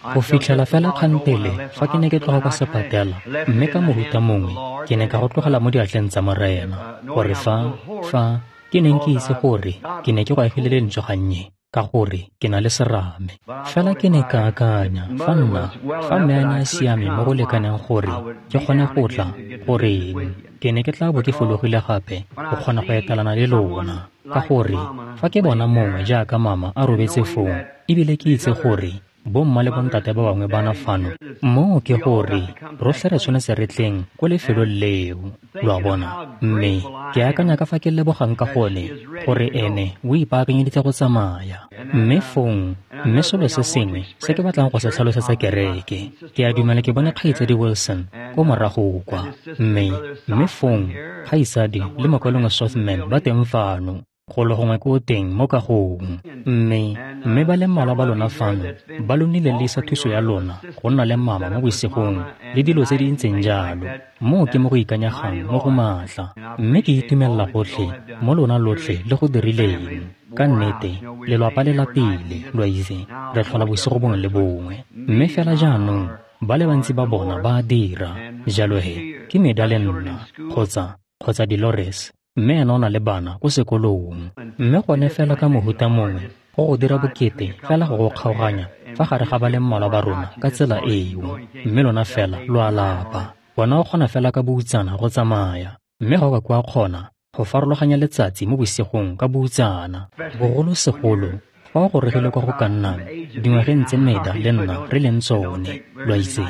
Go fitlhela fela kgantele fa ke ne ke tloga kwa sepatela, mme ka mohuta mongwe ke ne ka go tlogela mo diatleng tsa Morena, gore fa ke neng ke itse gore ke ne ke go agile lentswe gannye, ka gore ke na le serame. Fela ke ne ka akanya, fa mme a ne a siame mo go lekaneng gore ke kgone go tla, goreng, ke ne ke tla bo ke fologile gape go kgona go etelana le lona. Ka gore fa ke bona mongwe jaaka mama a robetse foo, ebile ke itse gore bomma le bontate ba bangwe bana fano, moo ke gore rotlhe re tshwanetse re tleng ko lefelong leo, lo a bona. Mme ke akanya ka fa ke lebogang ka gone gore ene o ipaakanyeditse go tsamaya. Mme fong, mme selo se sengwe se ke batlang go se tlhalosetsa kereke, ke a dumela ke bone kgaitsadi Wilson ko morago kwa, mme fong kgaitsadi le mokaulengwe Sothman ba teng fano, go le gongwe ko teng mo kagong. Mme ba le mmalwa ba lona fano ba lo nnile le isa thuso ya lona go nna le mama mo bosigong le dilo tse di ntseng jalo. Moo ke mo go ikanyegang mo go maatla, mme ke itumelela gotlhe mo lona lotlhe le go dirileng. Ka nnete, lelwapa le lapile, lo a itse, re tlhola bosigo bongwe le bongwe. Mme fela jaanong ba le bantsi ba bona ba a dira. Jalo he, ke Meda le nna, kgotsa Dolores, mme ena o na le bana ko sekolong. Mme gone fela ka mohuta mongwe go go dira bokete fela go go kgaoganya fa gare ga ba le mmalwa ba rona ka tsela eo. Mme lona fela lo a lapa. Bona o kgona fela ka boutsana go tsamaya, mme ga o ka kwa kgona go farologanya letsatsi mo bosigong ka boutsana. Bogolosegolo fa o gorogile kwa go ka nnang dingwageng tse Meda le nna re leng tsone, lo a itse,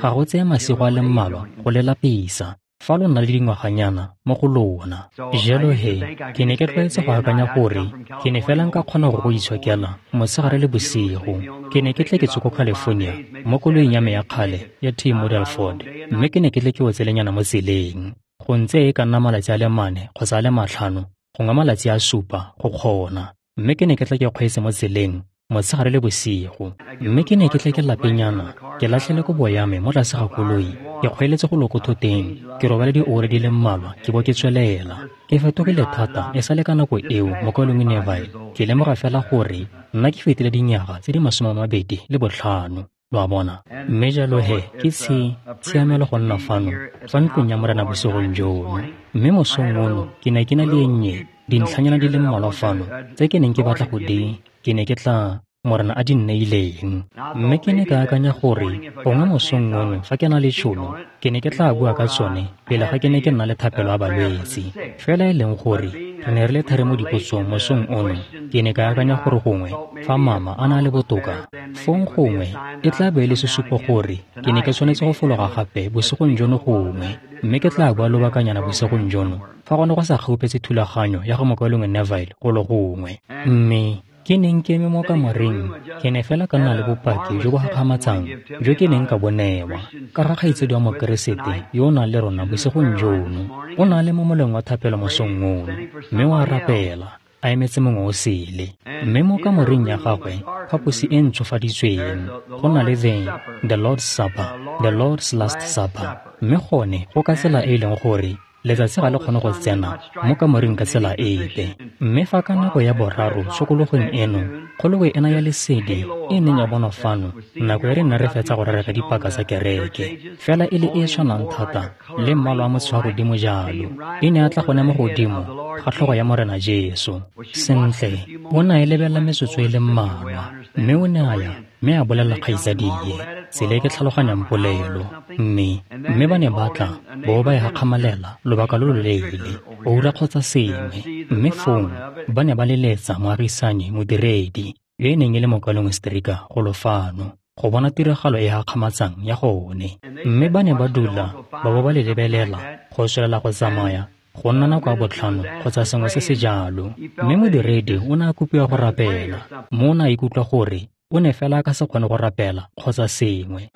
ga go tseye masigo a le mmalwa go le lapisa fa lo nna le dingwaganyana mo go lona. Jalo he, ke ne ke tlwaetse go akanya gore ke ne fela nka kgona go go itshokela motshegare le bosigo. Ke ne ke tle ke tswe ko California mo koloing ya me ya kgale ya T Model Ford, mme ke ne ke tle ke otselenyana mo tseleng. Go ntse e ka nna malatsi a le 4 kgotsa a le 5, gongwe malatsi a 7 go kgona. Mme ke ne ke tle ke kgweetse mo tseleng motshegare le bosigo. Mme ke ne ke tle ke lapenyana, ke latlhele kobo ya me mo tlase ga koloi, ke kgweeletse go loko thoteng, ke robale dioura di le mmalwa ke bo ke tswelela. Ke fetogile thata e sale ka nako eo mokaulengwe Neville. Ke lemoga fela gore nna ke fetile dinyaga tse di 25, lo a bona. Mme jalo he, ke tshiamelo go nna fano fa ntlong ya Morena bosigong jono. Mme mosong ono ke ne ke na le e nnye dintlhanyana di le mmalwa fano tse ke neng ke batla go di, ke ne ke tla Morena a di nneileng. Mme ke ne ka akanya gore gongwe mosong ono fa ke na le tšhono, ke ne ke tla bua ka tsone pele ga ke ne ke nna le thapelo ya balwetse. Fela e leng gore re ne re le thari mo dipotsong mosong ono, ke ne ka akanya gore gongwe fa mama a na le botoka, fong gongwe e tla be e le sesupo gore ke ne ke tshwanetse go fologa gape bosigong jono gongwe. Mme ke tla bua lobakanyana bosigong jono fa gone go sa kgaupetse thulaganyo ya go mokaulengwe Neville go le gongwe. Mme ke neng ke eme mo kamoreng, ke ne fela ka nna le bopaki jo bo gakgamatsang jo ke neng ka bo newa ka ga kgaitsedi wa Mokeresete yo o nang le rona bosigong jono. O na le mo moleng wa thapelo mosong ono, mme o a rapela, a emetse mongwe o sele. Mme mo kamoreng ya gagwe, phaposi e ntshofaditsweng, go na le the Lord's Supper, the Lord's Last Supper. Mme gone go ka tsela e e leng gore letsatsi ga le kgone go tsena mo kamoreng ka tsela epe. Mme fa ka nako ya 3 tshokologong eno, kgolokwe ena ya lesedi e neng ya bonwa fano nako e re nna re fetsa go rera ka dipaka tsa kereke, fela e le e tshwanang thata le mmala wa motsho wa godimo jalo, e ne a tla gone mo godimo ga tlhogo ya Morena Jesu. Sentle, o ne a e lebelela metsotso e le mmalwa, mme o ne a ya mme a bolelela kgaitsadie tsela e ke tlhaloganyang polelo. Mme ba ne ba tla bo ba e gakgamalela lobaka lo loleele, oura kgotsa sengwe. Mme fong ba ne ba leletsa moagisani modiredi yo e neng e le mokaulengwe Stricker golo fano go bona tiragalo e gakgamatsang ya gone. Mme ba ne ba dula ba bo ba le lebelela go tswelela go tsamaya go nna nako ya 5 kgotsa sengwe se se jalo. Mme modiredi o ne a kopiwa go rapela, mme o ne a ikutlwa gore o ne fela a ka se kgone go rapela kgotsa sengwe.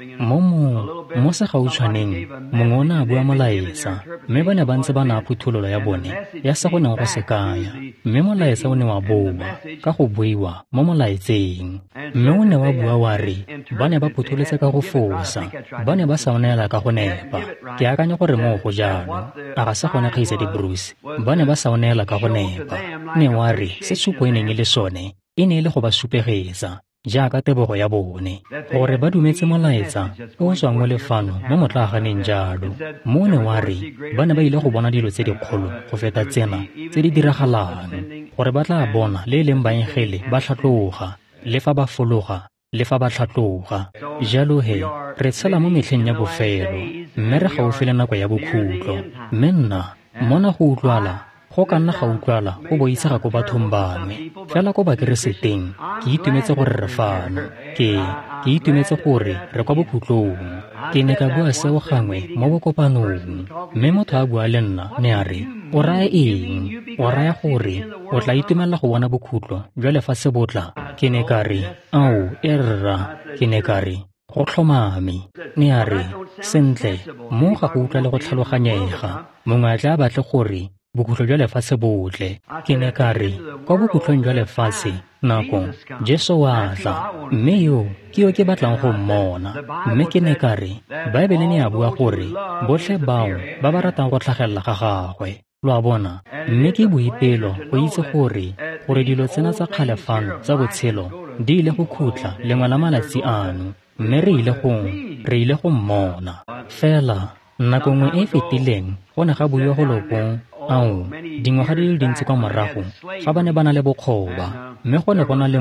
Mo segautshwaneng mongwe o ne a bua molaetsa, mme ba ne ba ntse ba naya phuthololo ya bone ya se go neng go se kaya. Mme molaetsa o ne wa boa ka go buiwa mo molaetseng. Mme o ne wa bua wa re ba ne ba phutholotse ka go fosa, ba ne ba sa o neela ka go nepa. Ke akanya gore moo go jalo, a ga se gone kgaitsadi Bruce? Ba ne ba sa o neela ka go nepa. Ne wa re se tshupo e neng e le sone e ne e le go ba supegetsa jaaka tebogo ya bone, gore ba dumetse molaetsa o o tswang mo lefano mo motlaaganeng jalo. Mo ne wa re ba ne ba ile go bona dilo tse dikgolo go feta tsena tse di diragalang, gore ba tla bona le e leng baengele ba tlhatloga, le fa ba fologa, le fa ba tlhatloga. Jalo he, re tshela mo metlheng ya bofelo, mme re gaufi le nako ya bokhutlo. Mme nna, mona go utlwala, go ka nna ga utlwala go boitshega ko bathong bangwe, fela ko bakereseteng ke itumetse gore re fano. Ke itumetse gore re kwa bokhutlong. Ke ne ka bua seo gangwe mo bokopanong, mme motho a bua le nna, ne a re, o raya eng? O raya gore o tla itumelela go bona bokhutlo jwa lefatshe bo tla? Ke ne ka re, ao, e rra. Ke ne ka re, go tlhomame. Ne a re, sentle, mo ga go utlwa le go tlhaloganyega. Mongwe a tla batle gore bokhutlo jwa lefatshe botle. Ke ne ka re, kwa bokhutlong jwa lefatshe, nako, Jesu wa tla, mme yo ke yo ke batlang go mmona. Mme ke ne ka re, Baebele ne ya bua gore botlhe bao ba ba ratang go tlhagelela ga gagwe, lo a bona. Mme ke boipelo go itse gore dilo tsena tsa kgale fano tsa botshelo di ile go khutla lengwe la malatsi ano, mme re ile go mmona. Fela nako nngwe e e fetileng go ne ga buiwa go loko, ao, dingwaga di le dintsi kwa morago, fa ba ne ba na le bokgoba, mme go ne go na le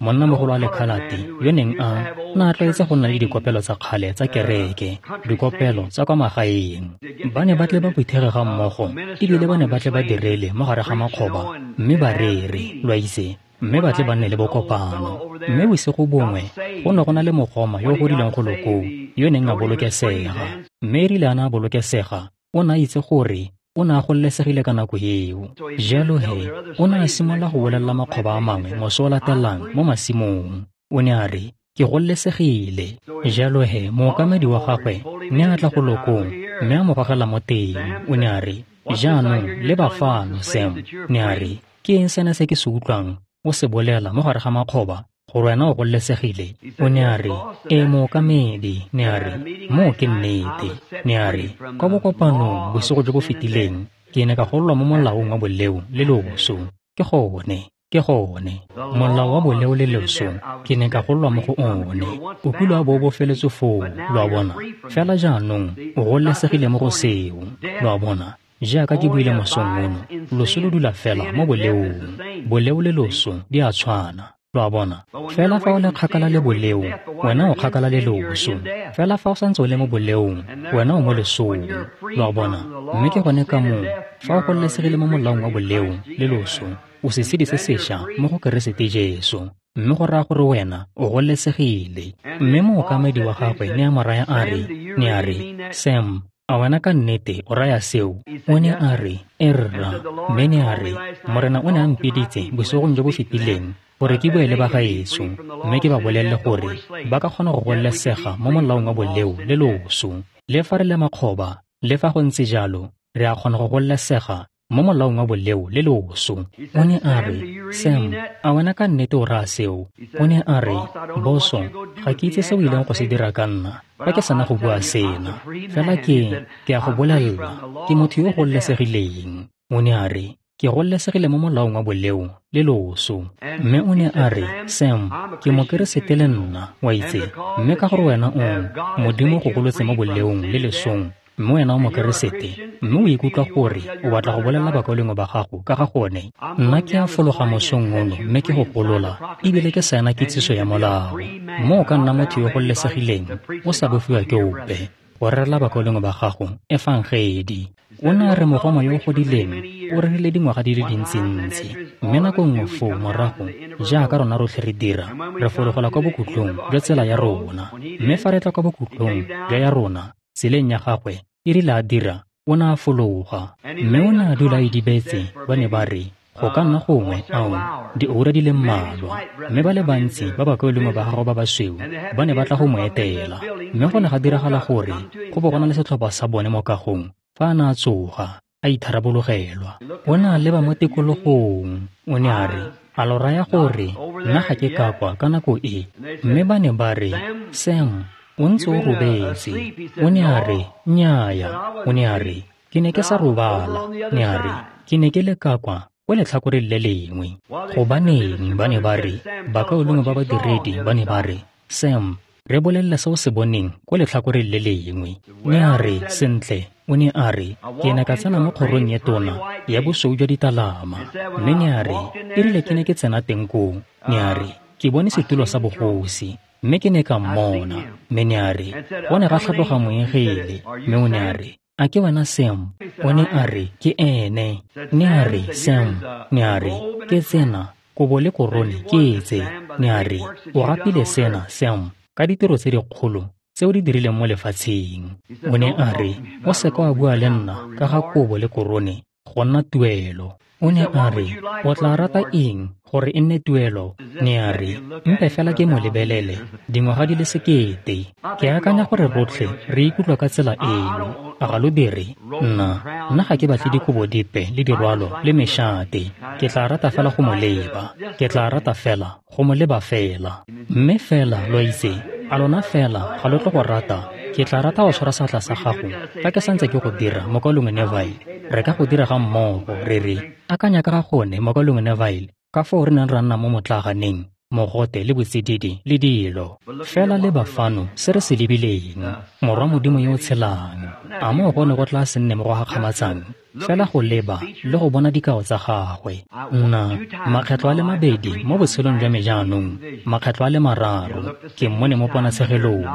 monnamogolo wa lekhalate yo neng a na a tlwaetse go nna le dikopelo tsa kgale tsa kereke, dikopelo tsa kwa magaeng. Ba ne ba tle ba phuthege ga mmogo, ebile ba ne ba tle ba direle mo gare ga makgoba, mme ba rere, lo a itse, mme ba tle ba nne le bokopano. Mme bosigo bongwe go ne go na le mogoma yo o godileng go lokoo yo neng a bolokesega. Mme erile a ne a bolokesega, o ne a itse gore o ne a gololesegile ka nako eo. Jalo he, o ne a simolola go bolelela makgoba a mangwe moso o latelang mo masimong. O ne a re, ke gololesegile. Jalo he, mookamedi wa gagwe ne a tla go lokong, mme a mo gogela mo teng. O ne a re, jaanong leba fano, Sam. Ne a re, ke eng sena se ke se utlwang o se bolela mo gare ga makgoba gore wena o gololesegile? O ne a re, ee mookamedi. Ne a re, moo ke nnete. Ne a re, kwa bokopanong bosigo jo bo fetileng ke ne ka gololwa mo molaong wa boleo le loso. Ke gone, molao wa boleo le loso ke ne ka gololwa mo go one. O kile wa bo o bofeletswe foo, lo a bona. Fela jaanong o gololesegile mo go seo, lo a bona. Jaaka ke buile mosong ono, loso lo dula fela mo boleong. Boleo le loso di a tshwana, lo a bona. Fela fa o le kgakala le boleo, wena o kgakala le loso. Fela fa o santse o le mo boleong, wena o mo lesong, lo a bona. Mme ke gone ka moo, fa o gololesegile mo molaong wa boleo le loso, o sesedi se sešwa mo go Keresete Jesu. Mme go raya gore wena o gololesegile. Mme mookamedi wa gagwe ne a mo raya a re, ne a re, Sam, a wena ka nnete o raya seo? O ne a re, e rra. Mme ne a re, Morena o ne a mpiditse bosigong jo bo fetileng gore ke bue le bagaetsho, mme ke ba bolelele gore ba ka kgona go gololesega mo molaong wa boleo le loso. Le fa re le makgoba, le fa go ntse jalo, re a kgona go gololesega mo molaong wa boleo le loso. O ne a re, Sam, a wena ka nnete o raya seo? O ne a re, boso, ga ke itse se o ileng go se dira ka nna fa ke sena go bua sena. Fela ke a go bolelela, ke motho yo o gololesegileng. O ne a re, ke gololesegile mo molaong wa boleo le loso. Mme o ne a re, Sam, ke mokeresete le nna, wa itse. Mme ka gore wena o Modimo go golotse mo boleong le lesong, mme wena o mokeresete, mme o ikutlwa gore o batla go bolelela bakaulengwe ba gago ka ga gone. Nna ke a fologa mosong ono mme ke go golola, ebile ke saena kitsiso ya molao. Mo o ka nna motho yo gololesegileng, o sa bofiwa ke ope, go rerela bakaulengwe ba gago efangedi. O ne a re mogoma yo o godileng o rerile dingwaga di le dintsintsi, mme nako nngwe foo morago, jaaka rona rotlhe re dira, re fologela kwa bokhutlong jwa tsela ya rona. Mme fa re tla kwa bokhutlong jwa ya rona, tseleng ya gagwe, e rile a dira, o ne a fologa. Mme o ne a dula a idibetse. Ba ne ba re, go ka nna gongwe, ao, dioura di le mmalwa. Mme ba le bantsi ba bakaulengwe ba gagwe ba basweu ba ne ba tla go mo etela. Mme go ne ga diragala gore go bo go na le setlhopha sa bone mo kagong fa a ne a tsoga, a itharabologelwa. O ne a leba mo tikologong. O ne a re, a lo raya gore nna ga ke ka kwa ka nako e? Mme ba ne ba re, Sam, o ntse o robetse. O ne a re, nnyaya. O ne a re, ke ne ke sa robala. Ne a re, ke ne ke le ka kwa ko letlhakoreng le lengwe. Gobaneng ba ne ba re, bakaulengwe ba badiredi ba ne ba re, Sam, re bolelele se o se boneng ko letlhakoreng le lengwe. Ne a re, sentle, o ne a re, ke ne ka tsena mo kgorong e tona ya bosweu jwa ditalama. Mme ne a re, erile ke ne ke tsena teng koo, ne a re, ke bone setulo sa bogosi, mme ke ne ka mmona. Mme ne a re, go ne ga tlhatloga moengele, mme o ne a re, a ke wena Sam? O ne a re, ke ene. Ne a re, Sam, ne a re, ke tsena, kobo le korone ke tse. Ne a re, o gapile sena, Sam, ka ditiro tse dikgolo tse o di dirileng mo lefatsheng. O ne a re, o seka wa bua le nna ka ga kobo le korone go nna tuelo. O ne a re, o tla rata eng gore e nne tuelo? Ne a re, mpe fela ke mo lebelele dingwaga di le 1000. Ke akanya gore rotlhe re ikutlwa ka tsela eno. A ga lo dire? Nna ga ke batle dikobo dipe le dirwalo le mešate. Ke tla rata fela go mo leba. Ke tla rata fela go mo leba fela. Mme fela lo itse, a lona fela ga lo tlo go rata? Ke tla rata go tshwara seatla sa gago fa ke santse ke go dira, Mokaulengwe Neville. Re ka go dira ga mmogo, re re, akanya ka ga gone, Mokaulengwe Neville, ka foo re neng ra nna mo motlaaganeng, mogote le botsididi le dilo. Fela leba fano se re se lebileng, Morwa Modimo yo o tshelang. A moo go ne go tla se nne mo go gakgamatsang? Fela go leba le go bona dikao tsa gagwe. Nna, makgetlo a le mabedi mo botshelong jwa me jaanong, makgetlo a le mararo, ke mmone mo ponatshegelong.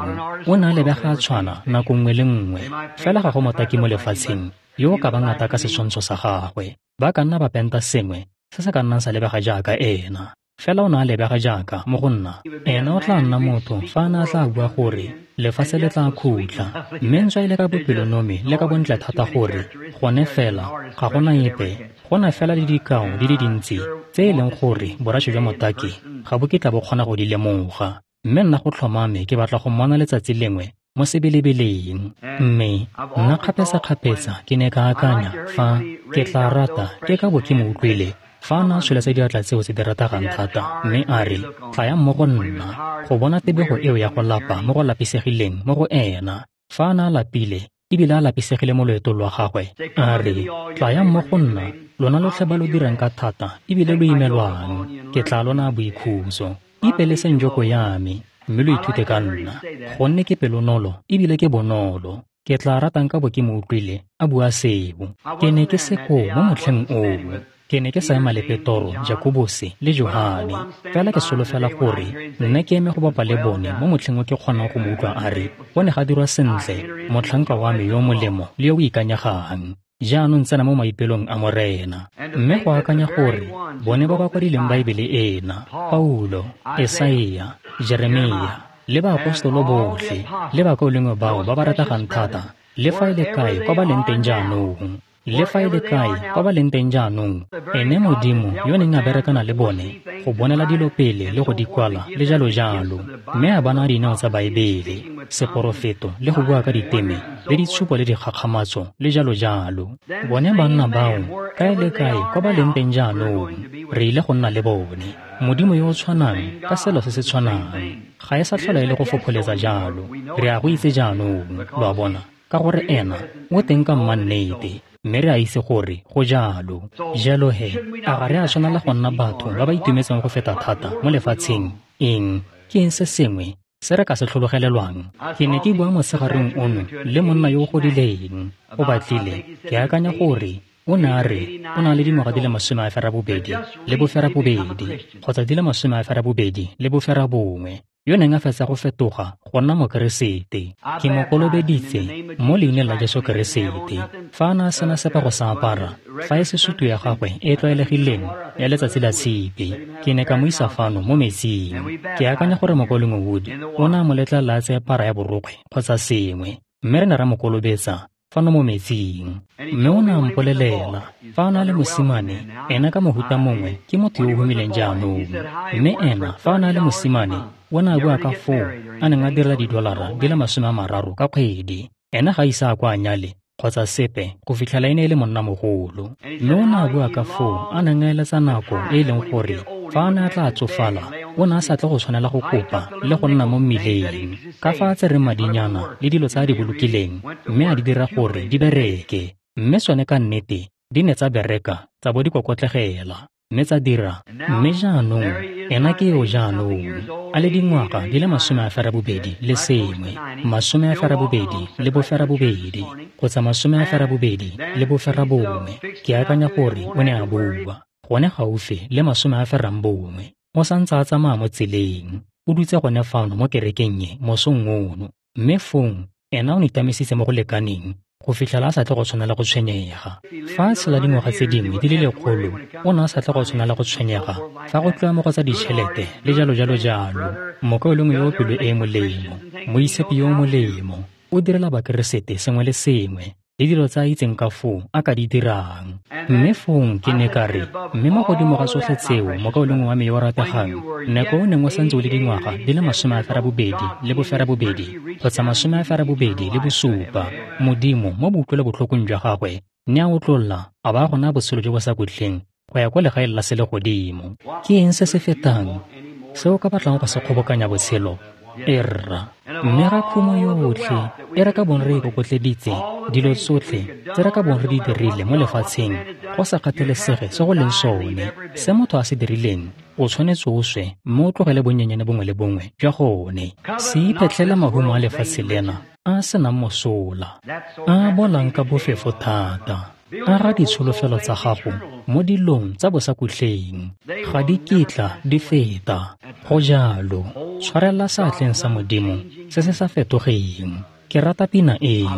O ne a lebega a tshwana nako nngwe le nngwe. Fela ga go motaki mo lefatsheng yo o ka bang a taka setshwantsho sa gagwe. Ba ka nna ba penta sengwe se se ka nnang sa lebega jaaka ena. Fela o ne a lebega jaaka mo go nna. Ena o tla nna motho fa a ne a tla bua gore lefatshe le tla khutla. Mme ntswa e le ka bopelonomi le ka bontle thata gore gone fela ga gona epe, go na fela le dikao di le dintsi tse e leng gore borašo jwa motaki ga bo kitla bo kgona go di lemoga. Mme nna go tlhomame ke batla go mmona letsatsi lengwe mo sebelebeleng. Mme nna kgapetsa-kgapetsa ke ne ka akanya fa ke tla rata ke ka bo ke mo utlwile fa a ne a tsholetsa diatla tseo tse di rategang thata, mme a re, tlayang mo go nna, go bona tebego eo ya go lapa mo go lapisegileng mo go ena. Fa a ne a lapile ebile a lapisegile mo loetong lwa gagwe, a re, tlayang mo go nna, lona lotlhe ba lo dirang ka thata ebile lo imelwang, ke tla lona boikhutso. Ipeleseng joko ya me, mme lo ithute ka nna, gonne ke pelonolo ebile ke bonolo. Ke tla ratang ka bo ke mo utlwile a bua seo. Ke ne ke se koo mo motlheng oo. Ke ne ke sa ema le Petoro, Jakobose le Johane. Fela ke solofela gore nna ke eme go bapa le bone mo motlheng o ke kgonang go mo utlwa a re, go ne ga dirwa sentle, motlhanka wa me yo molemo le yo o ikanyegang. Jaanong tsena mo maipelong a Morena. Mme go akanya gore bone ba ba kwadileng Baebele ena, Paulo, Esaia, Jeremia, le baapostolo botlhe, le bakaulengwe bao ba ba rategang thata, le fa e le kae kwa ba leng teng jaanong. Le fa e le kae kwa ba leng teng jaanong, ene Modimo yo neng a berekana le bone go bonela dilo pele le go di kwala le jalo jalo, mme a bana dineo tsa Baebele, seporofeto le go bua ka diteme le ditshupo le dikgakgamatso le jalo jalo. Bone banna bao kae le kae kwa ba leng teng jaanong, re ile go nna le bone. Modimo yo o tshwanang ka selo se se tshwanang, ga e sa tlhola e le go fopholetsa jalo. Re a go itse jaanong, lo a bona, ka gore ena o teng ka mmannete. Mme re a itse gore go jalo. Jalo he, a ga re a tshwanela go nna batho ba ba itumetseng go feta thata mo lefatsheng? Eng? Ke eng se sengwe se re ka se tlhologelelwang? Ke ne ke bua motshegareng ono le monna yo o godileng. O batlile, ke akanya gore o ne a re o na le dingwaga di le 82 le 92 kgotsa di le 82 le 91, yo neng a fetsa go fetoga go nna Mokeresete. Ke mo kolobeditse mo leineng la Jesu Keresete. Fa a ne a sena sepe go sa apara, fa e se sutu ya gagwe e tlwaelegileng ya letsatsi la tshipi, ke ne ka mo isa fano mo metsing. Ke akanya gore Mokaulengwe Wood o ne a mo letlelela a tseye para ya borokgwe kgotsa sengwe, mme re ne ra mo kolobetsa fano mo metsing. Mme o ne a mpolelela fa a na le mosimane, ena ka mohuta mongwe ke motho yo o humileng jaanong. Mme ena fa a na le mosimane, o ne a bua ka foo a neng a direla $30 ka kgwedi. Ena ga ise a kwa a nyale kgotsa sepe go fitlhela e ne e le monnamogolo. Mme o ne a bua ka foo a neng a eletsa nako e e leng gore fa a ne a tla tsofala, o ne a sa tle go tshwanela go kopa le go nna mo mmileng. Ka fa a tsereng madinyana le dilo tse a di bolokileng, mme a di dira gore di bereke. Mme sone ka nnete Di ne tsa bereka, tsa bo di kokotlegela, mme tsa dira. Mme jaanong, ena ke yo jaanong, a le dingwaga di le 81 le sengwe, 82 kgotsa 89, ke akanya gore o ne a bua, gone gaufi le 91. O santse a tsamaya mo tseleng, o dutse gone fano mo kerekeng e mosong ono, mme fong ena o nitamisitse mo go lekaneng go fitlhela a sa tle go tshwanela go tshwenyega. Fa a tshela dingwaga tse dingwe di le 100, o ne a sa tle go tshwanela go tshwenyega fa go tliwa mo go tsa ditšhelete le jalo jalo jalo. Mokaulengwe yo o pelo e e molemo, moitshepi yo o molemo, o direla Bakeresete sengwe le sengwe le dilo tse a itseng ka foo a ka di dirang. Mme fong ke ne ka re, mme mo godimo ga tsotlhe tseo, mokaulengwe wa me yo o rategang, nako o neng o santse o le dingwaga di le 82 kgotsa 87, Modimo mo boutlwelobotlhokong jwa gagwe ne a otlolla a ba gona botshelo jo bo sa khutleng go ya kwa legaeng la selegodimo. Ke eng se se fetang se o ka batlang go se kgobokanya botshelo? Erra, mme ga khumo yotlhe e re ka bong re ikokotleditse, dilo tsotlhe tse re ka bong re di dirile mo lefatsheng, go sa kgathalesege se go leng sone, se motho a se dirileng, o tshwanetse o swe mme o tlogele bonyenyane bongwe le bongwe jwa gone. Se iphetlhele mahumo a lefatshe lena a a senang mosola, a a bolang ka bofefo thata. Aga ditsholofelo tsa gago mo dilong tsa bosakhutleng, ga di kitla di feta. Go jalo, tshwarela seatleng sa Modimo se se sa fetogeng. Ke rata pina eo.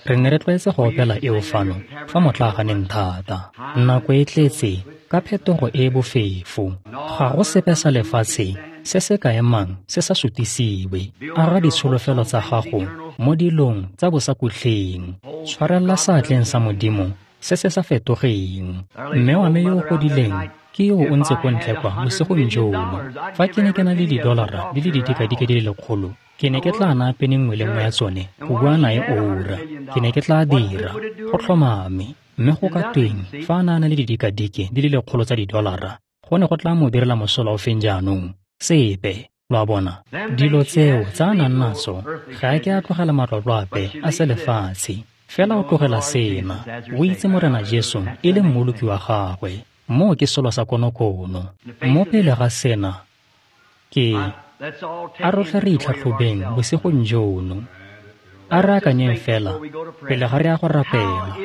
Re ne re tlwaetse go opela eo fano fa motlaaganeng thata. Nako e tletse ka phetogo e e bofefo. Ga go sepe sa lefatshe se se ka emang se sa sutisiwe. Aga ditsholofelo tsa gago mo dilong tsa bosakhutleng. Tshwarela seatleng sa Modimo se se sa fetogeng. Mme wa me yo o godileng ke yo o ntse ko ntle kwa bosigong jono. Fa ke ne ke na le didolara di le didikadike di le 100, ke ne ke tla naya pene nngwe le nngwe ya tsone go bua nae oura. Ke ne ke tla dira go tlhomame. Mme go ka tweng fa a na le didikadike di le 100 tsa didolara, go ne go tla mo direla mosola o feng jaanong? Sepe. Lo a bona, dilo tseo tsa a nang natso ga a ke a tlogela matlotlo ape a selefatshe. Fela o tlogela sena, o itse Morena Jesu e le mmoloki wa gagwe. Moo ke selo sa konokono. Mo pele ga sena, ke a rotlhe re itlhatlhobeng bosigong jono. A re akanyeng fela pele ga re ya go rapela.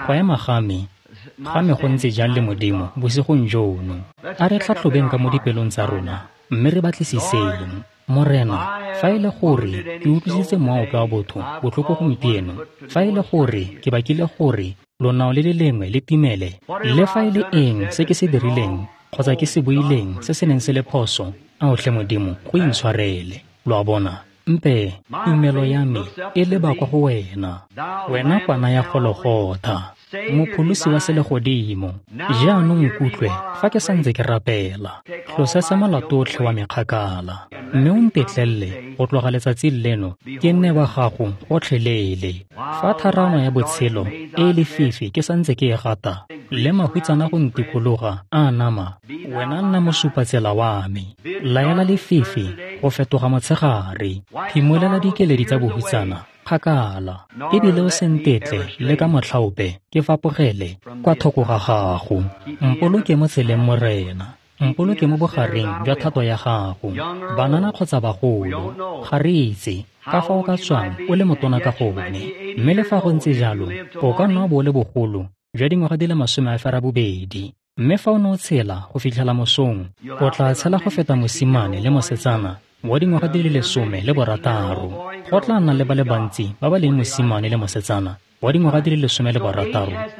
Go ema ga me go ntse jang le Modimo bosigong jono. A re tlhatlhobeng ka mo dipelong tsa rona, mme re batlisiseng. Morena, fa e le gore ke utlwisitse mowa ope wa botho botlhoko gompieno, fa e le gore ke bakile gore lonao le le lengwe le timele, le fa e le eng se ke se dirileng kgotsa ke se buileng se se neng se le phoso, a otlhe Modimo go intshwarele. Lo a bona, mpe tumelo ya me e leba kwa go wena, wena kwana ya Gologotha, mopholosi wa selegodimo. Jaanong nkutlwe fa ke santse ke rapela. Tlosetsa molato otlhe wa mekgakala, mme o ntetlelele go tloga letsatsing leno ke nne wa gago gotlhelele. Fa tharano ya botshelo e e lefifi ke santse ke e gata, le mahutsana go ntikologa a nama, wena nna mosupatsela wa me. Laela lefifi go fetoga motshegare, phimolela dikeledi tsa bohutsana kgakala, ebile o se ntetle le ka motlhaope ke fapogele kwa thoko ga gago. Mpoloke mo tseleng Morena, mpoloke mo bogareng jwa thato ya gago. Banana kgotsa bagolo, ga re itse ka fa o ka tswang o le motona ka gone, mme le fa go ntse jalo o ka nna bo o le bogolo jwa dingwaga di le 82. Mme fa o ne o tshela go fitlhela mosong, o tla tshela go feta mosimane le mosetsana wa dingwaga di le 16. Go tla nna le ba le bantsi ba ba leng mosimane le mosetsana wa dingwaga di le 16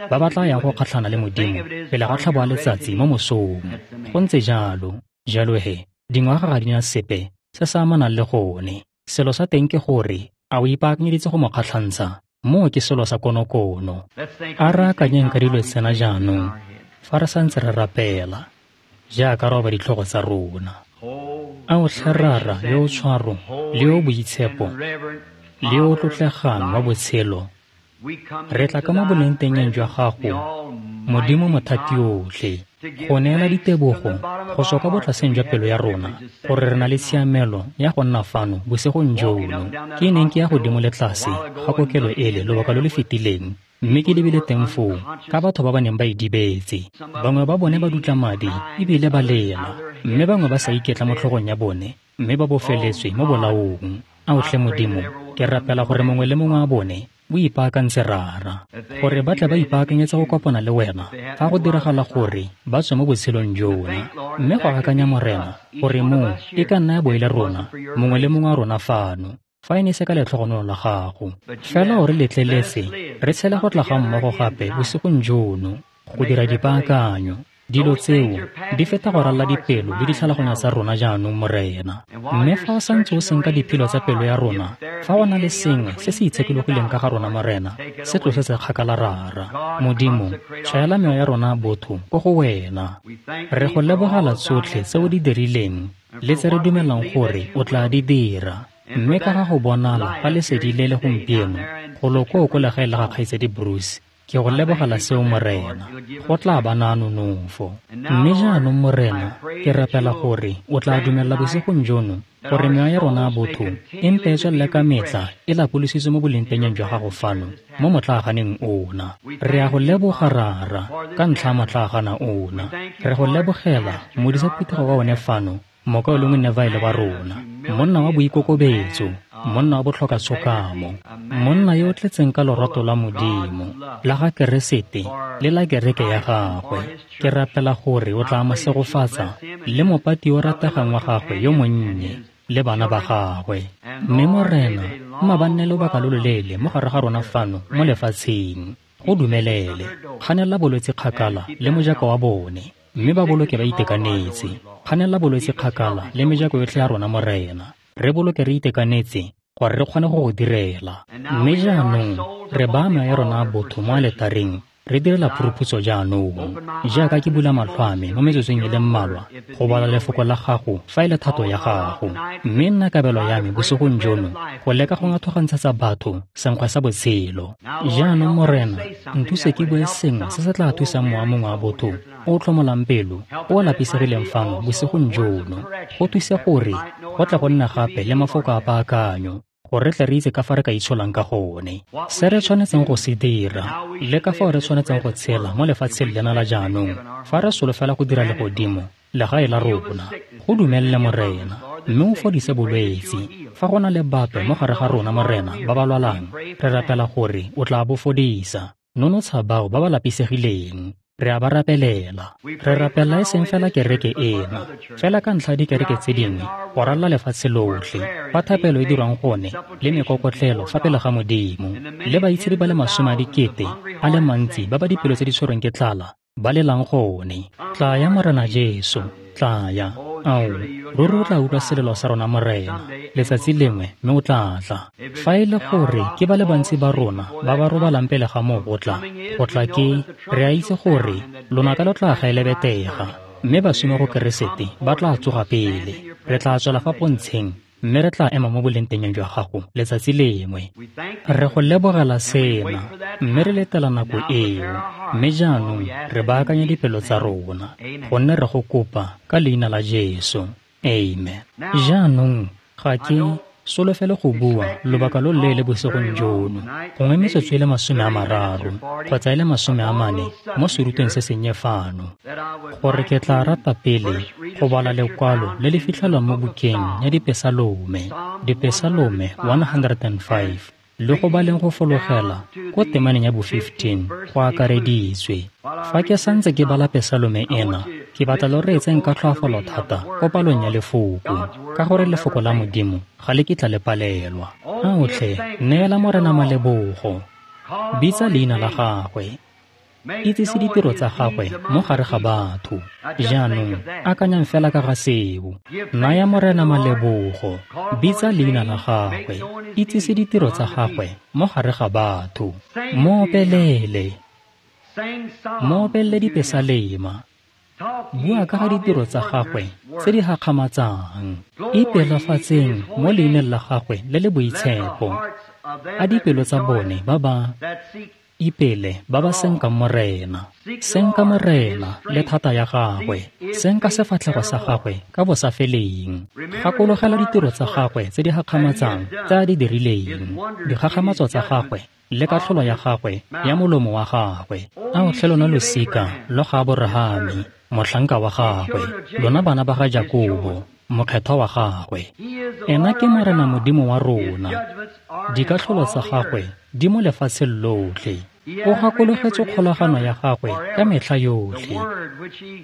ba ba tla yang go kgatlhana le Modimo pele ga tlhabo a letsatsi mo mosong. Go ntse jalo. Jalo he, dingwaga ga di na sepe se se amanang le gone. Selo sa teng ke gore a o ipaakanyeditse go mo kgatlhantsha? Moo ke selo sa konokono. A re akanyeng ka dilo tsena jaanong fa re santse re rapela, jaaka re oba ditlhogo tsa rona. A o tlhe Rara yo o tshwaro le yo o boitshepo le yo o tlotlegang wa botshelo, re tla ka mo bolengtengeng jwa gago, Modimo Mothatiotlhe, go neela ditebogo go tswa kwa botlaseng jwa pelo ya rona gore re na le tshiamelo ya go nna fano bosigong jono. Ke neng ke ya godimo le tlase ga kokelo ele lobaka lo le fetileng, Mme ke lebile teng foo ka batho ba ba neng ba idibetse. Bangwe ba bone ba dutla madi ebile ba lela, mme bangwe ba sa iketla mo tlhogong ya bone, mme ba bofeletswe mo bolaong. Ao tlhe Modimo, ke rapela gore mongwe le mongwe wa bone o ipaakantse Rara, gore ba tle ba ipaakanyetse go kopana le wena fa go diragala gore ba tswe mo botshelong jona. Mme go akanya Morena gore moo e ka nna ya bo e le rona, mongwe le mongwe wa rona fano, fa e ne se ka letlhogonolo la gago. Fela o re letleletse re tshele go tla ga mmogo gape bosigong jono go dira dipaakanyo. Dilo tseo di feta go ralla dipelo le ditlhaloganyo tsa rona jaanong, Morena. Mme fa o santse o senka diphilo tsa pelo ya rona, fa go na le sengwe se se itshekologileng ka ga rona, Morena, se tlosetse kgakala Rara. Modimo, tshwaela mewa ya rona botho ko go wena. Re go lebogela tsotlhe tse o di dirileng le tse re dumelang gore o tla di dira. Mme ka ga go bonala ga lesedi le le gompieno golo koo ko legae la ga Kgaitsedi Bruce, ke go lebogela seo, Morena. Go tla ba na nonofo. Mme jaanong, Morena, ke rapela gore o tla dumela bosigong jono gore mewa ya rona botho e mpe e tswelele ka metla e lapolositswe mo bolengtengeng jwa gago fano mo motlaaganeng ona. Re a go leboga Rara ka ntlha ya motlaagana ona. Re go lebogela modisa phuthego wa one fano, mokaulengwe Neville wa rona, monna wa boikokobetso, monna wa botlhokatshokamo, monna yo o tletseng ka lorato la Modimo, la ga Keresete le la kereke ya gagwe. Ke rapela gore o tla mo segofatsa le mopati yo rategang wa gagwe yo monnye le bana ba gagwe. Mme Morena, mma ba nne lobaka lo loleele mo gare ga rona fano mo lefatsheng. Go dumelele, kganela bolwetse kgakala le mojako wa bone, mme ba boloke ba itekanetse. Kganela bolwetse kgakala le mejako yotlhe ya rona, Morena. Re boloke re itekanetse gore re kgone go go direla. Mme jaanong re baya mewa ya rona botho mo aletareng, re direla phuruphutso jaanong. Jaaka ke bula matlho a me mo metsotsong e le mmalwa go bala lefoko la gago fa e le thato ya gago. Mme nna kabelo ya me bosigong jono go leka go ngathogantshetsa batho senkgwe sa botshelo. Jaanong, Morena, nthuse ke bue sengwe se se tla thusang mowa mongwe wa botho o tlhomolang pelo o lapisegileng fano bosigong jono. Go thuse gore go tle go nna gape le mafoko a paakanyo, gore re tle re itse ka fa re ka itsholang ka gone, se re tshwanetseng go se dira le ka fao re tshwanetseng go tshela mo lefatsheng lena la jaanong fa re solofela go dira legodimo legae la rona. Go dumelele, Morena, mme o fodise bolwetse. Fa go na le bape mo gare ga rona, Morena, ba ba lwalang, re rapela gore o tla bo fodisa. Nonotsha bao ba ba lapisegileng. Re a ba rapelela. Re rapela e seng fela kereke ena, fela ka ntlha dikereke tse dingwe go ralla lefatshe lotlhe, fa thapelo e dirwang gone le mekokotlelo fa pele ga Modimo, le baitshedi ba le 10 000 a le mantsi ba ba dipelo tse di tshwerweng ke tlala ba lelang gone. Tlaya, Morena Jesu, tlaya. Ao, ruri o tla utlwa selelo sa rona, Morena, letsatsi lengwe, mme o tla tla. Fa e le gore ke ba le bantsi ba rona ba ba robalang pele ga moo go tla ke, re a itse gore lonaka lo tla gaelebetega, mme baswi mo go Keresete ba tla tsoga pele. Re tla tswela fa pontsheng, mme re tla ema mo bolengtengeng jwa gago letsatsi lengwe. Re go lebogela sena, mme re letela nako eo. Mme jaanong re baakanya dipelo tsa rona, gonne re go kopa ka leina la Jesu. Amen. Jaanong ga ke solofele go bua lobaka lo leele bosigong jono, gongwe metsotso e le 30 kgotsa e le 40 mo serutweng se sennye fano, gore ke tla rata pele go bala lekwalo le le fitlhelwang mo bukeng ya Dipesalome, Dipesalome 105, le go baleng go fologela ko temaneng ya bo 15 go akareditswe. Fa ke santse ke bala pesalome ena, ke batla lo reetseng ka tlhoafalo thata ko palong ya lefoko, ka gore lefoko la Modimo ga le kitla le palelwa. Aotlhe, neela Morena malebogo, bitsa leina la gagwe, itsise ditiro tsa gagwe mo gare ga batho. Jaanong akanyang fela ka ga seo. Naya Morena malebogo, bitsa leina la gagwe, itsise ditiro tsa gagwe mo gare ga batho. Mo opelele, mo opelele dipesalema, bua ka ga ditiro tsa gagwe tse di gakgamatsang. Ipelafatseng mo leineng la gagwe le le boitshepo. A dipelo tsa bone ba ba Ipele ba ba senkang Morena. Senka Morena le thata ya gagwe. Senka sefatlhego sa gagwe ka bosafeleng. Gakologela ditiro tsa gagwe tse di gakgamatsang tse a di dirileng. Dikgakgamatso tsa gagwe le katlholo ya gagwe ya molomo wa gagwe. A o tlhe lona losika lo ga Aborahame, motlhanka wa gagwe, lona bana ba ga Jakobo, mokgethwa wa gagwe. Ena ke Morena Modimo wa rona. Dikatlholo tsa gagwe di mo lefatsheng lotlhe. O gakologetse kgolagano ya gagwe ka metlha yotlhe.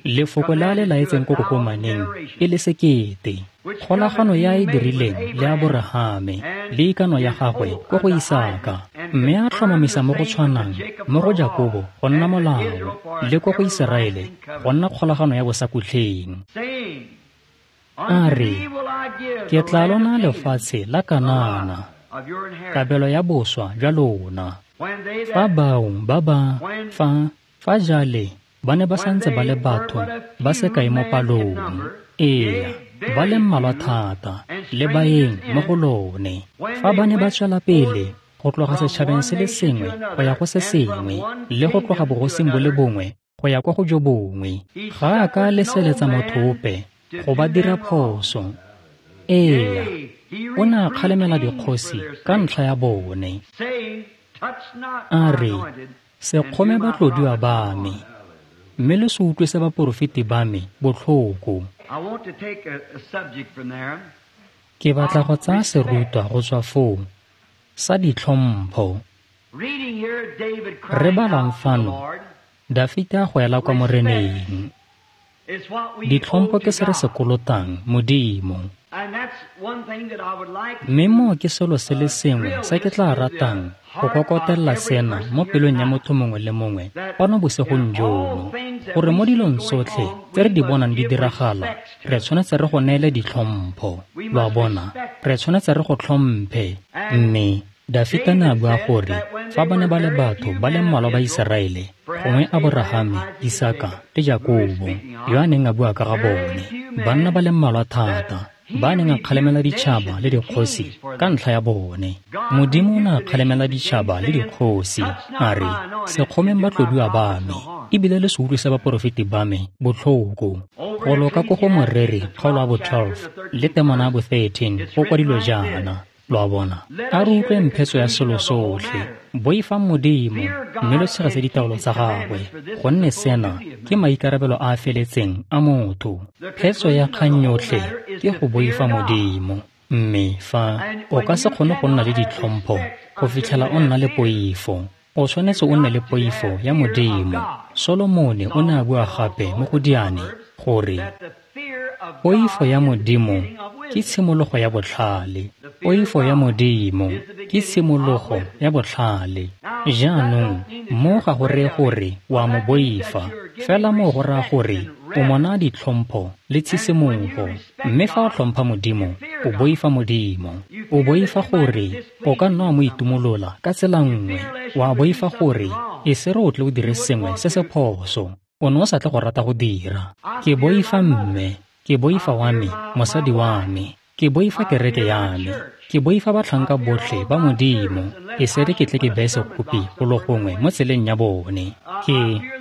Lefoko le a le laetseng ko kokomaneng e le sekete. Kgolagano ya e dirileng le Aborahame le ikano ya gagwe ko go Isaka, mme a tlhomamisa mo go tshwanang mo go Jakobo go nna molao le ko go Iseraele go nna kgolagano ya bosakutlheng. A re, ke tla lona lefatshe la Kanana, kabelo ya boswa jwa lona. Fa bao ba ba fa jale ba ne ba santse ba le batho ba se kae mo palong, ee, ba le mmalwa thata le baeng mo go lone. Fa ba ne ba tswela pele go tloga setšhabeng se le sengwe go ya go se sengwe le go tloga bogosing bo le bongwe go ya kwa go jo bongwe, ga a ka leseletsa motho ope go ba dira phoso. Ee, o ne a kgalemela dikgosi ka ntlha ya bone. A re, se kgome batlodiwa ba me, mme le se utlwise baporofeti ba me botlhoko. Ke batla go tsaya serutwa go tswa foo sa ditlhompho. Re balang fano, Dafita a goela kwa Moreneng. Ditlhompho ke se re se kolotang Modimo. Mme moo ke selo se le sengwe se ke tla ratang go kokotella sena mo pelong ya motho mongwe le mongwe kwano bosigong jono, gore mo dilong tsotlhe tse re di bonang di diragala, re tshwanetse re go neele ditlhompho. Lo a bona, re tshwanetse re go tlhomphe. Mme Dafita ne a bua gore fa ba ne ba le batho ba le mmalwa ba Iseraele, gongwe Aborahame, Isaka le Jakobo, yo a neng a bua ka ga bone, banna ba le mmalwa thata ba neng a kgalemela ditšhaba le dikgosi ka ntlha ya bone. Modimo o ne a kgalemela ditšhaba le dikgosi, a re, se kgomeng batlodiwa ba me, ebile le se utlwise baporofeti ba me botlhoko. Go loka ko go Moreri kgaolo ya bo 12 le temana ya bo 13 go kwadilwe jaana. Lo a bona, a re utlwe mphetso ya selo sotlhe. Boifang Modimo mme lo tshegetse ditaolo tsa gagwe, gonne sena ke maikarabelo a a feletseng a motho. Phetso ya kgang yotlhe ke go boifa Modimo. Mme fa o ka se kgone go nna le ditlhompho go fitlhela o nna le poifo, o tshwanetse o nne le poifo ya Modimo. Solomone o ne a bua gape mo go Diane gore poifo ya Modimo ke tshimologo ya botlhale. Poifo ya Modimo ke tshimologo ya botlhale. Jaanong mo ga go reye gore wa mo boifa, fela mo go raya gore o mona ditlhompho le tshisimogo. Mme fa o tlhompha Modimo, o boifa Modimo. O boifa gore o ka nna wa mo itumolola ka tsela nngwe. Wa boifa gore e se re o tle o dire sengwe se se phoso, o ne o sa tle go rata go dira. Ke boifa mme, ke boifa wa me, mosadi wa me, ke boifa kereke ya me, ke boifa batlhanka botlhe ba Modimo, e se re ke tle ke beye sekgopi golo gongwe mo tseleng ya bone.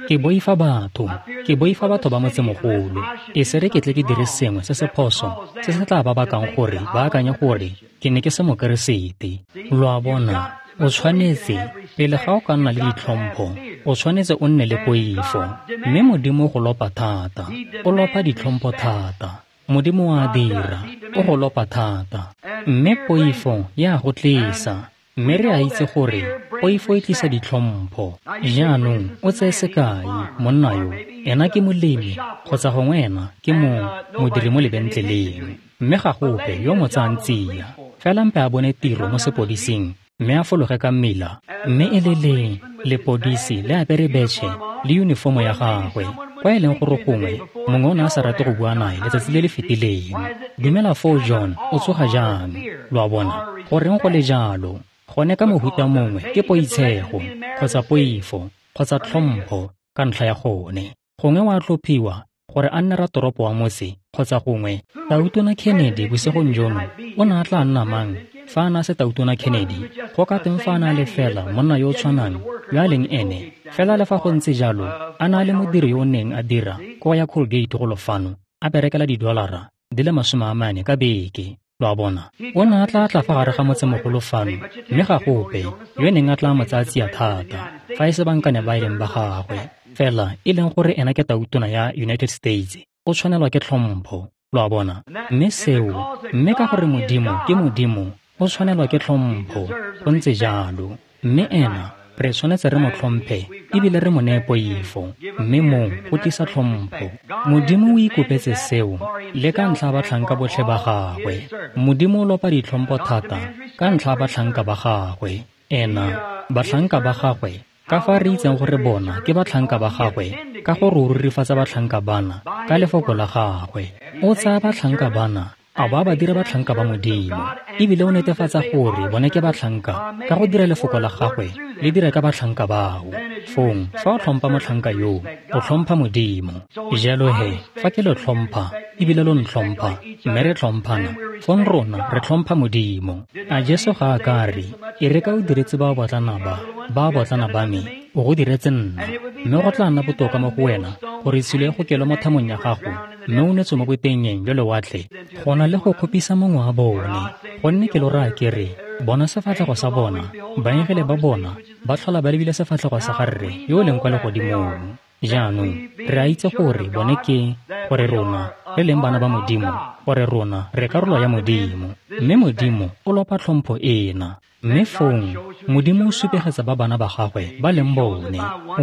Ke boifa batho, ke boifa batho ba motsemogolo, e se re ke tle ke dire sengwe se se phoso se se tla ba bakang gore ba akanye gore ke ne ke se Mokeresete. Lo a bona, o tshwanetse, pele ga o ka nna le ditlhompho, o tshwanetse o nne le poifo. Mme Modimo go lopa thata, o lopa ditlhompho thata. Modimo wa dira, o go lopa thata. Mme poifo ya go tlisa. Mme re a itse gore poifo e tlisa ditlhompho. Jaanong o tseye sekai, monna yo, ena ke molemi kgotsa gongwe ena ke modiri mo lebentleleng, mme ga go ope yo mo tsayang tsia. Fela mpe a bone tiro mo sepodising mme a fologe ka mmila, mme e le le lepodisi le apere betšhe le yunifomo ya gagwe, kwa e leng gore gongwe mongwe o ne a sa rate go bua nae letsatsi le le fetileng. Dumela foo John, o tsoga jang? Lo a bona, goreng go le jalo? Gone ka mohuta mongwe ke poitshego kgotsa poifo kgotsa tlhompho ka ntlha ya gone. Gongwe wa tlhophiwa gore a nne ratoropo wa motse, kgotsa gongwe Tautona Kennedy bosigong jono o ne a tla nna mang Fa a na se Tautona Kennedy, go ka teng fa a na le fela monna yo o tshwanang yo a leng ene, fela le fa go ntse jalo a na le modiri yo o neng a dira ko ya Colgate golo fano, a berekela $40 ka beke. Lo a bona, o ne a tla tla fa gare ga motsemogolo fano, mme ga gope yo neng a tla mo tsaya tsia thata, fa e se bankane ba e leng ba gagwe, fela e leng gore ena ke Tautona ya United States, o tshwanelwa ke tlhompho. Lo a bona, mme seo, mme ka gore Modimo ke Modimo, o tshwanelwa ke tlhompho, go ntse jalo. Mme ena re tshwanetse re mo tlhomphe ebile re mo neye poifo, mme moo go tlisa tlhompho. Modimo o ikopetse seo le ka ntlha ya batlhanka botlhe ba gagwe. Modimo o lopa ditlhompho thata ka ntlha ya batlhanka ba gagwe. Ena, batlhanka ba gagwe, ka fa re itseng gore bona ke batlhanka ba gagwe, ka gore o rurifatsa batlhanka bana ka lefoko la gagwe. O tsaya batlhanka bana a ba ba dira batlhanka ba Modimo, ebile o netefatsa gore bone ke batlhanka ka go dira lefoko la gagwe le dira ka batlhanka bao. Fong fa o tlhompha motlhanka yoo, o tlhompha Modimo. Jalo he, fa ke lo tlhompha ebile lo ntlhompha, mme re tlhomphana, fong rona re tlhompha Modimo. A Jesu ga a ka re, e re ka o diretse ba botlana ba ba me, o go diretse nna, mme go tla nna botoka mo go wena gore tshilo e go kelwe mo thamong ya gago, mme o netswe mo botengeng jwa lewatle, go na le go kgopisa mongwe wa bone. Gonne ke lo raya ke re, bona sefatlhego sa bona, baengele ba bona ba tlhola ba lebile sefatlhego sa ga Rre yo o leng kwa legodimong. Jaanong re a itse gore bone ke, gore rona re leng bana ba Modimo, gore rona re karolo ya Modimo, mme Modimo o lopa tlhompho ena. Mme fong Modimo o supegetsa ba bana ba gagwe ba leng bone, o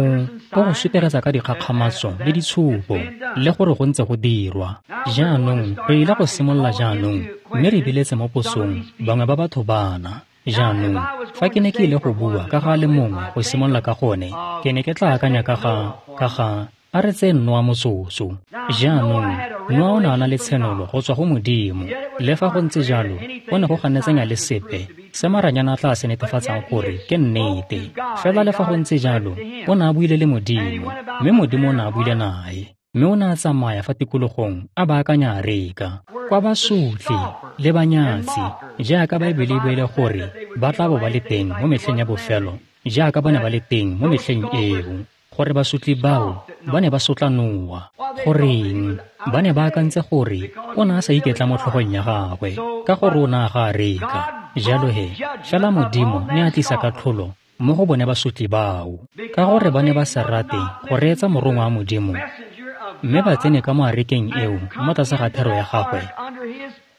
go supegetsa ka dikgakgamatso le ditshupo, le gore go ntse go dirwa. Jaanong re ile go simolola jaanong, mme re biletse mo posong bangwe ba batho bana. Jaanong fa ke ne ke ile go bua ka ga le mongwe go simolola ka gone, ke ne ke tla akanya ka ga a re tseye Noa motsotso. Jaanong Noa o ne a na le tshenolo go tswa go Modimo, le fa go ntse jalo go ne go ganetsanya le sepe se maranyana a tla se netefatsang gore ke nnete. Fela le fa go ntse jalo o ne a buile le Modimo, mme Modimo o ne a buile nae, mme o ne a tsamaya fa tikologong a baakanya areka kwa basotli le banyatsi, jaaka Baebele e buile gore ba tla bo ba le teng mo metlheng ya bofelo, jaaka ba ne ba le teng mo metlheng eo, gore basotli bao ba ne ba sotla Noa. Goreng? Ba ne ba akantse gore o ne a sa iketla mo tlhogong ya gagwe, ka gore o ne a ga areka. Jalo he, fela Modimo ne a tlisa katlholo mo go bone basotli bao, ka gore ba ne ba sa rate go reetsa morongwa wa Modimo, mme ba tsene ka mo arekeng eo mo tlase ga thero ya gagwe.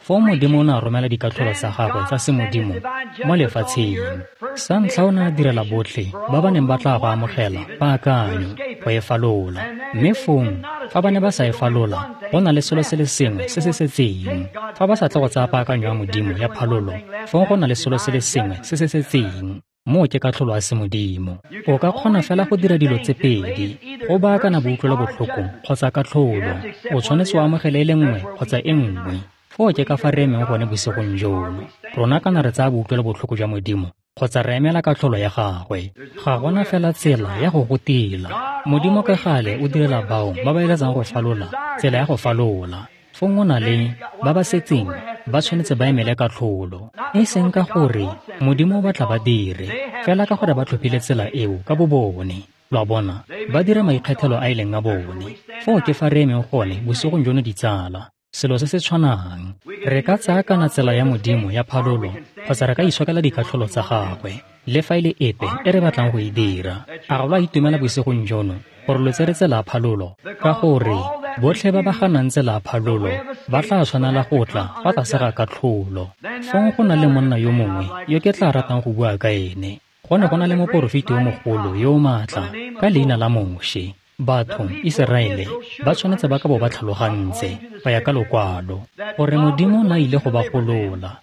Foo Modimo o ne a romela dikatlholo tsa gagwe tsa semodimo mo lefatsheng. Sa ntlha o ne a direla botlhe ba ba neng ba tla go amogela paakanyo go e falola, mme fong fa ba ne ba sa e falola, go na le selo se le sengwe se se setseng. Fa ba sa tle go tsaya paakanyo ya Modimo ya phalolo, fong go na le selo se le sengwe se se setseng. Moo ke katlholo ya semodimo. O ka kgona fela go dira dilo tse pedi, go baakana boutlwelobotlhoko kgotsa katlholo. O tshwanetse o amogele e le nngwe kgotsa e nngwe. Foo ke ka fa re emeng gone bosigong jono. Rona kana re tsaya boutlwelobotlhoko jwa Modimo kgotsa re emela katlholo ya gagwe. Ga gona fela tsela ya go go tila. Modimo ka gale o direla bao ba ba eletsang go falola tsela ya go falola. Fong o na le ba ba setseng ba tshwanetse ba emele katlholo, e seng ka gore Modimo o batla ba dire, fela ka gore ba tlhophile tsela eo ka bo bone. Lo a bona, ba dira maikgethelo a e leng a bone. Foo ke fa re emeng gone bosigong jono, ditsala. Selo se se tshwanang, re ka tsaya kana tsela ya Modimo ya phalolo kgotsa re ka itshokela dikatlholo tsa gagwe, le fa e le epe e re batlang go e dira. A ga lo a itumela bosigong jono gore lo tsere tsela ya phalolo? Ka gore botlhe ba ba ganang tsela ya phalolo ba tla tshwanela go tla fa tlase ga katlholo. Fong go na le monna yo mongwe yo ke tla ratang go bua ka ene. Go ne go na le moporofeti yo mogolo yo o maatla ka leina la Moshe. Batho Iseraele ba tshwanetse ba ka bo ba tlhalogantse ba ya ka lokwalo gore Modimo o ne a ile go ba golola,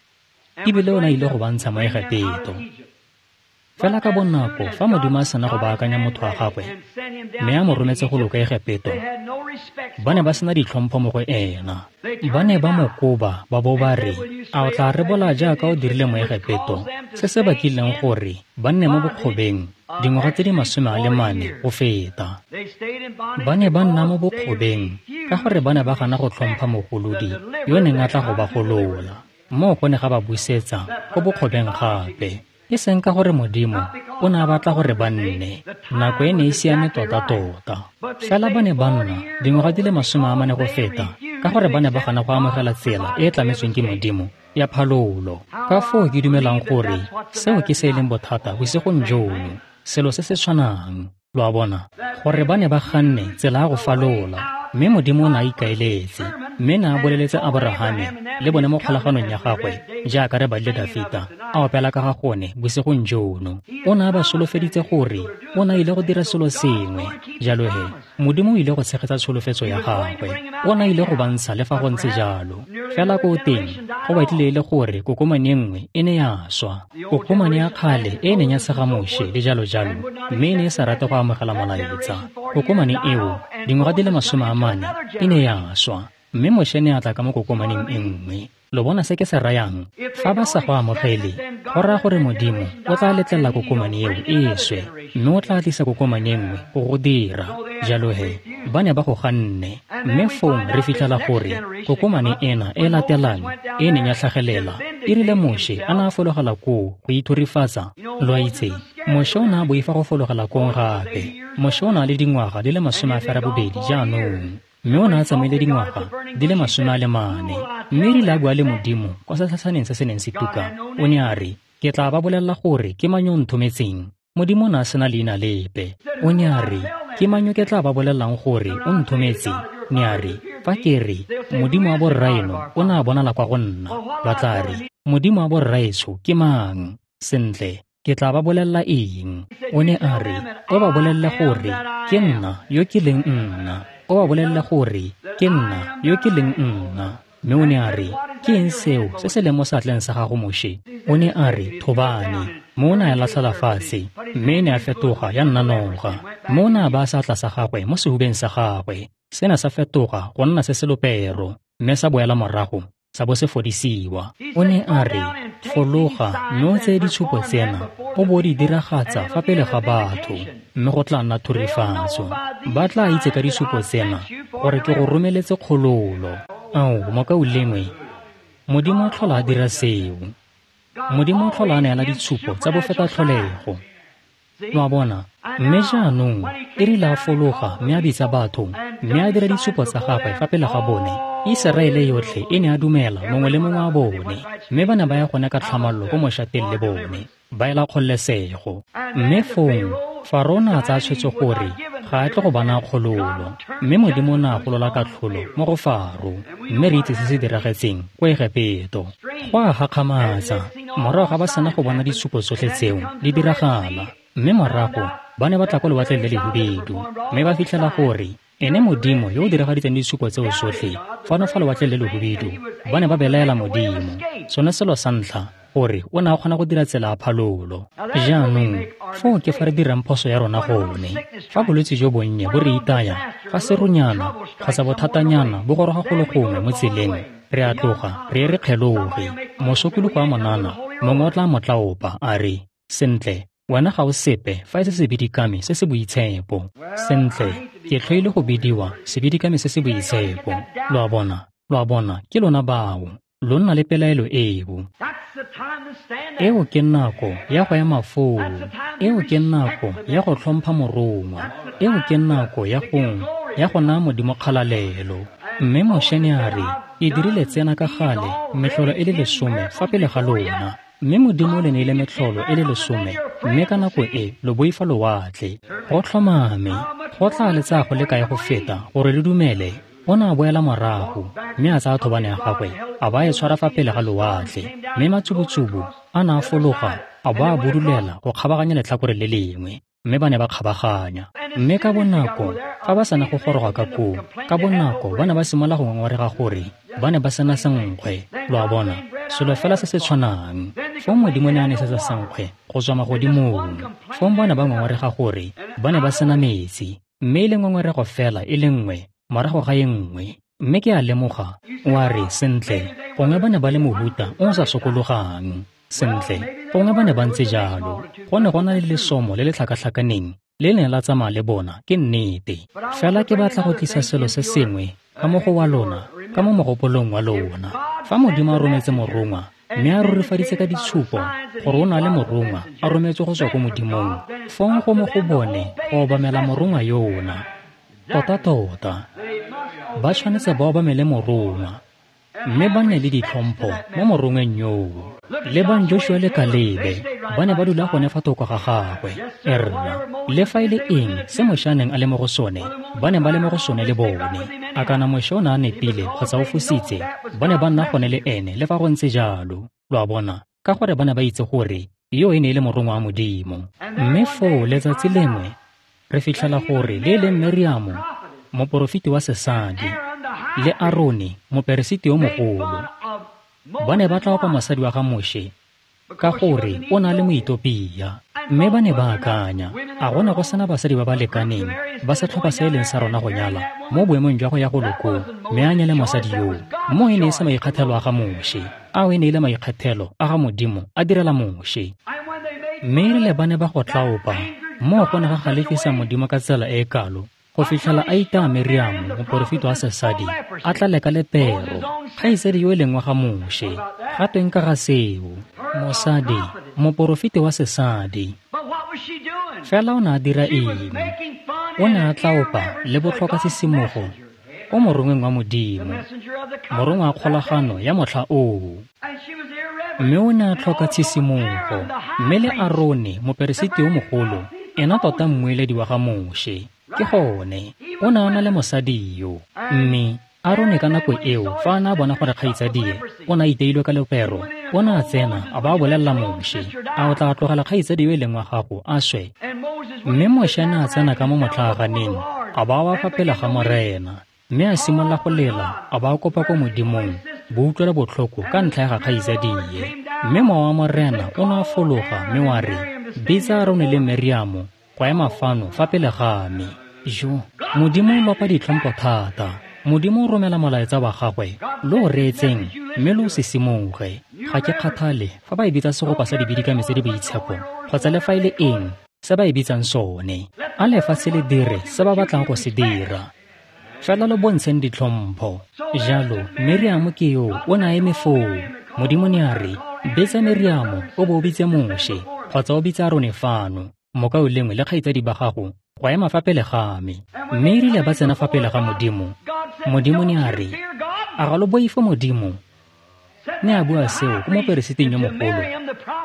ebile o ne a ile go ba ntsha mo Egepeto. Fela ka bonako fa Modimo a sena go baakanya motho wa gagwe mme a mo rometse go loka Egepeto, ba ne ba sena ditlhompho mo go ena. Ba ne ba mo koba ba bo ba re, a o tla rebola jaaka o dirile mo Egepeto, se se bakileng gore ba nne mo bokgobeng dingwaga tse di 44 go feta. Ba ne ba nna mo bokgobeng ka gore ba ne ba gana go tlhompha mogolodi yo neng a tla go ba golola. Moo go ne ga ba busetsa ko bokgobeng gape. E seng ka gore Modimo o ne a batla gore ba nne. Nako e ne e siame tota-tota. Fela ba ne ba nna dingwaga di le 40 go feta ka gore ba ne ba gana go amogela tsela e e tlametsweng ke Modimo ya phalolo. Ka foo ke dumelang gore seo ke se e leng bothata bosigong jono, selo se se tshwanang. Lo a bona, gore ba ne ba ganne tsela ya go falola, mme Modimo o ne a ikaeletse, mme ne a boleletse Aborahame le bone mo kgolaganong ya gagwe, jaaka re badile Dafita a opela ka ga gone bosigong jono. O ne a ba solofeditse gore o ne a ile go dira selo sengwe. Jalo he, Modimo o ile go tshegetsa tsholofetso ya gagwe. O ne a ile go ba ntsha le fa go ntse jalo. Fela ko teng, go batlile e le gore kokomane e nngwe e ne ya swa. Kokomane ya kgale e neng ya tshega Moshe le jalo jalo, mme e ne e sa rate go amogela molaetsa. Kokomane eo, dingwaga di le 40, e ne ya swa, mme Moshe ne a tla ka mo kokomaneng e nngwe. Lo bona se ke se rayang? Fa ba sa go amogele, go raya gore Modimo o tla letlelela kokomane eo e swe, mme o tla tlisa kokomane e nngwe go go dira. Jalo he, ba ne ba go ganne. Mme fong re fitlhela gore kokomane ena e latelang e neng ya tlhagelela, e rile Moshe a ne a fologela koo go ithurifatsa. Lo a itse, Moshe o ne a boifa go fologela kong gape. Moshe o ne a le dingwaga di le 80 jaanong, mme o ne a tsamaile dingwaga di le 40. Mme erile a bua le Modimo kwa setlhatshaneng se se neng se tuka, o ne a re, ke tla ba bolelela gore ke mang yo o nthometseng. Modimo o ne a sena leina lepe. O ne a re, ke mang yo ke tla ba bolelelang gore o nthometse? Ne a re, fa ke re, Modimo wa borraeno o ne a bonala kwa go nna, ba tla re, Modimo wa borraetsho ke mang? Sentle, ke tla ba bolelela eng? O ne a re, o ba bolelele gore ke nna yo ke leng nna. O ba bolelele gore ke nna yo ke leng nna. Mme o ne a re, ke eng seo se se leng mo seatleng sa gago, Moshe? O ne a re, thobane. Mo o ne a latlhela fatshe, mme e ne a fetoga ya nna noga. Mo o ne a baya seatla sa gagwe mo sehubeng sa gagwe, sena sa fetoga go nna se se lopero, mme sa boela morago, sa bo se fodisiwa. O ne a re, fologa mme o tseye ditshupo tsena, o bo di diragatsa fa pele ga batho, mme go tla nna thurifatso. Ba tla itse ka ditshupo tsena gore ke go romeletse kgololo. Ao, mokaulengwe, Modimo o tlhola a dira seo. Modimo o tlhola a neela ditshupo tsa bofetatlholego. Lo a bona? Mme jaanong, e rile a fologa mme a bitsa batho, mme a dira ditshupo tsa gagwe fa pele ga bone, Iseraele yotlhe e ne a dumela mongwe le mongwe wa bone, mme ba ne ba ya gone ka tlhamallo ko mošateng le bone, ba ela kgololesego. Mme fong, Faro o ne a tsaya tshwetso gore ga a tle go ba naya kgololo, mme Modimo o ne a golola katlholo mo go Faro, mme re itse se se diragetseng ko Egepeto. Go a gakgamatsa, morago ga ba sena go bona ditshupo tsotlhe tseo di diragala, mme morago ba ne ba tla ko lewatleng le lehubedu, mme ba fitlhela gore ene Modimo yo o diragaditseng ditshupo tseo tsotlhe fano fa lewatleng le lehubedu, ba ne ba belaela Modimo. Sone selo sa ntlha gore o ne a kgona go dira tsela ya phalolo. Jaanong, foo ke fa re dirang phoso ya rona gone. Fa bolwetse jo bonnye bo re itaya, fa seronyana kgotsa bothatanyana bo goroga go le gongwe mo tseleng, re a tloga re ye re kgeloge. Mosokologo wa monana mongwe o tla mo tlaopa a re, sentle, wena ga o sepe fa e se sebidikami se se boitshepo. Sentle, ke tlhoile go bidiwa sebidikami se se boitshepo. Lo a bona, lo a bona, ke lona bao. Lo nna le pelaelo eo. Eo ke nako ya go ema foo. Eo ke nako ya go tlhompha morongwa. Eo ke nako ya go naya Modimo kgalalelo. Mme Moshe ne a re, ke dirile tsena ka gale metlholo e le 10 fa pele ga lona. Mme Modimo o le neile metlholo e le 10, mme ka nako e lo boifa lewatle. Go tlhomame, go tla le tsaya go le kae go feta gore le dumele? O ne a boela morago, mme a tsaya thobane ya gagwe, a ba e tshwara fa pele ga lewatle, mme matsubutsubu a ne a fologa, a bo a budulela go kgabaganya letlhakore le lengwe, mme ba ne ba kgabaganya. Mme ka bonako, fa ba sena go goroga ka koo, ka bonako ba ne ba simolola go ngongorega gore ba ne ba sena senkgwe. Lo a bona, selo fela se se tshwanang. Fong Modimo ne a nesetsa senkgwe go tswa magodimong. Fong ba ne ba ngongorega gore ba ne ba sena metsi, mme e le ngongorego fela e le nngwe morago ga e nngwe. Mme ke a lemoga, wa re, sentle, gongwe ba ne ba le mohuta o sa sokologang. Sentle, gongwe ba ne ba ntse jalo. Go ne go na le lesomo le le tlhakatlhakaneng le ne la tsamaya le bona, ke nnete. Fela ke batla go tlisa selo se sengwe ka mo go wa lona, ka mo mogopolong wa lona. Fa Modimo a rometse morongwa, mme a rurifaditse ka ditshupo gore o na le morongwa a rometswe go tswa ko Modimong, fong go mo go bone go obamela morongwa yona. Tota-tota, ba tshwanetse ba obamele morongwa, mme ba nne le ditlhompho mo morongweng yoo. Lebang Joshua le Kalebe, ba ne ba dula gone fa thoko ga gagwe. Erra, le fa e le eng se Moshe a neng a le mo go sone, ba ne ba le mo go sone le bone. A kana Moshe o ne a nepile kgotsa o fositse, ba ne ba nna gone le ene le fa go ntse jalo. Lo a bona, ka gore ba ne ba itse gore yo e ne e le morongwa wa Modimo. Mme foo letsatsi lengwe re fitlhela gore le e leng Miriamo, moporofeti wa sesadi, le Arone, moperesiti yo mogolo, ba ne ba tla opa mosadi wa ga Moshe ka gore o na le Moetopia. Mme ba ne ba akanya, a go ne go sena basadi ba ba lekaneng ba setlhopha se e leng sa rona go nyala mo boemong jwa go ya go lokong, mme a nyale mosadi yoo. Mo e ne e se maikgethelo a ga Moshe, ao e ne e le maikgethelo a ga Modimo a direla Moshe. Mme erile ba ne ba go tlaopa, moo go ne ga galefisa Modimo ka tsela e e kalo go fitlhela a itaya Miriamo, moporofeti wa sesadi, a tlale ka lepero, kgaitsadi yo e leng wa ga Moshe. Ga tweng ka ga seo? Mosadi, moporofeti wa sesadi. Fela o ne a dira eng? O ne a tlaopa le botlhoka sisimogo ko morongweng wa Modimo, morongwa wa kgolagano ya motlha oo. Mme o ne a tlhoka tshisimogo, mme le Arone, moperesiti yo mogolo, ena tota mmueledi wa ga Moshe. Ke gone, o ne a na le mosadi yo. Mme Arone ka nako eo, fa a ne a bona gore kgaitsadie o ne a iteilwe ka lepero, o ne a tsena a ba a bolelela Moshe, a o tla tlogela kgaitsadi yo e leng wa gago a swe? Mme Moshe ne a tsena ka mo motlaaganeng, a ba wa fa pele ga Morena, mme a simolola go lela, a ba a kopa ko Modimong boutlwelo botlhoko ka ntlha ya ga kgaitsadie. Mme mowa wa Morena o ne a fologa mme wa re, bitsa Arone le Miriamo go ema fano fa pele ga me. Jo, Modimo o lopa ditlhompho thata. Modimo o romela molaetsa wa gagwe, lo o reetseng mme lo o sisimoge. Ga ke kgathale fa ba e bitsa segopa sa dibidikami tse di boitshepo kgotsa le fa e le eng se ba e bitsang sone. A lefatshe le dire se ba batlang go se dira, fela lo bontsheng ditlhompho. Jalo Miriamo ke yo o ne a eme foo. Modimo ne a re, bitsa Miriamo o bo o bitse Moshe kgotsa o bitse Arone fano, mokaulengwe le kgaitsadi ba gago, go ema fa pele ga me. Mme erile ba tsena fa pele ga Modimo, Modimo ne a re, a ga lo boife Modimo? Ne a bua seo ko moperesiting yo mogolo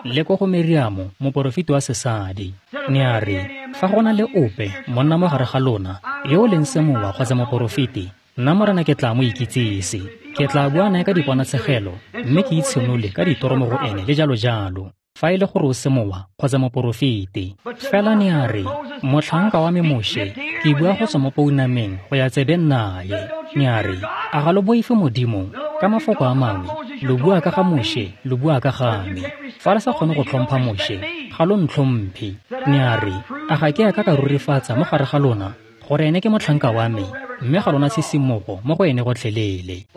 le ko go Miriamo, moporofeti wa sesadi. Ne a re, fa go na le ope monna mo gare ga lona yo o leng semowa kgotsa moporofeti, nna Morena ke tla mo ikitsise. Ke tla bua nae ka diponatshegelo mme ke itshenole ka ditoro mo go ene le jalo jalo, fa e le gore o semowa kgotsa moporofeti. Fela ne a re, motlhanka wa me Moshe, ke bua go tswa mo pounameng go ya tsebeng naye. Ne a re, a ga lo boife Modimo? Ka mafoko a mangwe, lo bua ka ga Moshe, lo bua ka ga me. Fa le sa kgone go tlhompha Moshe, ga lo ntlhomphe. Ne a re, a ga ke a ka ka rurifatsa mo gare ga lona gore ene ke motlhanka wa me, mme ga lona tshisimogo mo go ene gotlhelele.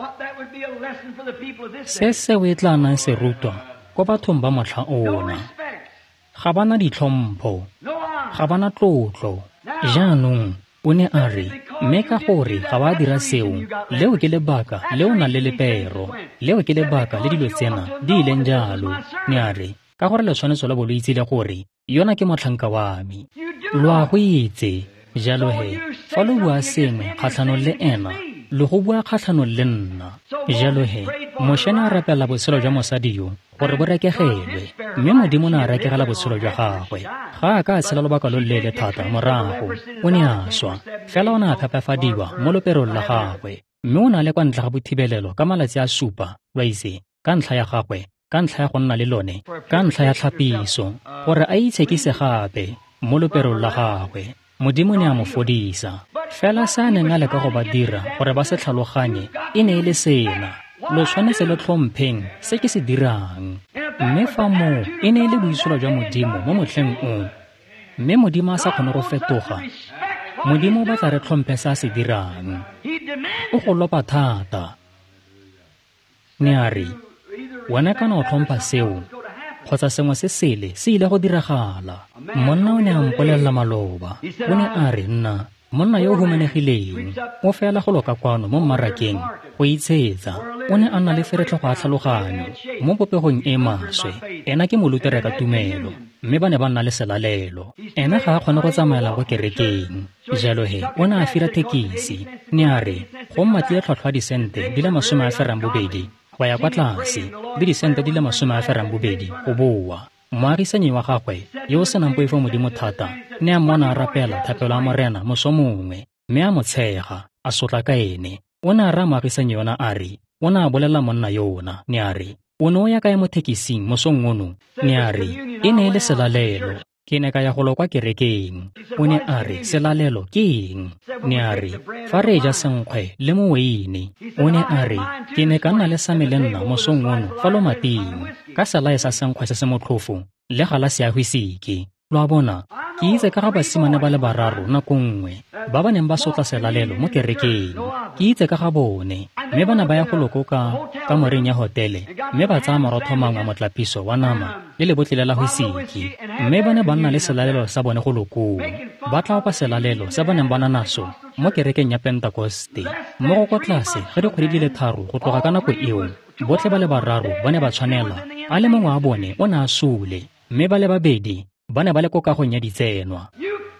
Se seo e tla nnang serutwa ko bathong ba motlha ona. Ga ba na ditlhompho, ga ba na tlotlo. Jaanong o ne a re, mme ka gore ga ba dira seo, leo ke lebaka le o nang le lepero, leo ke lebaka le dilo tsena di ileng jalo. Ne a re, ka gore le tshwanetse la bo lo itsile gore yona ke motlhanka wa me. Lo a go itse. Jalo he, fa lo bua sengwe kgatlhanong le ena, lo go bua kgatlhanong le nna. Jalo he, Moshe ne a rapela botshelo jwa mosadi yo gore bo rekegelwe, mme Modimo ne a rekegela botshelo jwa gagwe. Ga a ka a tshela lobaka lo leele thata morago, o ne a swa. Fela o ne a phepafadiwa mo loperong la gagwe, mme o ne a le kwa ntle ga bothibelelo ka malatsi a supa, lwa itse, ka ntlha ya gagwe, ka ntlha ya go nna le lone, ka ntlha ya tlhapiso, gore a itshekise gape mo loperong la gagwe. Modimo ne a mo fodisa. Fela se a neng a leka go ba dira gore ba se tlhaloganye e ne e le sena: lo tshwanetse lo tlhompheng se ke se dirang. Mme fa moo e ne e le boitsholo jwa Modimo mo motlheng o, mme Modimo a sa kgone go fetoga, Modimo o batla re tlhomphe se a se dirang. O go lopa thata. Ne a re, wena kana o tlhompha seo, kgotsa sengwe se sele se ile go diragala. Monna o ne a mpolelela maloba, o ne a re nna monna yo o humanegileng o fela go loka kwano mo mmarakeng go itshetsa. O ne a nna le feretlhogo a tlhaloganyo mo popegong e maswe. Ena ke molutere ka tumelo, mme ba ne ba nna le selalelo. Ena ga a kgone go tsamaela go kerekeng, jalo he o ne a fira thekisi. Ne a re go mmatlile tlhwatlhwa disente di le 82 go ya kwa tlase le disente di le 82 go boa. Moagisanyi wa gagwe yo o senang poifo modimo thata ne a mmona a rapela thapelo ya Morena moso mongwe, mme a mo tshega, a sotla ka ene. O ne a raya moagisanyi yona a re, o ne a bolelela monna yona, ne a re, o ne o ya kae mo thekising mosong ono? Ne a re, e ne e le selalelo, ke ne ka ya go lo kwa kerekeng. O ne a re, selalelo ke eng? Ne a re, fa re ja senkgwe le moweine. O ne a re, ke ne ka nna le sa me le nna mosong ono fa lomating, ka selae sa senkgwe se se motlhofo le galase ya whisiki. Lo a bona, ke itse ka ga basimane ba le bararo nako nngwe ba ba neng ba sotla selalelo mo kerekeng. Ke itse ka ga bone, mme ba ne ba ya go loko ka kamoreng ya hotele, mme ba tsaya marotho mangwe a motlapiso wa nama le lebotlele la whisiki, mme ba ne ba nna le selalelo sa bone go lokong. Ba tla opa selalelo se ba neng ba na naso mo kerekeng ya Pentekoste. Mo go kwa tlase ga dikgwedi di le 3 go tloga ka nako eo, botlhe ba le bararo ba ne ba tshwanela. A le mongwe wa bone o ne a sule, mme ba le babedi ba ne ba le ko kagong ya ditsenwa.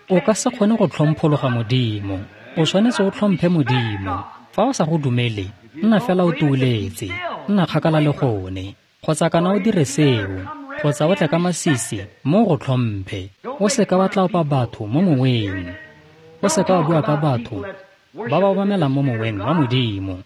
O ka se kgone go tlhomphologa Modimo. O tshwanetse o tlhomphe Modimo. Fa o sa go dumele, nna fela o tuuletse, nna kgakala le gone, kgotsa kana o dire seo, kgotsa o tle ka masisi mo go tlhomphe. O seka wa tlaopa batho mo moweng. O seka wa bua ka batho ba ba obamelang mo moweng wa Modimo.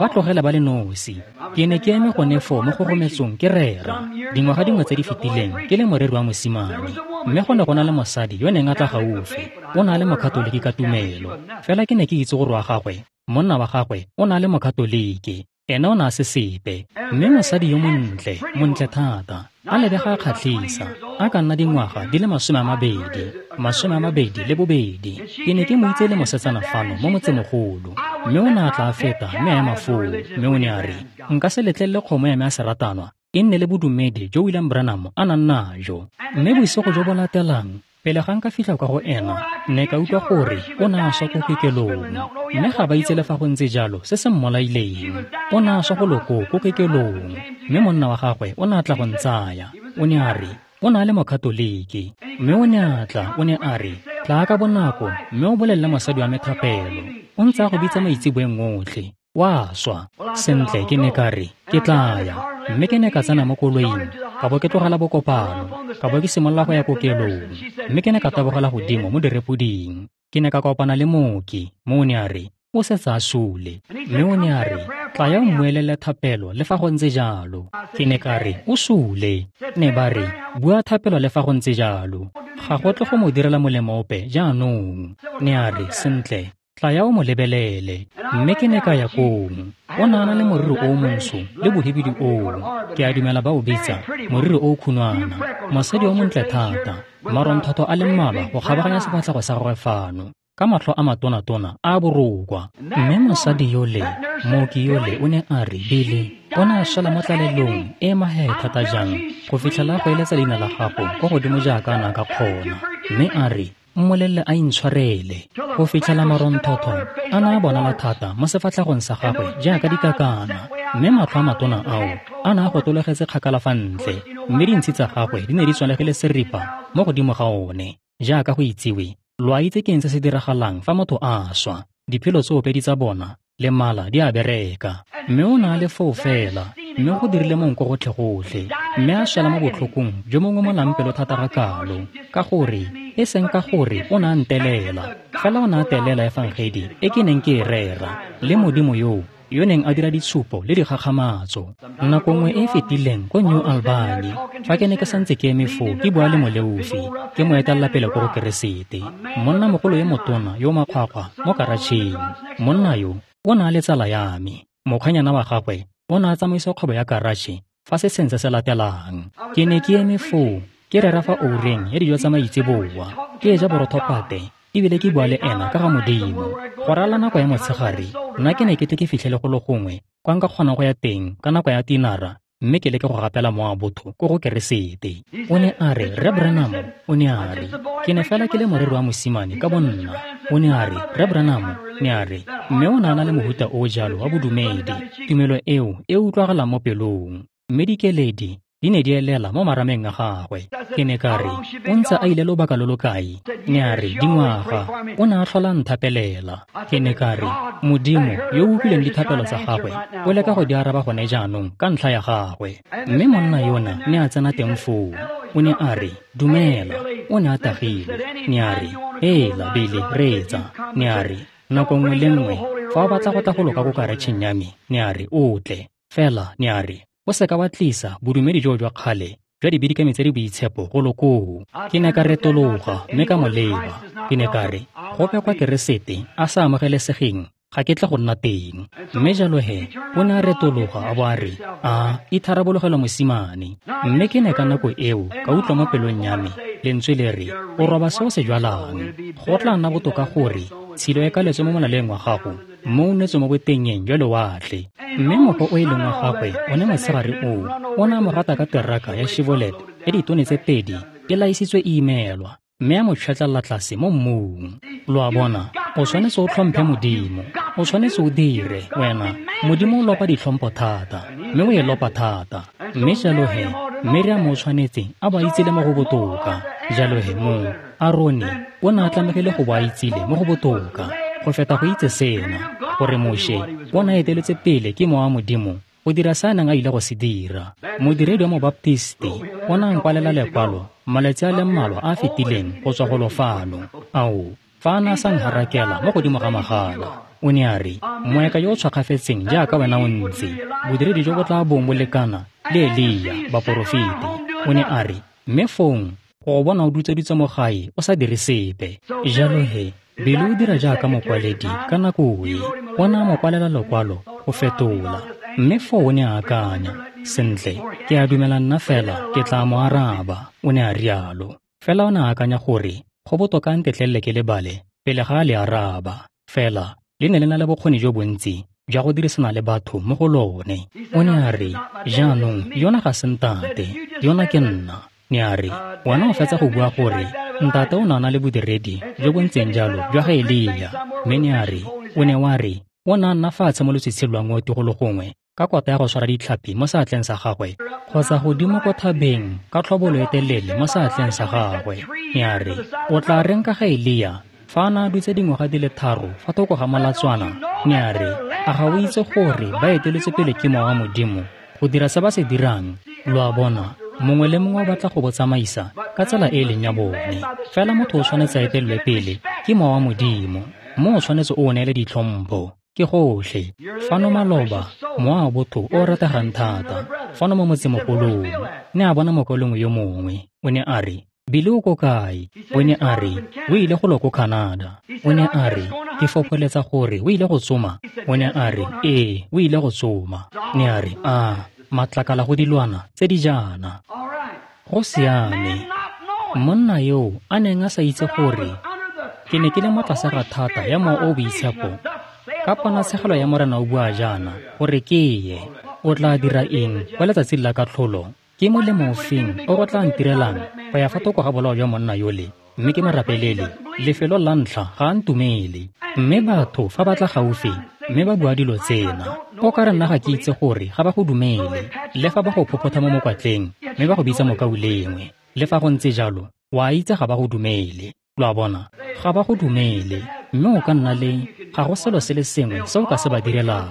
Ba tlogele ba le nosi. Ke ne ke eme gone foo mo kgogometsong ke rera dingwaga dingwe tse di fetileng ke le moreri wa mosimane, mme go ne go na le mosadi yo neng a tla gaufi. O ne a le mokatoliki ka tumelo, fela ke ne ke itse gore wa gagwe, monna wa gagwe o ne a le mokatoliki, ena o ne a se sepe. Mme mosadi yo montle, montle thata, a lebega a kgatlhisa, a ka nna dingwaga di le 22, 22. Ke ne ke mo itse le mosetsana fano mo motsemogolo, mme o ne a tla a feta mme a ema foo, mme o ne a re, nka se letlelele kgomo ya me ya seratanwa e nne le bodumedi jo William Branham a nang najo. Mme bosigo jo bo latelang, pele ga nka fitlha kwa go ena, ne ka utlwa gore o ne a swa ko kekelong, mme ga ba itse le fa go ntse jalo se se mmolaileng. O ne a swa go loko ko kekelong, mme monna wa gagwe o ne a tla go ntsaya. O ne a re, o ne a le mokatoliki, mme o ne a tla, o ne a re, tlaa ka bonako mme o bolelele mosadi wa me thapelo. O ntse a go bitsa maitseboeng otlhe, wa swa. Sentle, ke ne ka re, ke tla ya. Mme ke ne ka tsena mo koloing, ka bo ke tlogela bokopano, ka bo ke simolola go ya kokelong, mme ke ne ka tabogela godimo mo direpoding. Ke ne ka kopana le mooki, mme o ne a re, o setse a sule. Mme o ne a re, tla ya o mmuelele thapelo le fa go ntse jalo. Ke ne ka re, o sule. Ne ba re, bua thapelo le fa go ntse jalo, ga go tle go mo direla molemo ope jaanong. Ne a re, sentle, tla ya o mo lebelele. Mme ke ne ka ya kong. O ne a na le moriri o montsho le bohibidu oo, ke a dumela ba o bitsa moriri o khunwana. Mosadi o montle thata, maronthotho a le mmalwa go kgabaganya sefatlhego sa gagwe fano, ka matlho a matonatona a borokwa. Mme mosadi yole, mooki yole, o ne a re, Billy, o ne a swela mo tlalelong e mahe thata jang go fitlhela go eletsa leina la gago kwa godimo jaaka a ne a ka kgona. Mme a re, mmolelele a intshwarele, go fitlhela maronthotho a ne a bonala thata mo sefatlhegong sa gagwe jaaka dikakana, mme matlho a matona ao a ne a gotologetse kgakala fa ntle, mme dintshi tsa gagwe di ne di tswalegile seripa mo godimo ga one. Jaaka go itsiwe, lo a itse ke eng se se diragalang fa motho a swa, diphelo tsoopedi tsa bona le mala di a bereka. Mme o ne a le foo fela, mme go dirile monko gotlhe-gotlhe, mme a swela mo botlhokong jo mo ngomolang pelo thata ga kalo, ka gore e seng ka gore o ne a ntelela, fela o ne a telela efangedi e ke neng ke e rera, le Modimo yo neng a dira ditshupo le dikgakgamatso. Nako nngwe e fetileng ko New Albany, fa ke ne ke santse ke eme foo ke bua le moleofi, ke mo etelela pele ko go Keresete, monnamogolo yo motona yo makgwakgwa mo karatšheng. Monna yo o ne a le tsala ya me. Mokgwenyana wa gagwe o ne a tsamaisa kgwebo ya karatšhe fa se seng se se latelang. Ke ne ke eme foo ke rera fa oureng ya dijo tsa maitseboa, ke ja borothopate ebile ke bua le ena ka ga Modimo. Go rala nako ya motshegare, nna ke ne ke tle ke fitlhele go le gongwe kwa nka kgonang go ya teng ka nako ya tinara mme ke leke go gapela mowa wa botho ko go Keresete. O ne a re, Rre Branham, o ne a re, ke ne fela ke le moreri wa mosimane ka bonna. O ne a re, Rre Branham, ne a re, mme o ne a na le mohuta o jalo wa bodumedi, tumelo eo e utlwagalang mo pelong, mme dikeledi di ne di elela mo marameng a gagwe. Ke ne ka re, o ntse a ile lobaka lo lo kae? Ne a re, dingwaga. O ne a tlhola nthapelela. Ke ne ka re, Modimo yo o utlwileng dithapelo tsa gagwe o leka go di araba gone jaanong ka ntlha ya gagwe. Mme monna yona ne a tsena teng foo. O ne a re, dumela. O ne a tagilwe. Ne a re, hela Billy, reetsa. Ne a re, nako nngwe le nngwe fa o batla go tla go loka ko karetšheng ya me, ne a re, o tle. Fela, ne a re, o seka wa tlisa bodumedi joo jwa kgale jwa dibidikami tse di boitshepo go lokoo. Ke ne ka retologa mme ka mo leba. Ke ne ka re, gope kwa Keresete a sa amogelesegeng, ga ke tle go nna teng. Mme jalo he, o ne a retologa a bo a re, a itharabologelwa mosimane. Mme ke ne ka nako eo ka utlwa mo pelong ya me lentswe le re, o roba se o se jwalang. Go tla nna botoka gore tshilo e kaletswe mo molaleng wa gago, mo o netswe mo botengeng jwa lewatle. Mme mokgwa o e leng wa gagwe one motshegare oo, o ne a mo rata ka teraka ya Chevrolet ya ditone tse 2 e laisitswe e imelwa, mme a mo tšhwetlelela tlase mo mmung. Lo a bona, o tshwanetse o tlhomphe Modimo, o tshwanetse o dire, wena. Modimo o lopa ditlhompho thata, mme o e lopa thata. Mme jalo he, Miriam o tshwanetse a bo a itsile mo go botoka. Jalo he mo, Arone o ne a tlamegile go bo a itsile mo go botoka go feta go itse sena, gore Moshe o ne a eteletse pele ke mowa wa Modimo go dira se a neng a ile go se dira. Modiredi wa Mobaptisti o ne a nkwalela lekwalo malatsi a le mmalwa a a fetileng go tswa golo fano. Ao, fa a ne a sa nharakela mo godimo ga magala, o ne a re, moeka yo o tshwakgafetseng jaaka wena o ntse, bodiredi jo bo tla bong bo lekana le Elia, baporofeti. O ne a re, mme fong go bona o dutsedutse mo gae o sa dire sepe. Jalo he, Billy o dira jaaka mokwaledi ka nako e, o ne a mo kwalela lekwalo go fetola. Mme foo o ne a akanya, sentle, ke a dumela nna fela ke tla mo araba, o ne a rialo. Fela o ne a akanya gore go botoka a ntetlelele ke lebale pele ga a le araba. Fela le ne le na le bokgoni jo bontsi jwa go dirisana le batho mo go lone. O ne a re, jaanong yona ga se ntate, yona ke nna. Ne a re, wena o fetsa go bua gore ntate o ne a na le bodiredi jo bo ntseng jalo jwa ga Elia. Mme ne a re, o ne wa re, o ne a nna fatshe mo lotshitshing lwa ngwe golo gongwe ka kota ya go tshwara ditlhapi mo seatleng sa gagwe, kgotsa godimo ko thabeng ka tlhobolo e telele mo seatleng sa gagwe. Ne a re, o tla reng ka ga Elia fa a ne a dutse dingwaga di le 3 fa thoko ga molatswana? Ne a re, a ga o itse gore ba eteletswe pele ke mowa wa Modimo go dira se ba se dirang? Lo a bona, mongwe le mongwe o batla go bo tsamaisa ka tsela e e leng ya bone. Fela motho o tshwanetse a etelelwe pele ke mowa wa Modimo, mo o tshwanetse o neele ditlhompho. Ke gotlhe. Fano maloba, mowa wa botho o rategang thata, fano mo motsemogolong, ne a bona mokaulengwe yo mongwe. O ne a re, Billy o ko kae? O ne a re, o ile go lo ko Canada. O ne a re, ke fopholetsa gore o ile go tsoma. O ne a re, ee, o ile go tsoma. Ne a re, a matlakala go dilwana tse di jaana. Go siame. Monna yo a neng a sa itse gore ke ne ke le mo tlase ga thata ya mowa o boitshepo, ka ponatshegelo ya Morena o bua jaana, gore ke ye. O tla dira eng kwa letsatsing la katlholo? Ke molemo ofeng o go tla ntirelang go ya fa thoko ga bolao jwa monna yole, mme ke mo rapelele? Lefelo la ntlha ga a ntumele. Mme batho fa ba tla gaufi mme ba bua dilo tsena, o ka re nna ga ke itse gore ga ba go dumele, le fa ba go phophotha mo mokwatleng mme ba go bitsa mokaulengwe. Le fa go ntse jalo, wa itse ga ba go dumele. Lo a bona, ga ba go dumele, mme o ka nna le ga go selo se le sengwe se o ka se ba direlang.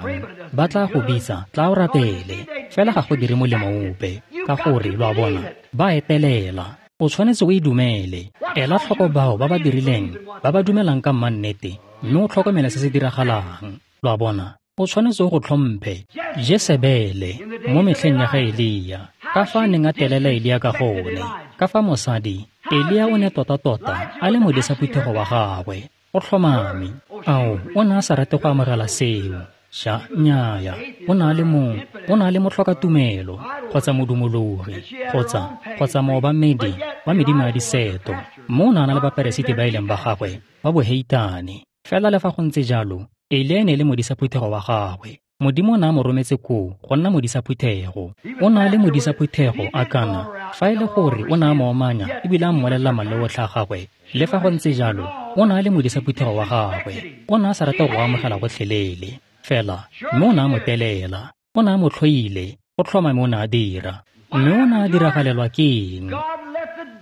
Ba tla go bitsa, tla o rapele, fela ga go dire molemo ope, ka gore lo a bona, ba etelela. O tshwanetse o e dumele. Ela tlhoko bao ba ba dirileng, ba ba dumelang ka mmannete, mme o tlhokomele se se diragalang. Lo a bona, o tshwanetse o go tlhomphe. Jesebele mo metlheng ya ga Elia, ka fa a neng a telela Elia ka gone, ka fa mosadi Elia o ne tota-tota a le modisa phuthego wa gagwe, o tlhomame. Ao, o ne a sa rate go amogela seo. Sha, nnyaya. O ne a le motlhokatumelo, kgotsa modumologi, kgotsa moobamedi wa medimo ya diseto. Mme o ne a na le baperesiti ba e leng ba gagwe ba boheitane. Fela le fa go ntse jalo, Elia e ne e le modisa phuthego wa gagwe. Modimo o ne a mo rometse koo go nna modisa phuthego. O ne a le modisa phuthego a kana, fa e le gore o ne a mo omanya ebile a mmolelela maleo otlhe a gagwe, le fa go ntse jalo, o ne a le modisa phuthego wa gagwe. O ne a sa rate go amogela gotlhelele. Fela, mme o ne a mo telela. O ne a mo tlhoile, go tlhomame o ne a dira. Mme o ne a diragalelwa ke eng?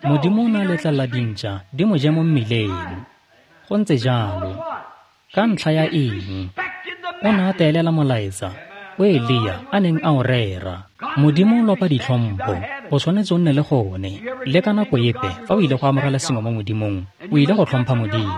Modimo o ne a letlelela dintša di mo je mo mmileng. Go ntse jalo. Ka ntlha ya eng? O ne a teelela molaetsa o Elia a neng a o rera. Modimo o lopa ditlhompho, o tshwanetse o nne le gone. Le ka nako epe fa o ile go amogela sengwe mo Modimong, o ile go tlhompha Modimo.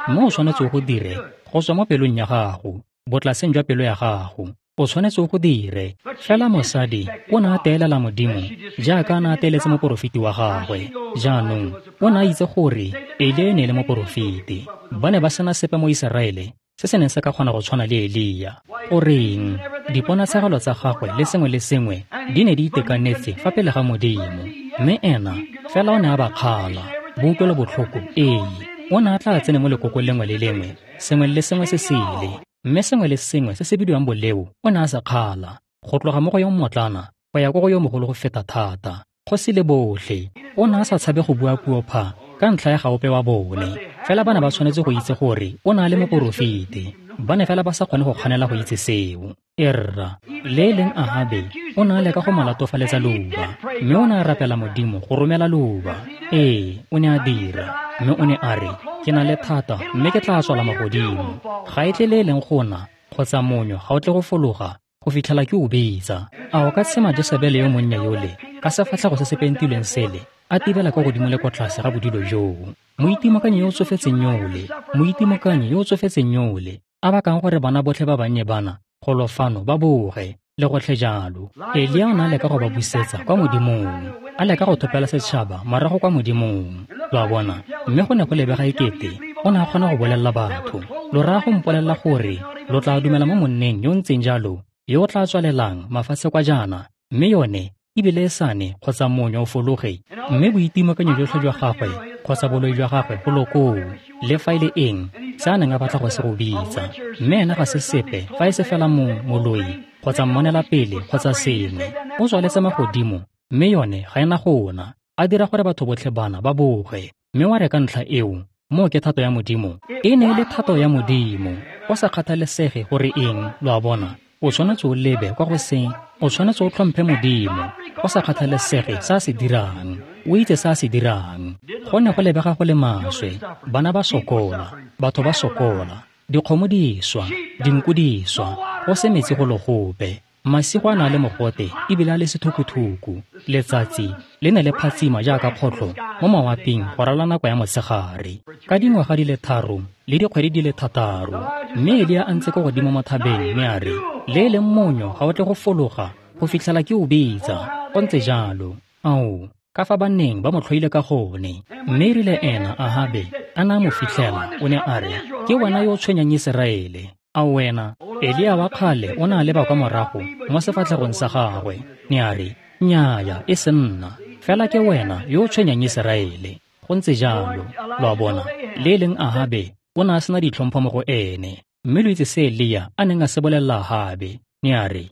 Mme o tshwanetse o go dire go tswa mo pelong ya gago, botlaseng jwa pelo ya gago. O tshwanetse o go dire. Fela mosadi o ne a teelela Modimo jaaka a ne a teeletse moporofeti wa gagwe. Jaanong o ne a itse gore Elia e ne e le moporofeti. Ba ne ba sena sepe mo Iseraele se se neng se ka kgona go tshwana le Elia. Goreng, diponatshegelo tsa gagwe le sengwe le sengwe di ne di itekanetse fa pele ga Modimo. Mme ena fela o ne a ba kgala. Boutlwelo botlhoko, ee. O ne a tla tsene mo lekokong lengwe le lengwe, sengwe le sengwe se sele. Mme sengwe le sengwe se se bidiwang boleo o ne a se kgala, go tloga mo go yo mmotlana go ya ko go yo mogolo go feta thata, kgosi le botlhe. O ne a sa tshabe go bua puo pha ka ntlha ya gaope wa bone. Fela ba ne ba tshwanetse go itse gore o ne a le moporofeti. Ba ne fela ba sa kgone go kganela go itse seo. Erra, le e leng Ahabe o ne a leka go mo latofaletsa leuba, mme o ne a rapela Modimo go romela leuba. Ee, o ne a dira. Mme o ne a re, ke na le thata mme ke tla tswala magodimo. Ga e tle le e leng go na, kgotsa monyo ga o tle go fologa go fitlhela ke o bitsa. A o ka tshema Jesebele yo monnye yole ka sefatlhego se se pentilweng sele a tibela kwa godimo le kwa tlase ga bodilo joo? Moitimokanyi yo o tsofetseng yole, moitimokanyi yo o tsofetseng yole, a bakang gore bana botlhe ba bannye bana golo fano ba boge le gotlhe jalo. Elia o ne a leka go ba busetsa kwa Modimong, a leka go thopela setšhaba morago kwa Modimong. Lo a bona? Mme go ne go lebega ekete o ne a kgona go bolelela batho. Lo raya go mpolelela gore lo tla dumela mo monneng yo o ntseng jalo, yo o tla tswalelang mafatshe kwa jaana, mme yone ebile e sane kgotsa monyo o fologe, mme boitimokanyo jotlhe jwa gagwe kgotsa boloi jwa gagwe golo koo, le fa e le eng se a neng a batla go se go bitsa. Mme ena ga se sepe fa e se fela moloi kgotsa mmonela pele kgotsa sengwe. O tswaletse magodimo, mme yone ga ena go na, a dira gore batho botlhe bana ba boge. Mme wa re ka ntlha eo, moo ke thato ya Modimo. E ne e le thato ya Modimo, go sa kgathalesege gore eng, lo a bona. O tshwanetse o lebe kwa go se, o tshwanetse o tlhomphe Modimo, go sa kgathalesege se a se dirang. O itse se a se dirang. Go ne go lebega go le maswe, bana ba sokola, batho ba sokola, dikgomo di swa, dinku di swa, go se metsi go le gope. Masigo a na le mogote ebile a le sethukuthuku. Letsatsi le ne le phatsima jaaka kgotlho mo mawaping go rala nako ya motshegare. Ka dingwaga di le 3 le dikgwedi di le 6, mme Elia a ntse ko godimo mo thabeng mme a re, le e leng monyo ga o tle go fologa go fitlhela ke o bitsa. Go ntse jalo. Ao, ka fa ba neng ba mo tlhoile ka gone. Mme erile ena Ahabe a na a mo fitlhela, o ne a re, ke wena yo o tshwenyang Iseraele. A wena? Elia wa kgale o ne a leba kwa morago mo sefatlhegong sa gagwe. Ne a re, nnyaya, e se nna. Fela ke wena yo o tshwenyang Iseraele. Go ntse jalo. Lo a bona? Le e leng Ahabe o ne a sena ditlhompho mo go ene. Mme lo itse se Elia a neng a se bolelela Ahabe. Ne a re,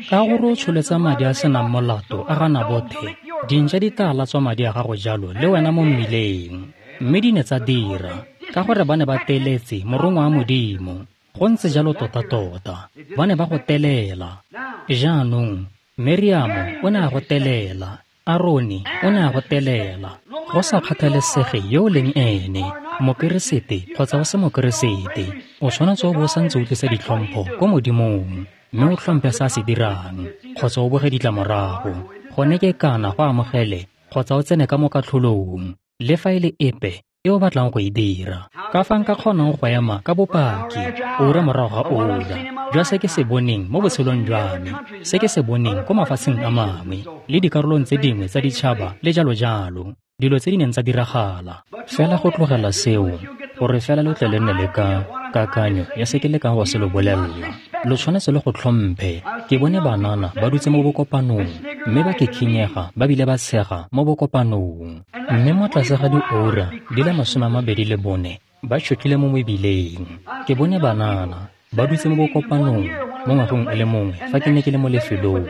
ka gore o tsholetsa madi a senang molato a ga Nabothe, dintša di tla latswa madi a gago jalo le wena mo mmileng. Mme di ne tsa dira, ka gore ba ne ba teletse morongwa wa Modimo. Go ntse jalo tota-tota, ba ne ba go telela. Jaanong, Meriamo o ne a go telela, Arone o ne a go telela. Go sa kgathalesege yo o leng ene, mokeresete kgotsa o se mokeresete, o tshwanetse o bo o santse o tlisa ditlhompho ko Modimong, mme o tlhomphe se a se dirang, kgotsa o boge ditlamorago. Gone ke kana go amogele kgotsa o tsene ka mo katlholong, le fa e le epe e o batlang go e dira. Ka fa nka kgonang go ema ka bopaki ura morago ga ura jwa se ke se boneng mo botshelong jwa me, se ke se boneng ko mafatsheng a mangwe le dikarolong tse dingwe tsa ditšhaba le jalo jalo, dilo tse di neng tsa diragala. Fela go tlogela seo gore fela lo tle le nne le ka kakanyo ya se ke lekang go se lo bolelela. Lo tshwanetse le go tlhomphe. Ke bone banana ba dutse mo bokopanong mme ba kekhinyega ba bile ba tshega mo bokopanong. Mme mo tlase ga diura di le 24 ba tšhotlile mo mebileng. Ke bone banana ba dutse mo bokopanong mo ngwageng o le mongwe fa ke ne ke le mo lefelong,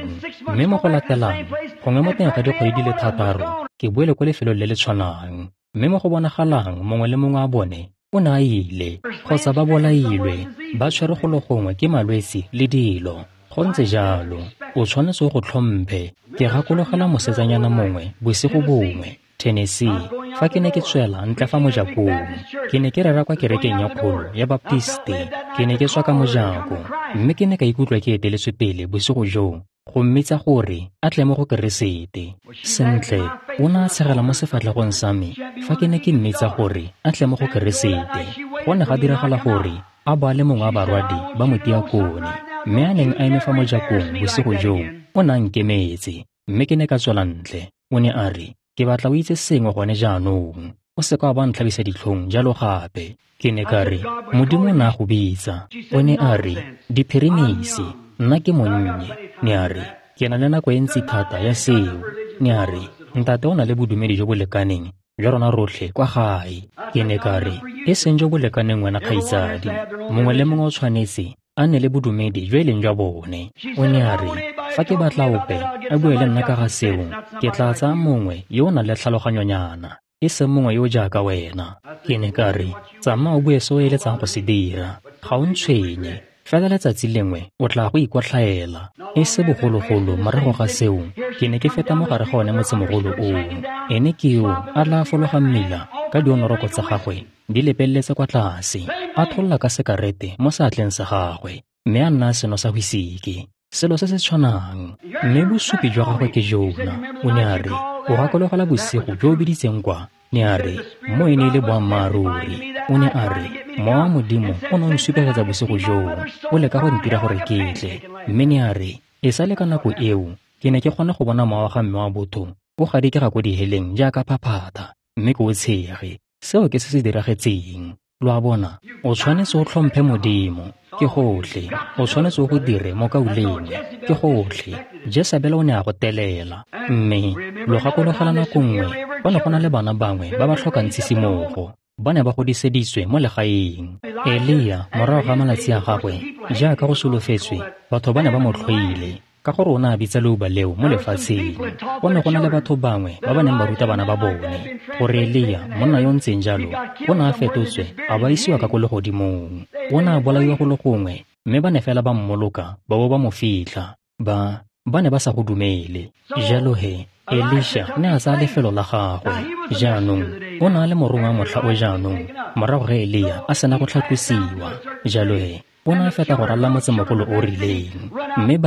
mme mo go latelang, gongwe mo teng ga dikgwedi di le 6, ke boele ko lefelong le le tshwanang. Mme mo go bonagalang mongwe le mongwe a bone o ne a ile, kgotsa ba bolailwe, ba tshwerwe go le gongwe ke malwetse le dilo. Go ntse jalo, o tshwanetse o go tlhomphe. Ke gakologelwa mosetsanyana mongwe bosigo bongwe, Tennessee, fa ke ne ke tswela ntle fa mojakong. Ke ne ke rera kwa kerekeng ya kgolo ya Baptiste. Ke ne ke tswa ka mojako, mme ke ne ka ikutlwa ke eteletswe pele bosigo joo go mmitsa gore a tle mo go Keresete. Sentle, o ne a tshegela mo sefatlhegong sa me fa ke ne ke mmitsa gore a tle mo go Keresete. Go ne ga diragala gore a bo a le mongwe wa barwadi ba motiakone, mme a neng a eme fa mojakong bosigo joo, o ne a nkemetse, mme ke ne ka tswela ntle. O ne a re, ke batla o itse sengwe gone jaanong, o se ka wa ba ntlhabisa ditlhong jalo gape. Ke ne ka re, Modimo o ne a go bitsa. O ne a re, diphirimisi, nna ke monnye. Ne a re, ke na le nako e ntsi thata ya seo. Ne a re, ntate o na le bodumedi jo bo lekaneng jwa rona rotlhe kwa gae. Ke ne ka re, e seng jo bo lekaneng wena kgaitsadi, mongwe le mongwe o tshwanetse a nne le bodumedi jo e leng jwa bone. O ne a re, fa ke batla ope a bue le nna ka ga seo, ke tla tsaya mongwe yo o nang le tlhaloganyonyana, e seng mongwe yo o jaaka wena. Ke ne ka re, tsamaya o bue se o eletsang go se dira, ga o ntshwenye, fela letsatsi lengwe o tla go ikotlhaela. E se bogologolo morago ga seo, ke ne ke feta mo gare ga one motsemogolo oo. Ene ke yo a tla fologa mmila ka dionoroko tsa gagwe di lepeletse kwa tlase, a tholola ka sekarete mo seatleng sa gagwe, mme a nna seno sa whisiki, selo se se tshwanang. Mme bosupi jwa gagwe ke jona. O ne a re, o gakologelwa bosigo jo o biditseng kwa? Ne a re, mo e ne e le boammaaruri. O ne a re, Mowa wa Modimo o ne o nsupegetsa bosigo joo, o leka go ntira gore ke tle. Mme ne a re, e sale ka nako eo, ke ne ke kgona go bona mowa wa ga mme wa botho o gadikega ko diheleng jaaka phaphatha, mme ke o tshege. Seo ke se se diragetseng. Lo a bona, o tshwanetse o tlhomphe Modimo, ke gotlhe. O tshwanetse o go dire mokaulengwe, ke gotlhe. Jesebele o ne a go telela. Mme lo gakologelwa nako nngwe, go ne go na le bana bangwe ba ba tlhokang tshisimogo. Ba ne ba godiseditswe mo legaeng. Elia, morago ga malatsi a gagwe, jaaka go solofetswe, batho ba ne ba mo tlhoile, ka gore o ne a bitsa leuba leo mo lefatsheng. Go ne go na le batho bangwe ba ba neng ba ruta bana ba bone gore Elia, monna yo ntseng jalo, o ne a fetotswe a ba isiwa ka ko legodimong. O ne a bolaiwa go le gongwe, mme ba ne fela ba mmoloka ba bo ba mo fitlha. Ba ne ba sa go dumele. Jalo he, Elisha ne a tsaya lefelo la gagwe. Jaanong, o ne a le morongwa motlha o jaanong, morago ga Elia a sena go tlhatlosiwa. Jalo he, o ne a feta go ralala motsemogolo o rileng. Mme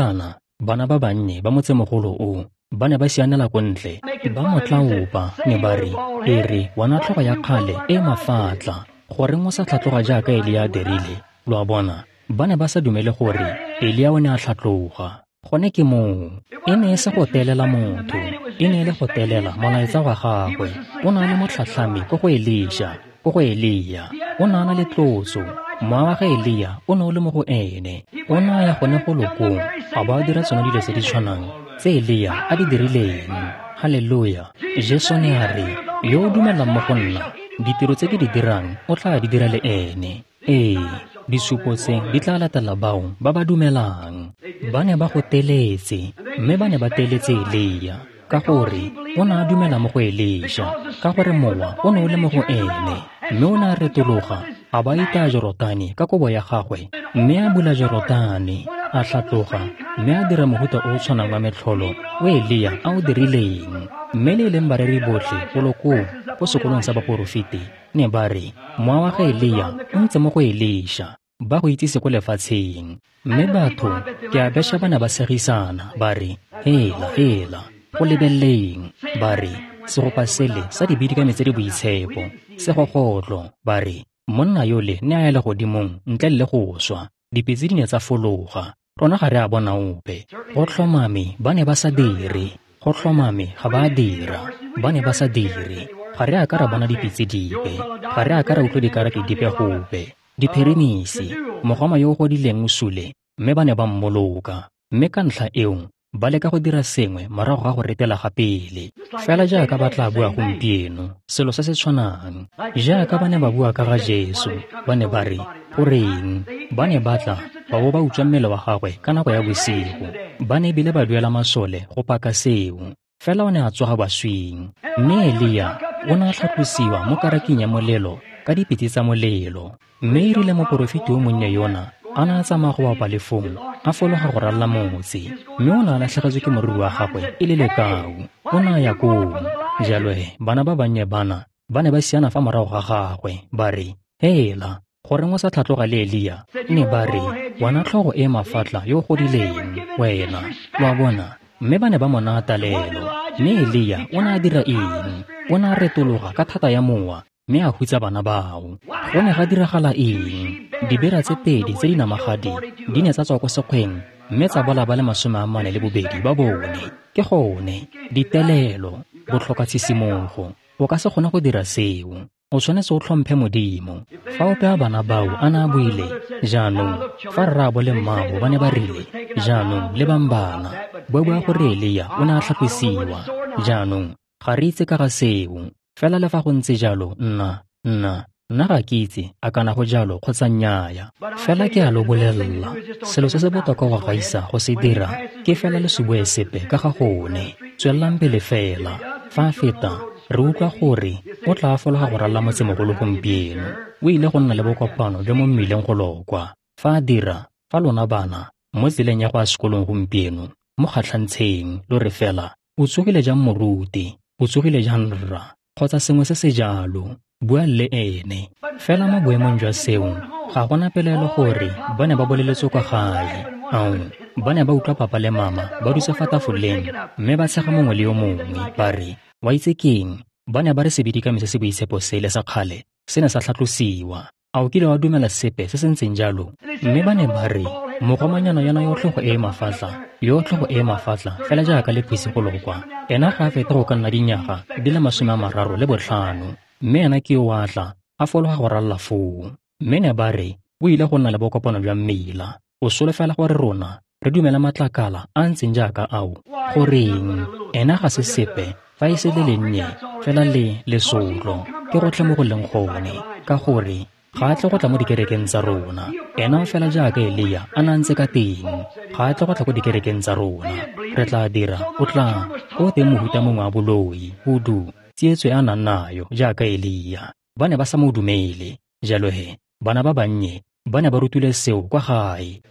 bana ba bannye ba motsemogolo o, ba ne ba sianela ko ntle, ba mo tlaopa, ne ba re, e re, wena tlhogo ya kgale e mafatla, goreng o sa tlhatloga jaaka Elia a dirile? Lo a bona, ba ne ba sa dumele gore Elia o ne a tlhatloga. Gone ke moo, e ne e se go telela motho, e ne e le go telela molaetsa wa gagwe. O ne a le motlhatlhami ko go Elisha, ko go Elia. O ne a na le tlotso. Mowa wa ga Elia o ne o le mo go ene. O ne a ya gone go lokong, a bo a dira tsone dilo tse di tshwanang tse Elia a di dirileng. Haleluya! Jesu ne a re, yo o dumelang mo go nna, ditiro tse ke di dirang o tla di dira le ene. Ee, disupo tse di tla latela bao ba ba dumelang. Ba ne ba go teletse, mme ba ne ba teletse Elia, ka gore o ne a dumela mo go Elisha, ka gore mowa o ne o le mo go ene. Mme o ne a retologa, a ba itaya Jorotane ka kobo ya gagwe, mme a bula Jorotane, a tlhatloga, mme a dira mohuta o o tshwanang wa metlholo o Elia a o dirileng. Mme le e leng bareri botlhe golo koo ko sekolong sa baporofeti ne ba re, mowa wa ga Elia o ntse mo go Elisha, ba go itsise ko lefatsheng. Mme batho, ke a besha ba ne ba segisana, ba re, hela, hela, go lebeleleng. Ba re, segopa sele sa dibidikame tse di boitshepo, segogotlo, ba re, monna yole ne a ya legodimong ntle le go swa, dipitse di ne tsa fologa, rona ga re a bona ope. Go tlhomame ba ne ba sa dire, go tlhomame ga ba a dira, ba ne ba sa dire. Ga re a ka ra bona dipitse dipe, ga re a ka ra utlwa dikaraki dipe gope. Diphirimisi, mogoma yo o godileng o sule, mme ba ne ba mmoloka. Mme ka ntlha eo, ba leka go dira sengwe morago ga go retela ga pele. Fela jaaka ba tla bua gompieno, selo se se tshwanang. Jaaka ba ne ba bua ka ga Jesu, ba ne ba re, goreng, ba ne ba tla ba bo ba utswa mmele wa gagwe ka nako ya bosigo. Ba ne ebile ba duela masole go paka seo. Fela o ne a tsoga baswing. Mme Elia o ne a tlhatlosiwa mo karaking ya molelo ka dipitse tsa molelo. Mme e rile moporofeti yo monnye yona a ne a tsamaya go bapa le foo, a fologa go ralala motse, mme o ne a latlhegetswe ke moriri wa gagwe e le lekau. O ne a ya koo. Jalo he, bana ba bannye bana ba ne ba siana fa morago ga gagwe, ba re, hela, goreng o sa tlhatloga le Elia? Ne ba re, wena tlhogo e mafatla yo o godileng, wena, wa bona. Mme ba ne ba mo naya talelo. Mme Elia o ne a dira eng? O ne a retologa ka thata ya mowa mme a hutsa bana bao. Go ne ga diragala eng? Dibera tse pedi tse di namagadi di ne tsa tswa ko sekgweng mme tsa bola ba le 42 ba bone. Ke gone, ditelelo, botlhokatshisimogo. O ka se kgone go dira seo. O tshwanetse o tlhomphe Modimo. Fa ope a bana bao a ne a buile, jaanong, fa rraabo le mmaabo ba ne ba rile, jaanong, lebang bana, ba bua gore Elia o ne a tlhatlosiwa. Jaanong, ga re itse ka ga seo. Fela le fa go ntse jalo, nna ga ke itse a kana go jalo kgotsa nnyaya. Fela ke a lo bolelela, selo se se botoka go gaisa go se dira ke fela le se bue sepe ka ga gone. Tswelelang pele fela. Fa a feta, re utlwa gore o tla fologa go ralala motsemogolo gompieno. O ile go nna le bokopano jwa mo mmileng go lokwa. Fa a dira, fa lona bana mo tseleng ya go ya sekolong gompieno, mo kgatlhantsheng, lo re fela, o tsogile jang moruti, o tsogile jang rra, kgotsa sengwe se se jalo, bua le ene. Fela mo boemong jwa seo, ga gona pelaelo gore ba ne ba boleletswe kwa gae. Ao, ba ne ba utlwa papa le mama ba dutse fa tafoleng mme ba tshega mongwe le yo mongwe, ba re, wa itse keng, ba ne ba re sebidikami se se boitshepo sele sa kgale se ne sa tlhatlosiwa. A o kile wa dumela sepe se se ntseng jalo? Mme ba ne ba re, mogomanyana yona yo tlhogo e mafatla, yo tlhogo e mafatla fela jaaka lephisi go lokwa, ena ga a fete go ka nna dinyaga di le 35, mme ena ke yo a tla a fologa go ralala foo. Mme ne ba re o ile go nna le bokopano jwa mmila. O solofela gore rona re dumela matlakala a ntseng jaaka ao. Goreng, ena ga se sepe fa e se le lennye fela le lesotlo. Ke gotlhe mo go leng gone, ka gore ga a tle go tla mo dikerekeng tsa rona. Ena fela jaaka Elia a na ntse ka teng, ga a tle go tla ko dikerekeng tsa rona. Re tla dira, o tla ko teng mohuta mongwe wa boloi, hudu, tsietso e a nang nayo jaaka Elia. Ba ne ba sa mo dumele. Jalo he, bana ba bannye ba ne ba rutile seo kwa gae.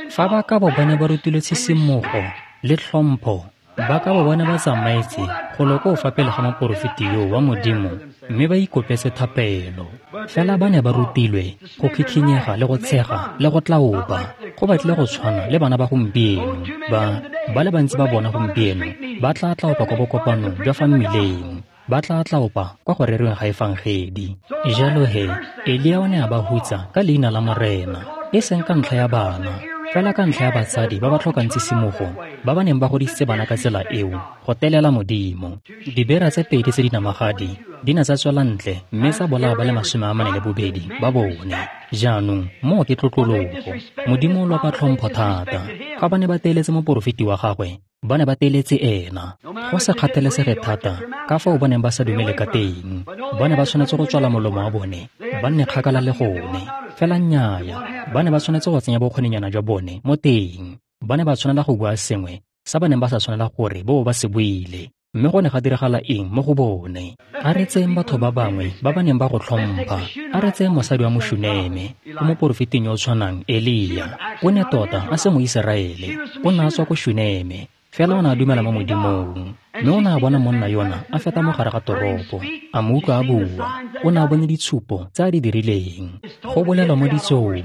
Fa ba ka bo ba ne ba rutile tshisimogo le tlhompho, ba ka bo ba ne ba tsamaetse go lo ko fa pele ga moporofeti yo wa Modimo mme ba ikopetse thapelo. Fela ba ne ba rutilwe go khikhinyega le go tshega le go tlaopa. Go batlile go tshwana le bana ba gompieno. Ba le bantsi ba bona gompieno ba tla tlaopa kwa bokopanong jwa fa mmileng, ba tla tlaopa kwa go rerweng ga efangedi. Jalo he, Elia o ne a ba hutsa ka leina la Morena, e seng ka ntlha ya bana, fela ka ntlha ya batsadi ba ba tlhokang tshisimogo, ba ba neng ba godisitse bana ka tsela eo go telela Modimo. Dibera tse pedi tse di namagadi di ne tsa tswela ntle mme tsa bolaya ba le 42 ba bone. Jaanong moo ke tlotlologo. Modimo o lopa tlhompho thata. Fa ba ne ba teeletse moporofeti wa gagwe, ba ne ba teeletse ena. Go se kgathalesege thata ka fao ba neng ba sa dumele ka teng, ba ne ba tshwanetse go tswala molomo wa bone, ba nne kgakala le gone. Fela nnyaya, ba ne ba tshwanetse go tsenya bokgoninyana jwa bone mo teng. Ba ne ba tshwanela go bua sengwe sa ba neng ba sa tshwanela gore bo ba se buile. Mme go ne ga diragala eng mo go bone? A re tseyeng batho ba bangwe ba ba neng ba go tlhompha. A re tseyeng mosadi wa Moshuneme, o moporofeting yo o tshwanang Elia. O ne tota a se Moiseraele, o ne a tswa ko Shuneme, fela o ne a dumela mo Modimong. Mme o ne a bona monna yona a feta mo gare ga toropo, a mo utlwa a bua. O ne a bone ditshupo tse a di dirileng. Go bolelwa mo ditsong,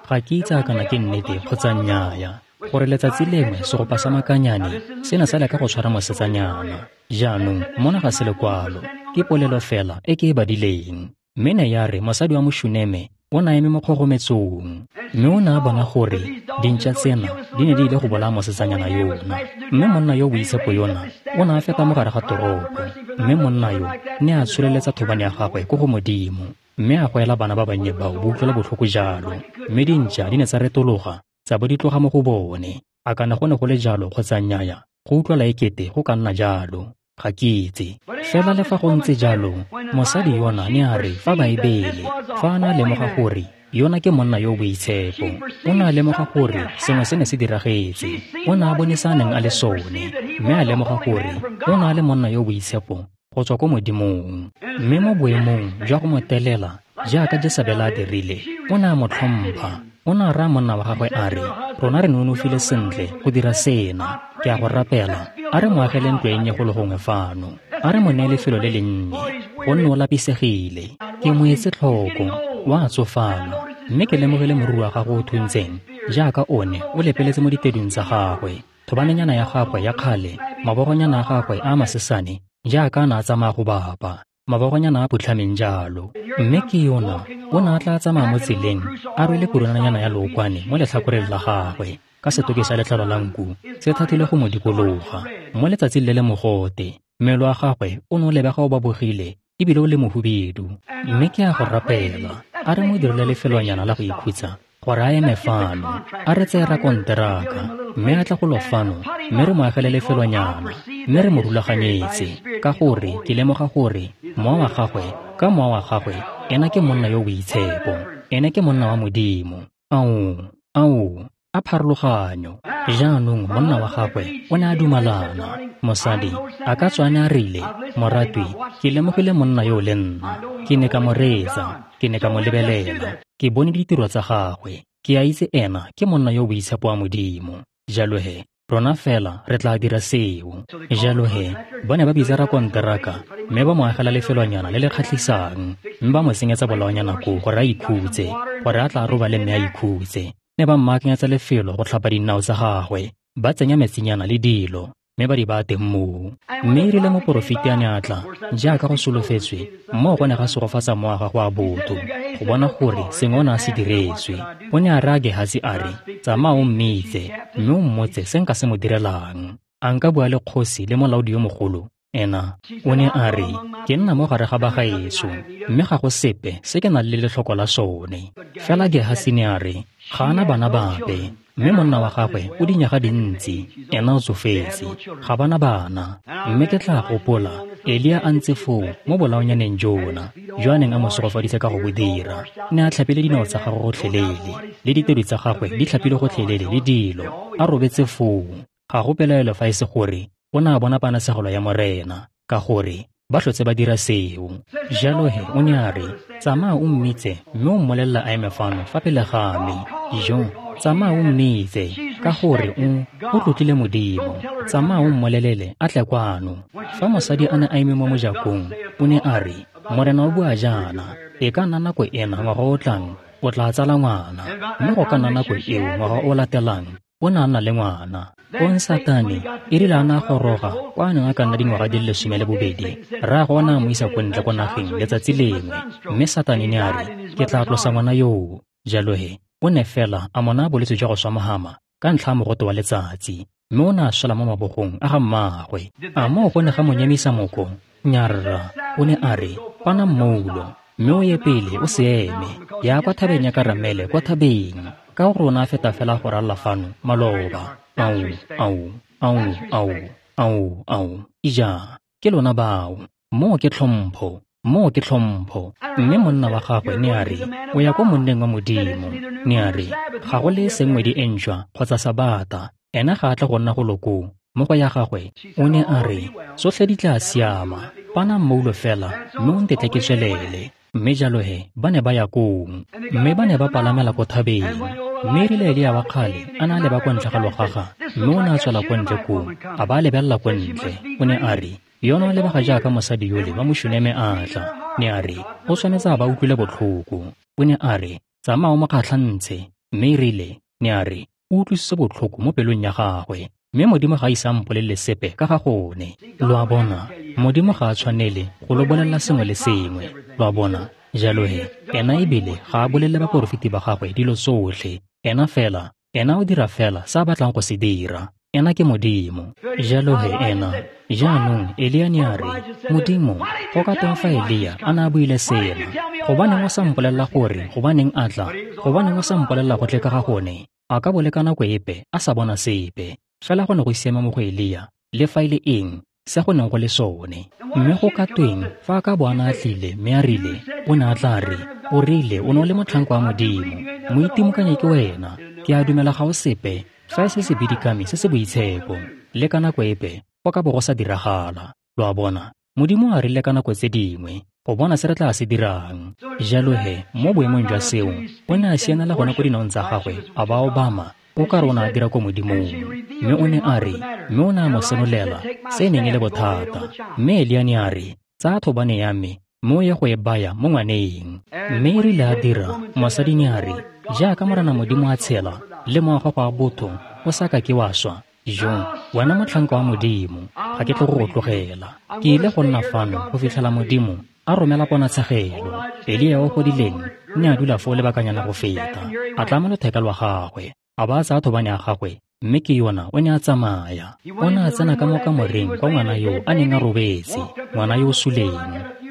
ga ke itse a kana ke nnete kgotsa nnyaya, gore letsatsi lengwe segopa sa makanyane se ne sa leka go tshwara mosetsanyana. Jaanong mona ga se lekwalo, ke polelo fela e ke e badileng. Mme ne ya re mosadi wa Moshuneme o ne a eme mo kgogometsong, mme o ne a bona gore dintša tsena di ne di ile go bolaya mosetsanyana yona. Mme monna yo boitshepo yona o ne a feta mo gare ga toropo, mme monna yo ne a tsholeletsa thobane ya gagwe ko go Modimo, mme a goela bana ba bannye bao bo utlwela botlhoko jalo. Mme dintša di ne tsa retologa tsa bo di tloga mo go bone. A kana go ne go le jalo kgotsa nnyaya, go utlwala ekete go ka nna jalo. Ga ke itse. Fela le fa go ntse jalo, mosadi yona ne a re fa Baebele, fa a ne a lemoga gore yona ke monna yo o boitshepo, o ne a lemoga gore sengwe se ne se diragetse. O ne a bone se a neng a le sone, mme a lemoga gore o ne a le monna yo o boitshepo go tswa ko Modimong. Mme mo boemong jwa go mo telela jaaka Jesebele a dirile, o ne a mo tlhompha. O ne a raya monna wa gagwe a re, rona re nonofile sentle go dira sena. Ke a go rapela, a re mo agele ntlo e nnye go le gongwe fano. A re mo neye lefelo le le nnye, gonne o lapisegile. Ke mo etse tlhoko, o a tsofala, mme ke lemogile moriri wa gagwe o thuntseng jaaka one o lepeletse mo ditedung tsa gagwe. Thobanenyana ya gagwe ya kgale, mabogonyana a gagwe a masesane jaaka a ne a tsamaya go bapa, mabogonyana a phutlhameng jalo. Mme ke yona o ne a tla tsamaya mo tseleng a rwele kurunanyana ya lookwane mo letlhakoreng la gagwe, ka setoki sa letlalo la nku se thathile go mo dikologa. Mo letsatsing le le mogote, mmele wa gagwe o ne o lebega o babogile ebile o le mohubedu. Mme ke a go rapela, a re mo dirile lefelonyana la go ikhutsa gore a eme fano, a re tseye rakonteraka, mme a tla go lo fano, mme re mo agele lefelonyana, mme re mo rulaganyetse, ka gore ke lemoga gore mowa wa gagwe, ka mowa wa gagwe, ena ke monna yo o boitshepo, ene ke monna wa Modimo. Ao, ao, a pharologanyo. Jaanong monna wa gagwe o ne a dumalana. Mosadi a ka tswa a ne a rile, moratwi, ke lemogile monna yo le nna. Ke ne ka mo reetsa, ke ne ka mo lebelela, ke bone ditiro tsa gagwe. Ke a itse ena ke monna yo o boitshepo wa Modimo. Jalo he, rona fela re tla dira seo. Jalo he, ba ne ba bitsa rakonteraka, mme ba mo agela lefelonyana le le kgatlhisang, mme ba mo tsenyetsa bolaonyana koo gore a ikhutse, gore a tla robale mme a ikhutse. Ne ba mmaakanyetsa lefelo go tlhapa dinao tsa gagwe, ba tsenya metsinyana le dilo, mme ba di baya teng moo. Mme e rile moporofeti a ne a tla, jaaka go solofetswe, moo go ne ga segofatsa mowa wa gagwe wa botho, go bona gore sengwe o ne a se diretswe. O ne a raya Gehasi a re, tsamaya o mmitse, mme o mmotse se nka se mo direlang. A nka bua le kgosi le molaodi yo mogolo? Ena o ne a re, ke nna mo gare ga bagaetsho, mme ga go sepe se ke nang le letlhoko la sone. Fela Gehasi ne a re, ga ana bana bape, mme monna wa gagwe o dinyaga dintsi, ena o tsofetse, ga bana bana. Mme ke tla gopola Elia a ntse foo mo bolaonyaneng jona, jo a neng a mo segofaditse ka go bo dira. Ne a tlhapile dinao tsa gagwe gotlhelele, le ditedu tsa gagwe di tlhapile gotlhelele le dilo, a robetse foo. Ga go pelaelo fa e se gore o ne a bona panasegelo ya Morena, ka gore ba tlhotse ba dira seo. Jalo he o ne a re, tsamaya o mmitse mme o mmolelela a eme fano fa pele ga me. Jo, tsamaya o mmitse, ka gore o tlotlile Modimo. Tsamaya o mmolelele a tle kwano. Fa mosadi a ne a eme mo mojakong, o ne a re, Morena o bua jaana, e ka nna nako ena ngwaga o tlang o tla tsala ngwana, mme go ka nna nako eo ngwaga o latelang o ne a nna le ngwana. Kong Satane e rile a ne a goroga kwa a neng a ka nna dingwaga di le 12, rraagwe o ne a mo isa ko ntle ko nageng letsatsi lengwe, mme Satane ne a re, ke tla tlosa ngwana yoo. Jalo he, o ne fela a mo naya bolwetse jwa go swa mohama ka ntlha ya mogote wa letsatsi, mme o ne a swela mo mabogong a ga mmaagwe. A moo go ne ga mo nyemisa moko? Nyarra. O ne a re, pana mmoulo, mme o ye pele o se eme, ya kwa thabeng ya Karamele kwa thabeng, ka gore o ne a feta fela go ralla fano maloba. Ao, ao, ao, ao, ao, ao, ija, ke lona bao. Moo ke tlhompho, moo ke tlhompho. Mme monna wa gagwe ne a re, o ya ko monneng wa Modimo. Ne a re, ga go le seng ngwedi e ntšhwa kgotsa Sabata, ena ga a tle go nna go lokoo mo go ya gagwe. O ne a re, tsotlhe di tla siama, pana mmoulo fela mme o ntetle ke tswelele. Mme jalo he, ba ne ba ya kong, mme ba ne ba palamela ko thabeng. Mme erile Elia wa kgale a ne a leba kwa ntle ga logaga, mme o ne a tswela kwa ntle koo, a ba a lebelela kwa ntle. O ne a re, yona o lebega jaaka mosadi yole wa Mošuneme a tla. Ne a re, o tshwanetse a ba utlwile botlhoko. O ne a re, tsamaya o mo kgatlhantshe. Mme erile, ne a re, o utlwisitse botlhoko mo pelong ya gagwe, mme Modimo ga a ise a mpolelele sepe ka ga gone. Lo a bona, Modimo ga a tshwanele go lo bolelela sengwe le sengwe. Lo a bona, jalo he, ena ebile ga a bolelele baporofeti ba gagwe dilo tsotlhe. Ena fela, ena o dira fela se a batlang go se dira. Ena ke Modimo. Jalo he ena, jaanong Elia ne a re, Modimo, go ka tweng fa Elia a ne a buile sena? Gobaneng o sa mpolelela gore gobaneng a tla? Gobaneng o sa mpolelela gotlhe ka ga gone? A ka bo le ka nako epe a sa bona sepe. Fela go ne go siame mo go Elia, le fa e le eng se go neng go le sone. Mme go ka tweng fa a ka bo a ne a tlile mme a rile, o ne a tla re, o rile o ne o le motlhanka wa Modimo, moitimokanye ke wena, ke a dumela ga o sepe fa e se sebidikami se se boitshepo. Le ka nako epe go ka bo go sa diragala. Lo a bona, Modimo a rile ka nako tse dingwe go bona se re tla se dirang. Jalo he, mo boemong jwa seo, o ne a sianela gone ko dinaong tsa gagwe, a ba obama, o ka re o ne a dira ko Modimong. Mme o ne a re, mme o ne a mo senolela se e neng e le bothata. Mme Elia ne a re, tsaya thobane ya me, mme o ye go e baya mo ngwaneng. Mme e rile a dira, mosadi ne a re, jaaka Morena Modimo a tshela, le mowa wa gago wa botho o sa ka ke wa swa, jo, wena motlhanka wa Modimo, ga ke tle go go tlogela. Ke ile go nna fano go fitlhela Modimo a romela ponatshegelo. Elia o godileng ne a dula foo lebakanyana go feta, a tlama lotheka lwa gagwe, a ba a tsaya thobane ya gagwe, mme ke yona o ne a tsamaya. O ne a tsena ka mo kamoreng kwa ngwana yo a neng a robetse, ngwana yo o suleng.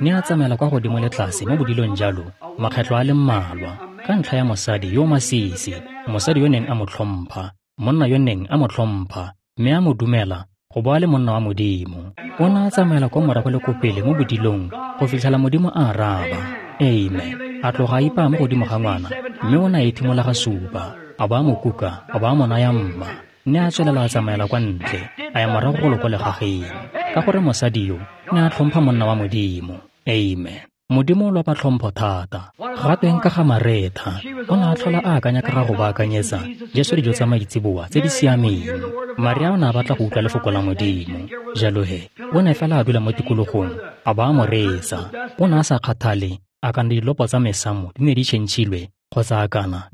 Ne a tsamaela kwa godimo le tlase mo bodilong jalo makgetlho a le mmalwa, ka ntlha ya mosadi yo masisi, mosadi yo neng a mo tlhompha, monna yo neng a mo tlhompha, mme a mo dumela go bo a le monna wa Modimo. O ne a tsamaela kwa morago le ko pele mo bodilong go fitlhela Modimo a araba. Amen. A tloga a ipaya mo godimo ga ngwana, mme o ne a ethimola ga supa, a ba a mo kuka, a ba a mo naya mma. Ne a tswelela a tsamaela kwa ntle, a ya morago golo ko legageng, ka gore mosadi yo ne a tlhompha monna wa Modimo. Amen. Modimo o lopa tlhompho thata. Ga tweng ka ga Maretha, o ne a tlhola a akanya ka ga go baakanyetsa Jesu dijo tsa maitseboa tse di siameng. Maria o ne a batla go utlwa lefoko la Modimo. Jalo he, o ne fela a dula mo tikologong, a ba a mo reetsa. O ne a sa kgathale a kana dilopo tsa mesamo di ne di tšhentšhilwe, kgotsa a kana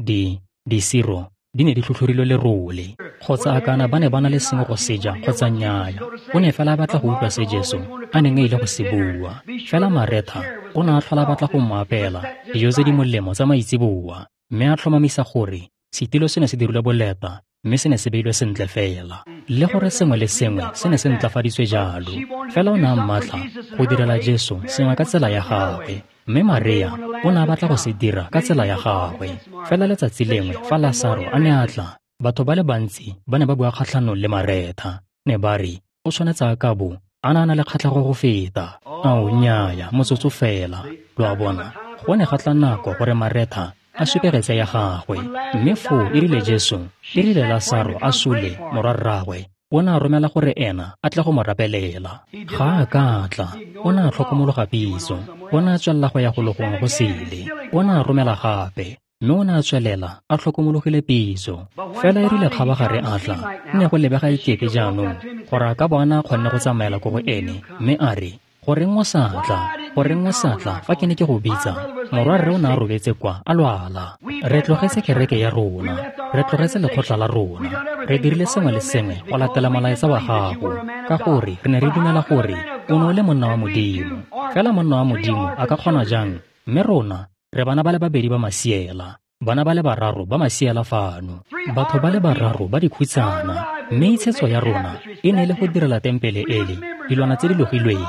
disiro di ne di tlhotlhorilwe lerole, kgotsa a kana ba ne ba na le sengwe go seja kgotsa nnyaya. O ne fela a batla go utlwa se Jesu a neng a ile go se bua. Fela Maretha o ne a tlhola a batla go mo apeela dijo tse di molemo tsa maitseboa, mme a tlhomamisa gore setilo se ne se dirilwe boleta mme se ne se beilwe sentle fela, le gore sengwe le sengwe se ne se ntlafaditswe jalo. Fela o ne a mmatla go direla Jesu sengwe ka tsela ya gagwe, mme Maria o ne a batla go se dira ka tsela ya gagwe. Fela letsatsi lengwe fa Lasaro a ne a tla, batho ba le bantsi ba ne ba bua kgatlhanong le Maretha. Ne ba re, o tshwanetse a ka bo a ne a na le kgatlhego go feta. Ao, nnyaya, motsotso fela. Lo a bona, go ne ga tla nako gore Maretha a supegetse ya gagwe. Mme foo e rile Jesu, e rile Lasaro a sule morwarraagwe, o ne a romela gore ena a tle go mo rapelela. Ga a ka tla, o ne a tlhokomologa pitso, o ne a tswelela go ya go logong go sele. O ne a romela gape, mme o ne a tswelela a tlhokomologile pitso. Fela e rile kgabagare a tla, ne go lebega ekete jaanong gore a ka bo a ne a kgonne go tsamaela ko go ene, mme a re, goreng o sa tla? Goreng o sa tla fa ke ne ke go bitsa? Morwarre o ne a robetse kwa a lwala. Re tlogetse kereke ya rona, re tlogetse lekgotla la rona, re dirile sengwe le sengwe go latela molaetsa wa gago, ka gore re ne re dumela gore o ne o le monna wa Modimo. Fela monna wa Modimo a ka kgona jang? Mme rona re bana ba le babedi ba masiela, bana ba le bararo ba masiela fano, batho ba le bararo ba dikhutsana, mme itshetso ya rona e ne e le go direla tempele ele dilwana tse di logilweng.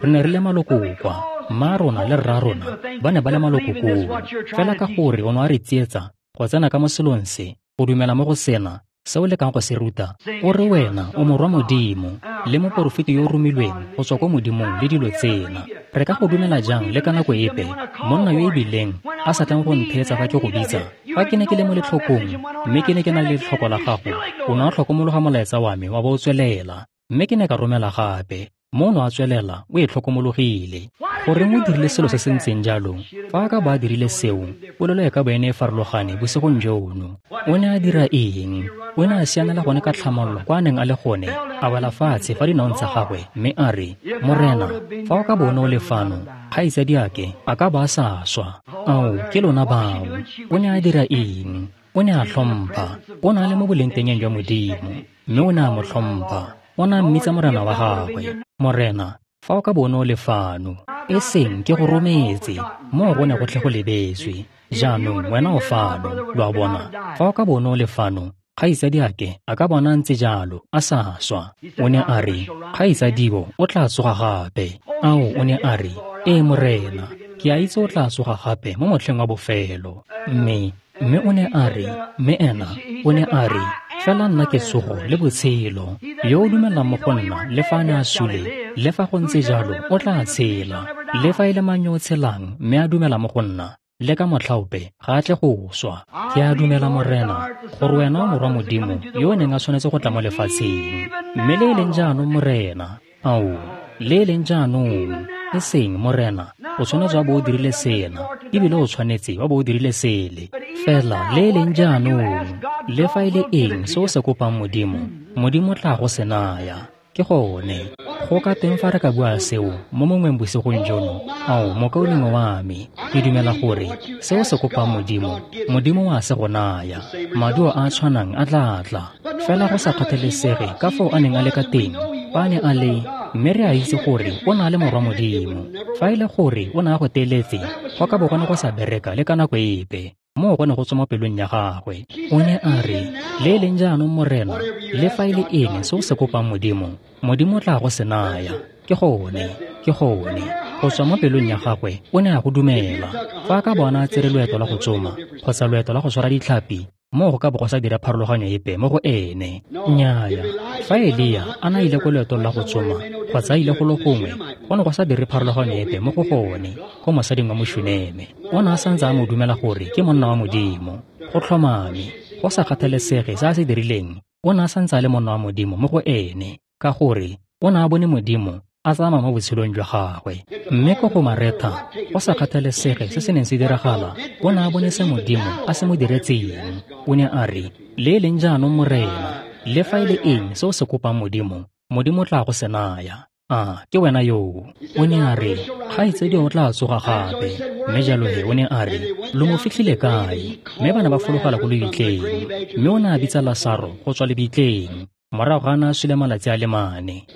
Re ne re le maloko kwa, mma rona le rra rona ba ne ba le maloko koo. Fela ka gore o ne a re tsietsa go tsena ka mo selong se, go dumela mo go sena se o lekang go se ruta, o re wena o morwa Modimo le moporofeti yo o romilweng go tswa ko Modimong le dilo tsena. Re ka go dumela jang le ka nako epe monna yo e bileng a sa tlang go ntheetsa fa ke go bitsa? Fa ke ne ke le mo letlhokong mme ke ne ke na le letlhoko la gago, o ne a tlhokomologa molaetsa wa me wa bo o tswelela, mme ke ne ka romela gape. Mo o ne a tswelela o e tlhokomologile. Goreng o dirile selo se se ntseng jalo? Fa a ka ba a dirile seo, polelo e ka bo ene e farologane bosigong jono. O ne a dira eng? O ne a sianela gone ka tlhamallo kwa a neng a le gone, a wela fatshe fa dinaong tsa gagwe, mme a re, Morena, fa o ka bo o ne o le fano, kgaitsadiake a ka ba a sa swa. Ao, ke lona bao. O ne a dira eng? O ne a tlhompha. O ne a le mo bolengtengeng jwa Modimo, mme o ne a mo tlhompha. O ne a mmitsa Morena wa gagwe. Morena, fa o ka bo o ne o le fano, e seng ke go rometse, moo go ne go tle go lebetswe. Jaanong wena o fano, lo a bona. Fa o ka bo o ne o le fano, kgaitsadiake a ka bona a ntse jalo, a sa swa. O ne a re, kgaitsadibo o tla tsoga gape. Ao, o ne a re, ee Morena, ke a itse o tla tsoga gape mo motlheng wa bofelo. Mme Mme o ne a re, mme ena o ne a re, fela nna ke tsogo le botshelo. Yo o dumelang mo go nna, le fa a ne a sule, le fa go ntse jalo, o tla tshela. Le fa e le mang yo o tshelang mme a dumela mo go nna, le ka motlhaope ga a tle go swa. Ke a dumela, Morena, gore wena o Morwa Modimo yo o neng a tshwanetse go tla mo lefatsheng. Mme le e leng jaanong, Morena, ao, le e leng jaanong, e seng, Morena, o tshwanetse wa bo o dirile sena, ebile o tshwanetse wa bo o dirile sele. Fela le e leng jaanong, le fa e le eng se o se kopang Modimo, Modimo tla go se naya. Ke gone. Go ka teng fa re ka bua seo mo mongweng bosigong jono, ao, mokaulengwe wa me, ke dumela gore se o se kopang Modimo, Modimo wa se go naya. Maduo a a tshwanang a tla tla. Fela go sa kgathalesege ka foo a neng a le ka teng, fa a ne a le, mme re a itse gore o na le Morwa Modimo. Fa e le gore o ne a go teeletse, go ka bo go ne go sa bereka le ka nako epe. Moo go ne go tswa mo pelong ya gagwe. O ne a re, le e leng jaanong, Morena, le fa e le eng se o se kopang Modimo, Modimo tla go se naya. Ke gone, ke gone. Go tswa mo pelong ya gagwe, o ne a go dumela. Fa a ka bona a tsere loeto la go tsoma, kgotsa loeto la go tshwara ditlhapi, moo go ka bo go sa dira pharologanyo epe mo go ene. Nnyaya. Fa Elia a na ile ko loetong la go tsoma, kgotsa a ile go lo gongwe, go ne go sa dire pharologanyo epe mo go gone, go mosading wa Mošuneme. O ne a santse a mo dumela gore ke monna wa Modimo. Go tlhomame, go sa kgathalesege se a se dirileng, o ne a santse a le monna wa Modimo mo go ene, ka gore o ne a bone Modimo a tsamaya mo botshelong jwa gagwe. Mme ko go Maretha, go sa kgathalesege se se neng se diragala, o ne a bone se Modimo a se mo diretseng. O ne a re, le e leng jaanong, Morena, le fa e le eng se o se kopang Modimo, Modimo tla go se naya. A ke wena yoo. O ne a re, kgaitsedi o tla tsoga gape. Mme jalo he o ne a re, lo mo fitlhile kae? Mme ba ne ba fologela ko lebitleng. Mme o ne a bitsa Lasaro go tswa lebitleng, morago ga a ne a sule malatsi a le mane.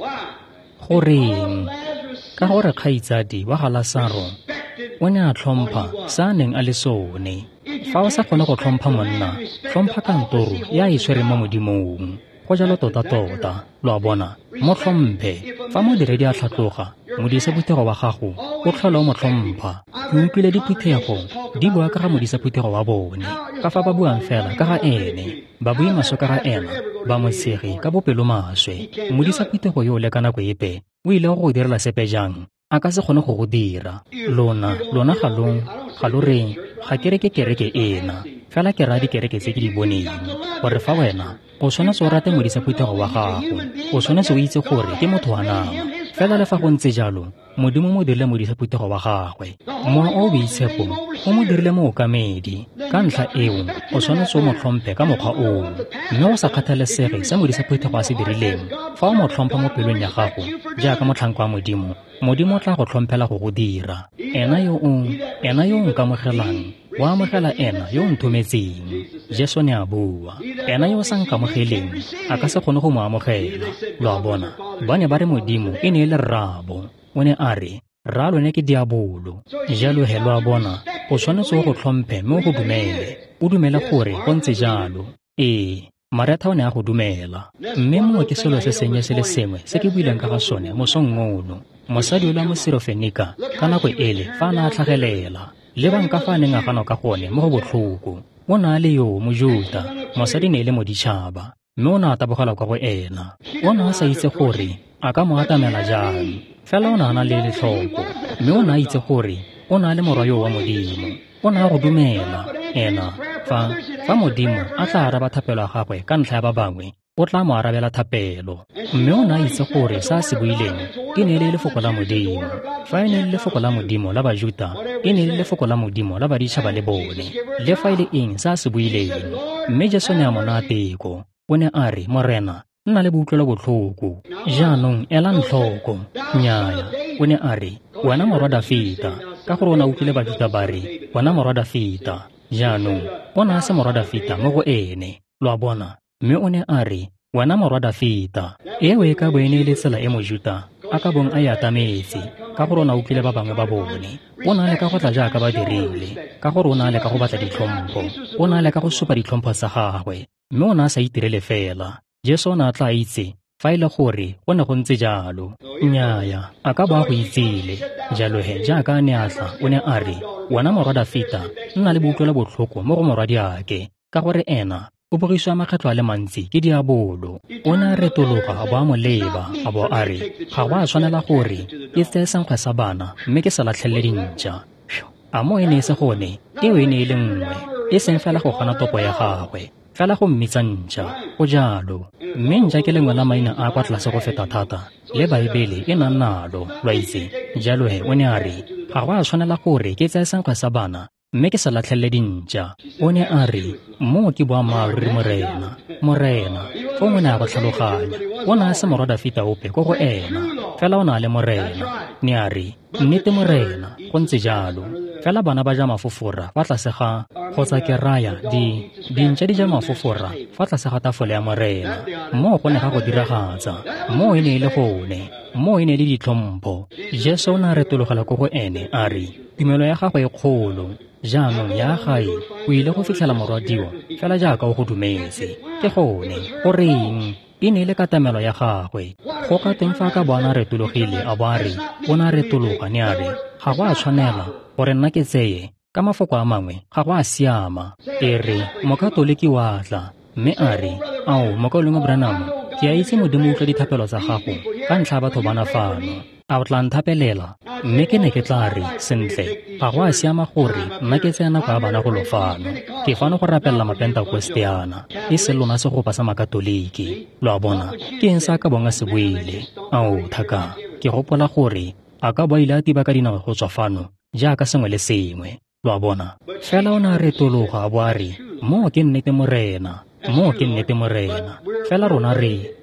Goreng? Ka gore kgaitsadi wa ga Lasaro o ne a tlhompha se a neng a le sone. Fa o sa kgone go tlhompha monna, tlhompha kantoro ya e tshwereng mo Modimong. Go jalo tota-tota, lo a bona, mo tlhomphe. Fa modiredi a tlhatloga, modisa phuthego wa gago o tlhola o mo tlhompha. Ke utlwile diphuthego di bua ka ga modisa phuthego wa bone, ka fa ba buang fela ka ga ene, ba bue maswe ka ga ena, ba mo tshege ka bopelomaswe. Modisa phuthego yo le ka nako epe o ile go go direla sepe jang? A ka se kgone go go dira. Lona, lona ga lo reng, ga ke re ke kereke ena, fela ke raya dikereke tse ke di boneng, gore fa wena o tshwanetse o rate modisa phuthego wa gago, o tshwanetse o itse gore ke motho wa nama. Fela le fa go ntse jalo, Modimo mo dirile modisa phuthego wa gagwe. Mowa o boitshepo o mo dirile mookamedi. Ka ntlha eo, o tshwanetse o mo tlhomphe ka mokgwa oo. Mme go sa kgathalesege se modisa phuthego a se dirileng, fa o mo tlhompha mo pelong ya gago jaaka motlhanka wa Modimo, Modimo o tla go tlhomphela go go dira. Ena yo o nkamogelang, wa amogela ena yo o nthometseng. Jesu ne a bua. Ena yo o sa nkamogeleng, a ka se kgone go mo amogela. Lo a bona, ba ne ba re Modimo e ne e le rraabo. O ne a re, rra lone ke diabolo. Jalo he lo a bona, o tshwanetse o go tlhomphe mme o go dumele. O dumele gore go ntse jalo. Ee, Maretha o ne a go dumela. Mme moo ke selo se sennye se le sengwe se ke buileng ka ga sone mosong ono. Mosadi yola Mosirofenika ka nako ele fa a ne a tlhagelela, lebang ka fa a neng a ganwa ka gone mo go botlhoko. O ne a le yo Mojuta, mosadi ne e le moditšhaba, mme o ne a tabogela kwa go ena. O ne a sa itse gore a ka mo atamela jang, fela o ne a na le letlhoko, mme o ne a itse gore o ne a le morwa yo wa Modimo. O ne a go dumela ena fa Modimo a tla araba thapelo ya gagwe ka ntlha ya ba bangwe, o tla mo arabela thapelo. Mme o ne a itse gore se a se buileng e ne e le lefoko la Modimo. Fa e ne e le lefoko la Modimo la Bajuta, e ne e le lefoko la Modimo la baditšhaba le bone, le fa e le eng se a se buileng. Mme Jesu ne a mo naya teko. O ne a re, Morena, nna le boutlwelo botlhoko. Jaanong elang tlhoko. Nnyaya. O ne a re, wena morwa Dafita, ka gore o ne a utlwile Bajuta ba re, wena morwa Dafita. Jaanong o ne a se morwa Dafita mo go ene, lo a bona. Mme o ne a re, wena morwa Dafita. Eo e ka bo e ne e le tsela e Mojuta a ka bong a e atametse, ka gore o ne a utlwile ba bangwe ba bone. O ne a leka go tla jaaka ba dirile, ka gore o ne a leka go batla ditlhompho, o ne a leka go supa ditlhompho tsa gagwe, mme o ne a sa itirele fela. Jesu o ne a tla itse fa e le gore go ne go ntse jalo. Nnyaya, a ka bo a go itsile. Jalo he jaaka a ne a tla, o ne a re, wena morwa Dafita, nna le boutlwelo botlhoko mo go morwadiake, ka gore ena o bogiswa makgetlho a le mantsi ke diabolo. O ne a retologa a bo a mo leba, a bo a re, ga go a tshwanela gore ke tseye senkgwe sa bana mme ke se latlhelele dintša. A mo e ne e se gone, eo e ne e le nngwe, e seng fela go gana topo ya gagwe, fela go mmitsa ntša, go jalo. Mme ntša ke lengwe la maina a kwa tlase go feta thata le Baebele e nang nalo, lo itse. Jalo he o ne a re, ga go a tshwanela gore ke tseye senkgwe sa bana mme ke se latlhelele dintša. O ne a re, moo ke boammaaruri Morena, Morena. Fong o ne a go tlhaloganya. O ne a se morwa Dafita ope ko go ena, fela o ne a le Morena. Ne a re, nnete Morena, go ntse jalo. Fela bana ba ja mafofora fa tlase ga, kgotsa ke raya dintša di ja mafofora fa tlase ga tafole ya Morena. Moo go ne ga go diragatsa. Moo e ne e le gone. Moo e ne e le ditlhompho. Jesu o ne a retologela ko go ene a re, tumelo ya gago e kgolo. Jaanong ya gae o ile go fitlhela morwadio fela jaaka o go dumetse. Ke gone, goreng? E ne e le katamelo ya gagwe. Go ka teng fa a ka bo a ne a retologile a bo a re, o ne a retologa ne a re, ga go a tshwanela gore nna ke tseye, ka mafoko a mangwe, ga go a siama. E re, mokatoliki wa tla, mme a re, ao, mokaulengwe Branham, ke a itse Modimo utlwa dithapelo tsa gago ka ntlha ya batho bana fano. A o tla nthapelela? Mme ke ne ke tla re, sentle, ga go a siama gore nna ke tseye nako ya bana go lo fano. Ke fano go rapelela mapentekosteana, e seng lona segopa sa makatoliki. Lo a bona, ke eng se a ka bong a se buile? Ao, thaka, ke gopola gore a ka bo a ile a tiba ka dinao go tswa fano jaaka sengwe le sengwe. Lo a bona? Fela o ne a retologa a bo a re, moo ke nnete Morena. Moo ke nnete Morena. Fela rona re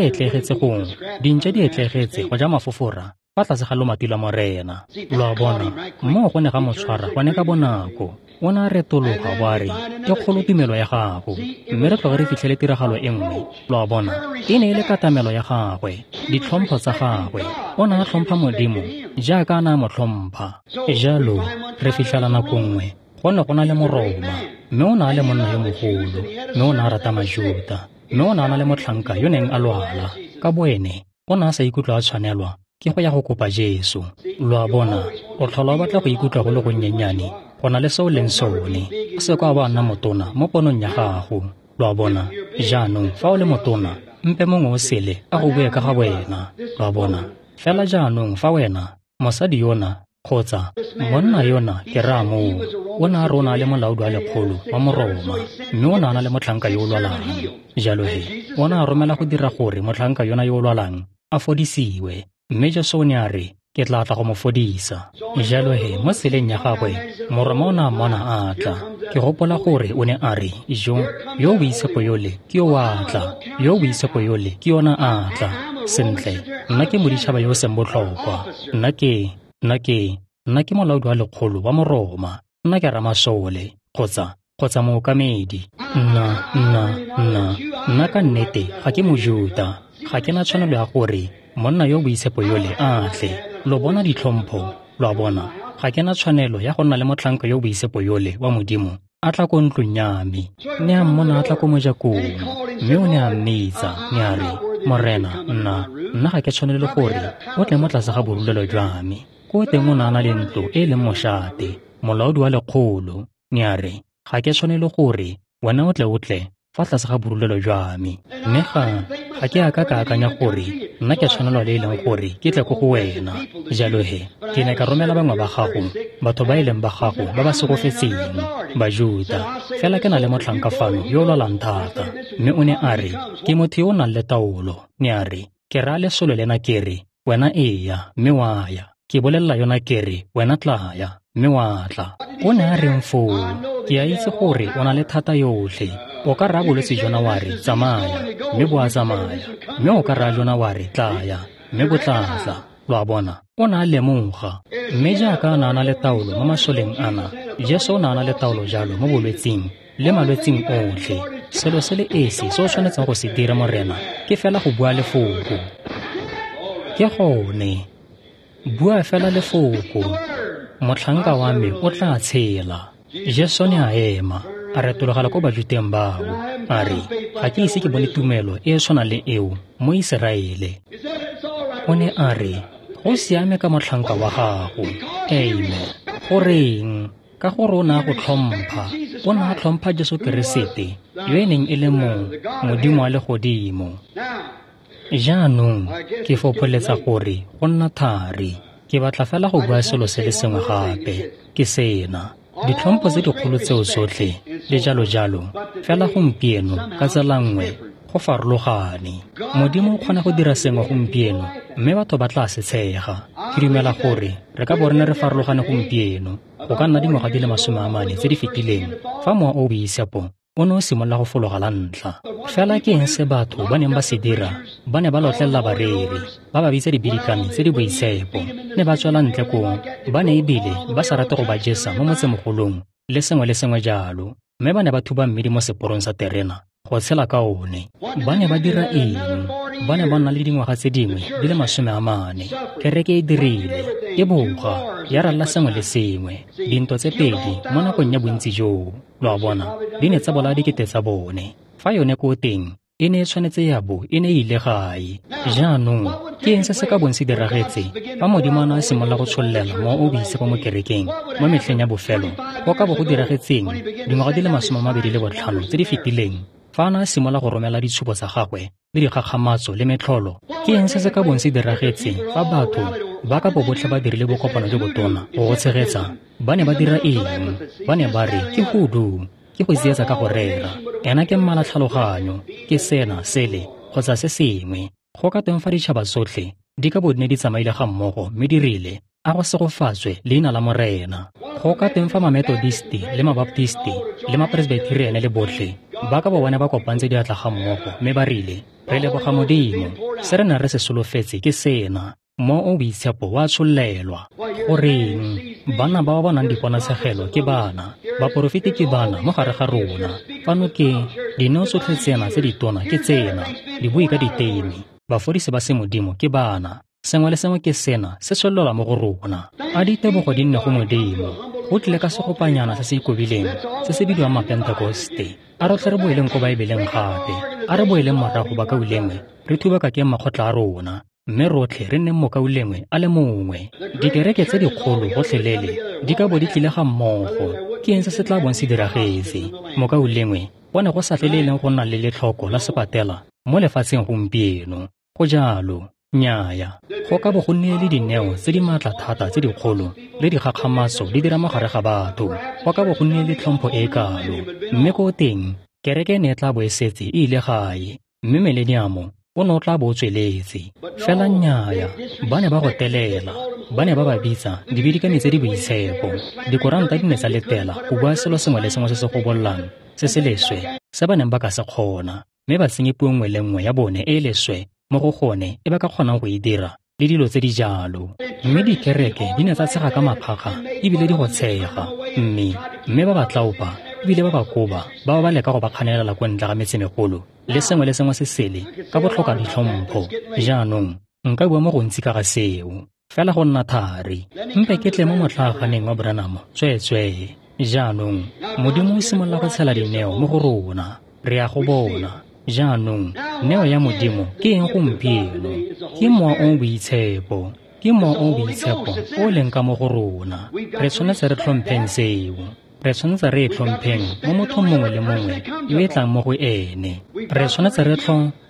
etlegetse gongwe, dintša di etlegetse go ja mafofora fa tlase ga lomati lwa Morena. Lo a bona, moo go ne ga mo tshwara gone ka bonako. O ne a retologa bo a re, ke kgolo tumelo ya gago. Mme re tloge re fitlhele tiragalo e nngwe. Lo a bona, e ne e le katamelo ya gagwe, ditlhompho tsa gagwe. O ne a tlhompha Modimo jaaka a ne a mo tlhompha. Jalo re fitlhela nako nngwe go ne go na le Moroma, mme o ne a le monna yo mogolo, mme o ne a rata Majuta, mme o ne a na le motlhanka yo neng a lwala. Ka boene o ne a sa ikutlwa a tshwanelwa ke go ya go kopa Jesu. Lo a bona, o tlhola o batla go ikutlwa go le gonnyenyane go na le se o leng sone. O se kwa ba nna motona mo ponong ya gago. Lo a bona, jaanong fa o le motona, mpe mongwe o sele a go bue ka ga wena. Lo a bona, fela jaanong fa wena, mosadi yona, kgotsa monna yona, ke raya moo, o ne a re o na le molaodi wa lekgolo wa Moroma, mme o ne a na le motlhanka yo o lwalang. Jalo he, o ne a romela go dira gore motlhanka yona yo o lwalang a fodisiwe. Mme Jesu o ne a re, ke tla tla go mo fodisa. Jalo he, mo tseleng ya gagwe, Moroma o ne a mmona a tla. Ke gopola gore o ne a re, jo, yo boitshepo yole ke yo a tla, yo boitshepo yole ke yona a tla. Sentle, nna ke moditšhaba yo o seng botlhokwa. Nna ke molaodi wa lekgolo wa Moroma. Nna ke ramasole, kgotsa mookamedi. Nna ka nnete ga ke Mojuta. Ga ke na tshwanelo ya gore monna yo boitshepo yole a tle. Lo bona ditlhompho, lo a bona. Ga ke na tshwanelo ya go nna le motlhanka yo boitshepo yole wa Modimo a tla ko ntlong ya me. Ne a mmona a tla ko mojakong, mme o ne a mmitsa, ne a re, Morena, nna ga ke tshwanele gore o tle mo tlase ga borulelo jwa me. Ko teng o ne a na le ntlo e leng mošate, molaodi wa lekgolo. Ne a re, ga ke tshwanele gore wena o tle fa tlase ga borulelo jwa me. Mme ga ke a ka ka akanya gore nna ke tshwanelwa le e leng gore ke tle ko go wena. Jalo he, ke ne ka romela bangwe ba gago, batho ba e leng ba gago ba ba segofetseng, Bajuta. Fela ke na le motlhanka fano yo o lwalang thata. Mme o ne a re, ke motho yo o nang le taolo. Ne a re, ke raya lesolo lena ke re, wena eya, mme wa ya. Ke bolelela yona ke re, wena tlaya, mme wa tla. O ne a reng foo? Ke a itse gore o na le thata yotlhe. O ka raya bolwetse jona wa re, tsamaya, mme bo a tsamaya. Mme o ka raya jona wa re, tlaya, mme bo tla tla. Lo a bona, o ne a lemoga. Mme jaaka a ne a na le taolo mo masoleng ana, Jesu o ne a na le taolo jalo mo bolwetsing le malwetsing otlhe. Selo se le esi se o tshwanetseng go se dira, Morena, ke fela go bua lefoko. Ke gone. Bua fela lefoko. Motlhanka wa me o tla tshela. Jesu ne a ema, a retologela ko Bajuteng bao. A re, ga ke ise ke bone tumelo e e tshwanang le eo mo Iseraele. O ne a re, go siame ka motlhanka wa gago. Amen. Goreng? Ka gore o ne a go tlhompha. O ne a tlhompha Jesu Keresete, yo e neng e le Modimo wa legodimo. Jaanong, ke fopholetsa gore go nna thari. Ke batla fela go bua selo se le sengwe gape, ke sena. Ditlhompho tse dikgolo tseo tsotlhe, le jalo jalo, fela gompieno, ka tsela nngwe, go farologane. Modimo o kgona go dira sengwe gompieno, mme batho ba tla se tshega. Ke dumela gore re ka bo re ne re farologane gompieno, go ka nna dingwaga di le 40 tse di fetileng, fa Mowa o o Boitshepo o ne o simolola go fologa la ntlha. Fela ke eng se batho ba neng ba se dira? Ba ne ba lotlelela bareri, ba ba bitsa dibidikami tse di boitshepo, ne ba tswela ntle koo, ba ne ebile ba sa rate go ba jesa mo motsemogolong le sengwe le sengwe jalo, mme ba ne ba thuba mmidi mo seporong sa terena go tshela ka one. Ba ne ba dira eng? Ba ne ba nna le dingwaga tse dingwe di le 40. Kereke e dirile, e boga, ya ralla sengwe le sengwe, dintwa tse pedi mo nakong ya bontsi joo. Lo a bona, di ne tsa bolaya dikete tsa bone. Fa yone ko teng, e ne e tshwanetse ya bo e ne e ile gae. Jaanong, ke eng se se ka bong se diragetse fa Modimo a ne a simolola go tshollela Mowa o o Boitshepo mo kerekeng mo metlheng ya bofelo? Go ka bo go diragetseng dingwaga di le 25 tse di fetileng fa a ne a simolola go romela ditshupo tsa gagwe le dikgakgamatso le metlholo? Ke eng se se ka bong se diragetse fa batho ba ka bo botlhe ba dirile bokopano jo botona go go tshegetsa? Ba ne ba dira eng? Ba ne ba re, ke hudu, ke go tsietsa ka go rera, ena ke mmala tlhaloganyo, ke sena, sele, kgotsa se sengwe. Go ka tweng fa ditšhaba tsotlhe di ka bo di ne di tsamaile ga mmogo mme di rile, a go segofatswe leina la Morena? Go ka tweng fa Mametodisti le Mabaptisti le Mapresbyteriane le botlhe ba ka bo ba ne ba kopantse diatla ga mmogo mme ba rile, re leboga Modimo, se re neng re se solofetse ke sena, Mowa o Boitshepo wa tshollelwa. Goreng? Banna ba ba bonang diponatshegelo ke bana, baporofeti ke bana mo gare ga rona. Fano ke dineo tsotlhe tsena tse ditona ke tsena, dibui ka diteme, bafodisi ba semodimo ke bana. Sengwe le sengwe ke sena se tshollelwa mo go rona. A ditebogo di nne go Modimo. Go tlile ka segopanyana se se ikobileng se se bidiwang Mapentekoste. A rotlhe re boeleng ko Baebeleng gape. A re boeleng morago bakaulengwe, re thubakakeng makgotla a rona, mme rotlhe re nneng mokaulengwe a le mongwe. Dikereke tse dikgolo gotlhelele di ka bo di tlile ga mmogo. Ke eng se se tla bong se diragetse? Mokaulengwe, go ne go sa tle le e leng go nna le letlhoko la sepatela mo lefatsheng gompieno. Go jalo. Nnyaya. Go ka bo go nnile le dineo tse di maatla thata tse dikgolo le dikgakgamatso di dira mo gare ga batho. Go ka bo go nnile le tlhompho e e kalo. Mme ko teng, kereke e ne e tla bo e setse e ile gae, mme mileniamo o ne o tla bo o tsweletse. Fela nnyaya, ba ne ba go telela. Ba ne ba ba bitsa dibidikami tse di boitshepo. Dikoranta di ne tsa letela go bua selo sengwe le sengwe se se gobollang, se se leswe, se ba neng ba ka se kgona, mme ba tsenye puo nngwe le nngwe ya bone e e leswe mo go gone e ba ka kgonang go e dira, le dilo tse di jalo. Mme dikereke di ne tsa tshega ka maphakga ebile di go tshega, mme ba ba tlaopa ebile ba ba koba, ba ba leka go ba kganelela ko ntle ga metsemegolo le sengwe le sengwe se sele ka botlhoka ditlhompho. Jaanong nka bua mo gontsi ka ga seo, fela go nna thari. Mpe ke tle mo motlaaganeng wa Branham, tsweetswee. Jaanong Modimo o simolola go tshela dineo mo go rona, re a go bona. Jaanong neo ya Modimo ke eng gompieno? Ke Mowa o o Boitshepo. Ke Mowa o o Boitshepo o leng ka mo go rona. Re tshwanetse re tlhompheng seo. Re tshwanetse re e tlhompheng mo mothong mongwe le mongwe yo e tlang mo go ene. Re tshwanetse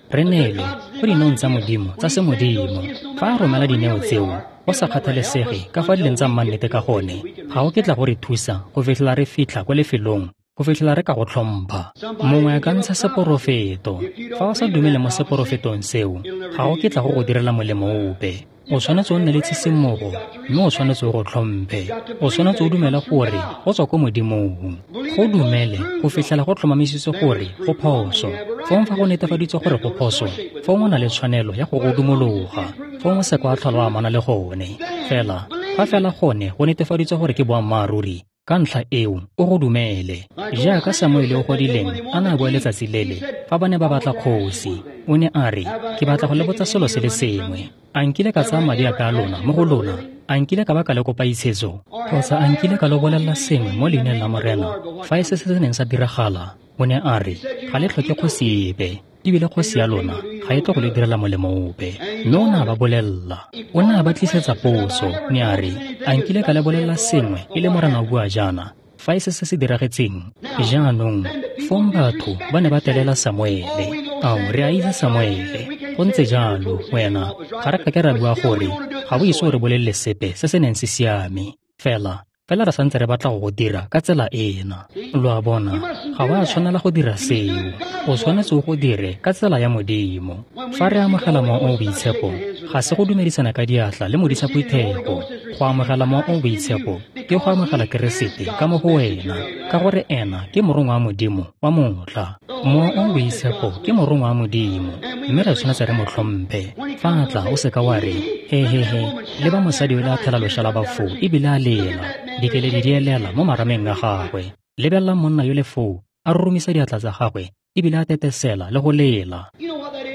re neele go dineong tsa Modimo tsa semodimo. Fa a romela dineo tseo, go sa kgathalesege ka fa di leng tsa mmannete ka gone, ga o ketla go re thusa go fitlhela re fitlha kwa lefelong, go fitlhela re ka go tlhompha. Mongwe a ka ntsha seporofeto. Fa o sa dumele mo seporofetong seo, ga o ketla go go direla molemo ope. O tshwanetse o nne le tshisimogo, mme o tshwanetse o go tlhomphe. O tshwanetse o dumele gore go tswa ko Modimong. Go dumele go fitlhela go tlhomamisitswe gore go phoso. Fong fa go netefaditswe gore go phoso, fong o na le tshwanelo ya go go dumologa. Fong o se kwa tlhola o amana le gone. Fela, fa fela gone go netefaditswe gore ke boammaaruri, ka ntlha eo o go dumele. Jaaka Samuele o godileng a ne a bua letsatsi lele fa ba ne ba batla kgosi, o ne a re, ke batla go le botsa selo se le sengwe. A nkile ka tsaya madi a ka a lona mo go lona? A nkile ka ba ka le kopa itshetso, kgotsa a nkile ka lo bolelela sengwe mo leineng la Morena, fa e se se neng sa diragala? O ne a re, ga le tlhoke kgosi epe, ebile kgosi ya lona ga e tle go le direla molemo ope. Mme o ne a ba bolelela, o ne a ba tlisetsa potso, ne a re, a nkile ka le bolelela sengwe e le Morena o bua jaana, fa e se se se diragetseng? Jaanong, fong batho ba ne ba telela Samuele. Ao, re a itse Samuele. Go ntse jalo, wena, ga re ka ke ra bua gore ga o ise o re bolelele sepe se se neng se siame. Fela re santse re batla go go dira ka tsela ena. Lo a bona, ga wa tshwanela go dira seo. O tshwanetse o go dire ka tsela ya Modimo. Fa re amogela Mowa o o Boitshepo, ga se go dumedisana ka diatla le modisa phuthego. Go amogela Mowa o o Boitshepo ke go amogela Keresete ka mo go wena, ka gore ena ke morongwa wa Modimo wa motlha. Mowa o o Boitshepo ke morongwa wa Modimo, mme re tshwanetse re mo tlhomphe. Fa a tla, o seka wa re, he he he, le ba mosadi o le a thela loša la bafo ebile a lela, dikeledi di elela mo marameng a gagwe. Lebelela monna yo le foo a roromisa diatla tsa gagwe ebile a tetesela le go lela.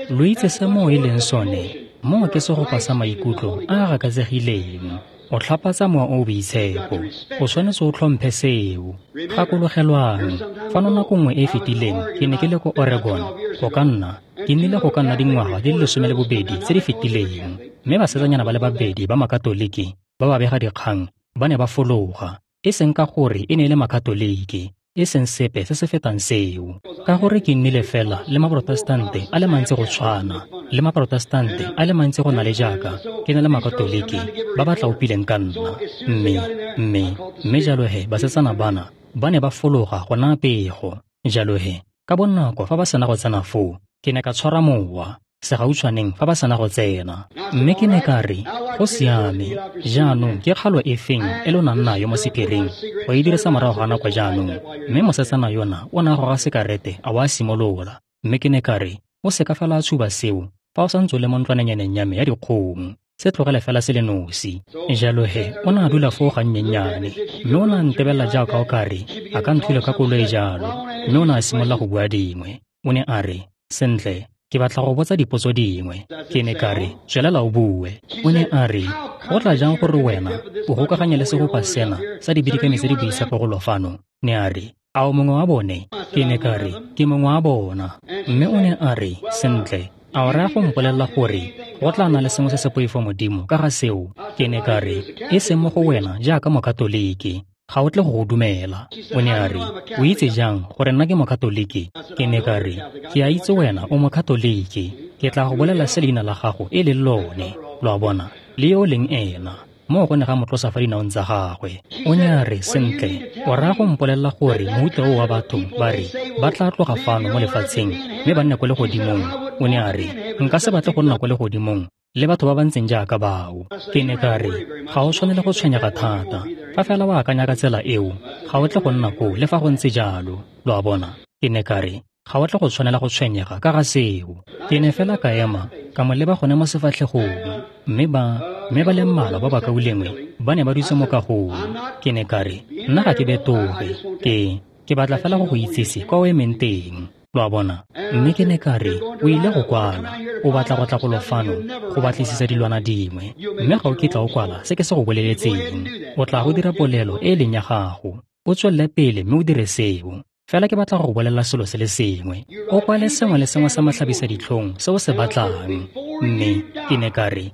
Lo itse se moo e leng sone? Moo ke segopa sa maikutlo a a gakatsegileng. O tlhapatsa Mowa o o Boitshepo. O tshwanetse o tlhomphe seo. Gakologelwang, fano nako nngwe e e fetileng ke ne ke le ko Oregon, go ka nna, ke nnile go ka nna dingwaga di le 12 tse di fetileng, mme basetsanyana ba le babedi ba Makatoliki ba ba bega dikgang ba ne ba fologa, e seng ka gore e ne e le Makatoliki, e seng sepe se se fetang seo, ka gore ke nnile fela le Maprotestante a le mantsi go tshwana, le Maprotestante a le mantsi go na le jaaka ke na le Makatoliki ba ba tlaopileng ka nna. Mme jalo he basetsana bana ba ne ba fologa go naya pego. Jalo he ka bonako fa ba sena go tsena foo, ke ne ka tshwara mowa segautshwaneng fa ba sena go tsena. Mme ke ne ka re, go siame, jaanong ke kgalo e feng e lo nang nayo mo sephiring go e dirisa morago ga nako jaanong? Mme mosetsana yona o ne a goga sekarete a wa simolola. Mme ke ne ka re, o seka fela a tshuba seo fa o santse o le mo ntlwanenyaneng ya me ya dikgong, se tlogele fela se le nosi. Jalo he o ne a dula foo gannyennyane, mme o ne a ntebelela jaaka o kare a ka nthula ka koloi jalo. Mme o ne a simolola go bua dingwe. O ne a re, sentle, ke batla go botsa dipotso dingwe. Ke ne ka re, tswelela o bue. O ne a re, go tla jang gore wena o gokaganye le segopa sena sa dibidikami tse di boitshepo go fano? Ne a re, a o mongwe wa bone? Ke ne ka re, ke mongwe wa bona. Mme o ne a re, sentle, a o raya go mpolelela gore go tla nna le sengwe se se poifo Modimo ka ga seo? Ke ne ka re, e seng mo go wena jaaka Mokatoliki, ga o tle go go dumela. O ne a re, o itse jang gore nna ke Mokatoliki? Ke ne ka re, ke a itse wena o Mokatoliki. Ke tla go bolela se leina la gago e leng lone. Lo a bona, le yo o leng ena. Moo go ne ga mo tlosa fa dinaong tsa gagwe. O ne a re, sentle, o raya go mpolelela gore mohuta oo wa batho ba re ba tla tloga fano mo lefatsheng mme ba nne ko legodimong? O ne a re, nka se batle go nna ko legodimong le batho ba ba ntseng jaaka bao. Ke ne ka re, ga o tshwanele go tshwenyega thata. Fa fela o akanya ka tsela eo, ga o tle go nna koo le fa go ntse jalo. Lo a bona? Ke ne ka re, ga o tle go tshwanela go tshwenyega ka ga seo. Ke ne fela ka ema, ka mo leba gone mo sefatlhegong. Mme ba le mmalwa ba bakaulengwe ba ne ba dutse mo kagong. Ke ne ka re, nna ga ke betoge, ke batla fela go go itsise kwa o emeng teng. Lo a bona? Mme ke ne ka re, o ile go kwala, o batla go tla golo fano go batlisisa dilwana dingwe, mme ga o kitla o kwala se ke se go boleletseng. O tla go dira polelo e e leng ya gago, o tswelele pele mme o dire seo. Fela ke batla go go bolelela selo se le sengwe. O kwale sengwe le sengwe sa matlhabisa ditlhong se o se batlang. Mme ke ne ka re,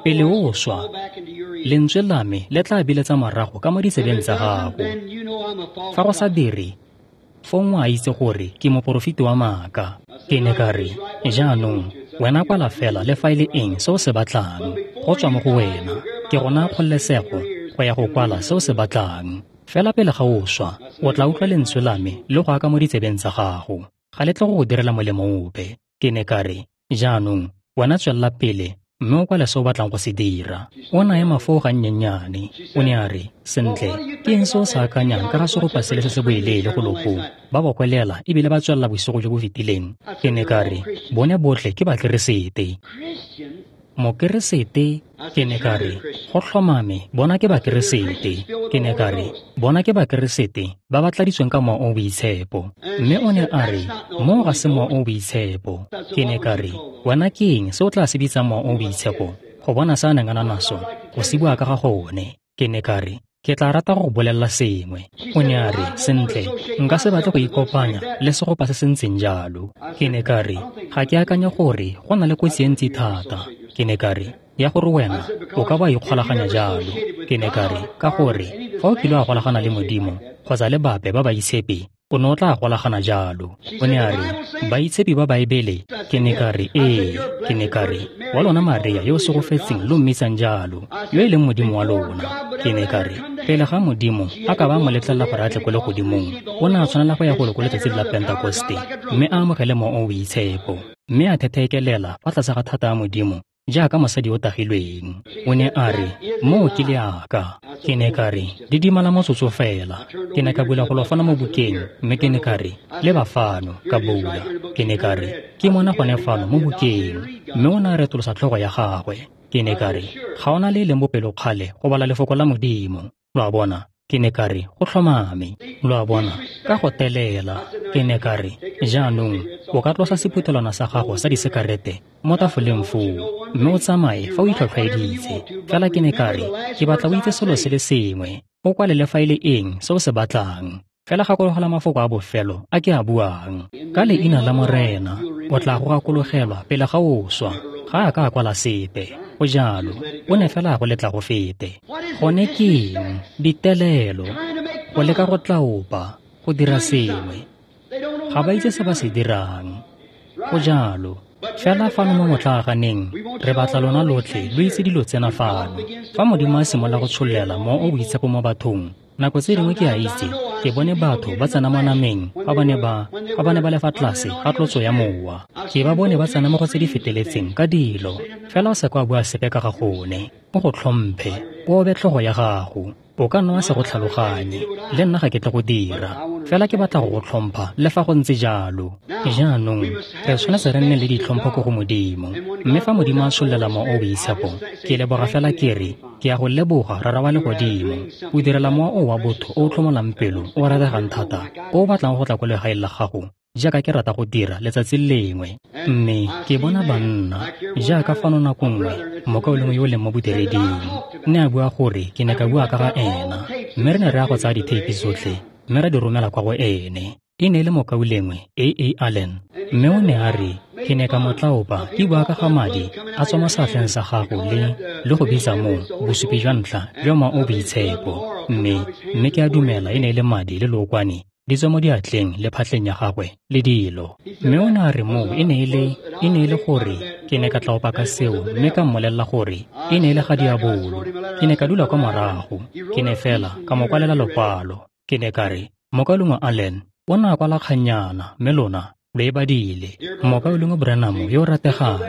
pele o swa, lentswe la me le tla biletsa morago ka mo ditsebeng tsa gago. Fa go sa dire, fong o a itse gore ke moporofeti wa maaka. Ke ne ka re, jaanong, wena kwala fela le fa e le eng se o se batlang, go tswa mo go wena. Ke go naya kgololesego go ya go kwala se o se batlang. Fela pele ga o swa, o tla utlwa lentswe la me le go aka mo ditsebeng tsa gago. Ga le tle go go direla molemo ope. Ke ne ka re, jaanong, wena tswelela pele mme o kwale se o batlang go se dira. O ne a ema foo gannyennyane. O ne a re, sentle, ke eng se o sa akanyang ka ga segopa sele se se boeleele go lo foo? Ba bokwelela ebile ba tswelela bosigo jo bo fetileng. Ke ne ka re, bone botlhe ke Bakeresete. Mokeresete? Ke ne ka re, go tlhomame, bona ke Bakeresete. Ke ne ka re, bona ke Bakeresete ba ba tladitsweng ka Mowa o o Boitshepo. Mme o ne a re, moo ga se Mowa o o Boitshepo. Ke ne ka re, wena ke eng se o tla se bitsang Mowa o o Boitshepo? go bona se a neng a na naso, go se bua ka ga gone. Ke ne ka re, ke tla rata go bolelela sengwe. O ne a re, sentle, nka se batle go ikopanya le segopa se se ntseng jalo. Ke ne ka re, ga ke akanye gore go na le kotsi e ntsi thata. Ke ne ka re, ya gore wena o ka ba ikgolaganya jalo. Ke ne ka re, ka gore fa o kile wa golagana le Modimo kgotsa le bape ba baitshepi, o ne o tla golagana jalo. O ne a re, baitshepi ba Baebele? Ke ne ka re, ee. Ke ne ka re, wa lona Maria yo o segofetseng lo mmitsang jalo, yo e leng Modimo wa lona. Ke ne ka re, pele ga Modimo a ka ba mo letlelela gore a tle ko legodimong, o ne a tshwanela go ya golo ko letsatsing la Pentekoste mme a amogele Mowa o o Boitshepo, mme a thetheekelela fa tlase ga thata ya Modimo jaaka mosadi yo o tagilweng. O ne a re, moo ke leaka. Ke ne ka re, didimala motsotso fela. Ke ne ka bula golo fano mo bukeng, mme ke ne ka re, leba fano, ka bula. Ke ne ka re, ke mona gone fano mo bukeng. Mme o ne a retolosa tlhogo ya gagwe. Ke ne ka re, ga o na le e leng bopelokgale go bala lefoko la Modimo. Lo a bona? Ke ne ka re, go tlhomame. Lo a bona? Ka go telela. Ke ne ka re, jaanong o ka tlosa sephuthelwana sa gago sa disekarete mo tafoleng foo, mme o tsamaye fa o itlhwatlhwaeditse. Fela ke ne ka re, ke batla o itse selo se le sengwe, o kwale le fa e le eng se o se batlang. Fela gakologela mafoko a bofelo a ke a buang. Ka leina la Morena, o tla go gakologelwa pele ga o swa. Ga a ka a kwala sepe. Go jalo, o ne fela a go letla go fete. Gone ke eng? Ditelelo, go leka go tlaopa, go dira sengwe. Ga ba itse se ba se dirang. Go jalo. Fela fano mo motlaaganeng, re batla lona lotlhe lo itse dilo tsena fano. Fa Modimo a simolola go tshollela Mowa o o Boitshepo mo bathong, nako tse dingwe ke a itse, ke bone batho ba tsena mo nameng fa ba ne ba le fa tlase ga tlotso ya Mowa. Ke ba bone ba tsena mo go tse di feteletseng ka dilo. Fela o se ka wa bua sepe ka ga gone. O go tlhomphe, o obe tlhogo ya gago. O ka nna wa se go tlhaloganye, le nna ga ke tle go dira. Fela ke batla go go tlhompha le fa go ntse jalo. Jaanong, re tshwanetse re nne le ditlhompho ko go Modimo. Mme fa Modimo a tshollela Mowa o o Boitshepo, ke leboga fela ke re, ke ya go leboga Rara wa legodimo. O direla mowa o wa botho o o tlhomolang pelo, o rategang thata, o o batlang go tla ko legaeng la gago, jaaka ke rata go dira letsatsi lengwe. Mme ke bona banna, jaaka fano nako nngwe, mokaulengwe yo o leng mo bodireding, ne a bua gore ke ne ka bua ka ga ena, mme re ne re ya go tsaya ditheipi tsotlhe, mme ra di romela kwa go ene. E ne e le mokaulengwe A.A. Allen. Mme o ne a re, ke ne ka mo tlaopa ke bua ka ga madi a tswa mo seatleng sa gago le go bitsa mo bosupi jwa ntlha jwa Mowa o o Boitshepo. Mme ke a dumela e ne e le madi le lookwane di tswa mo diatleng le phatleng ya gagwe le dilo. Mme o ne a re moo e ne e le gore ke ne ka tlaopa ka seo mme ka mmolelela gore e ne e le ga diabolo. Ke ne ka dula kwa morago, ke ne fela ka mo kwalela lokwalo. Ke ne ka re, mokaulengwe Allen o ne a kwala kgannyana, mme lona lo e badile. Mokaulengwe Branham yo o rategang,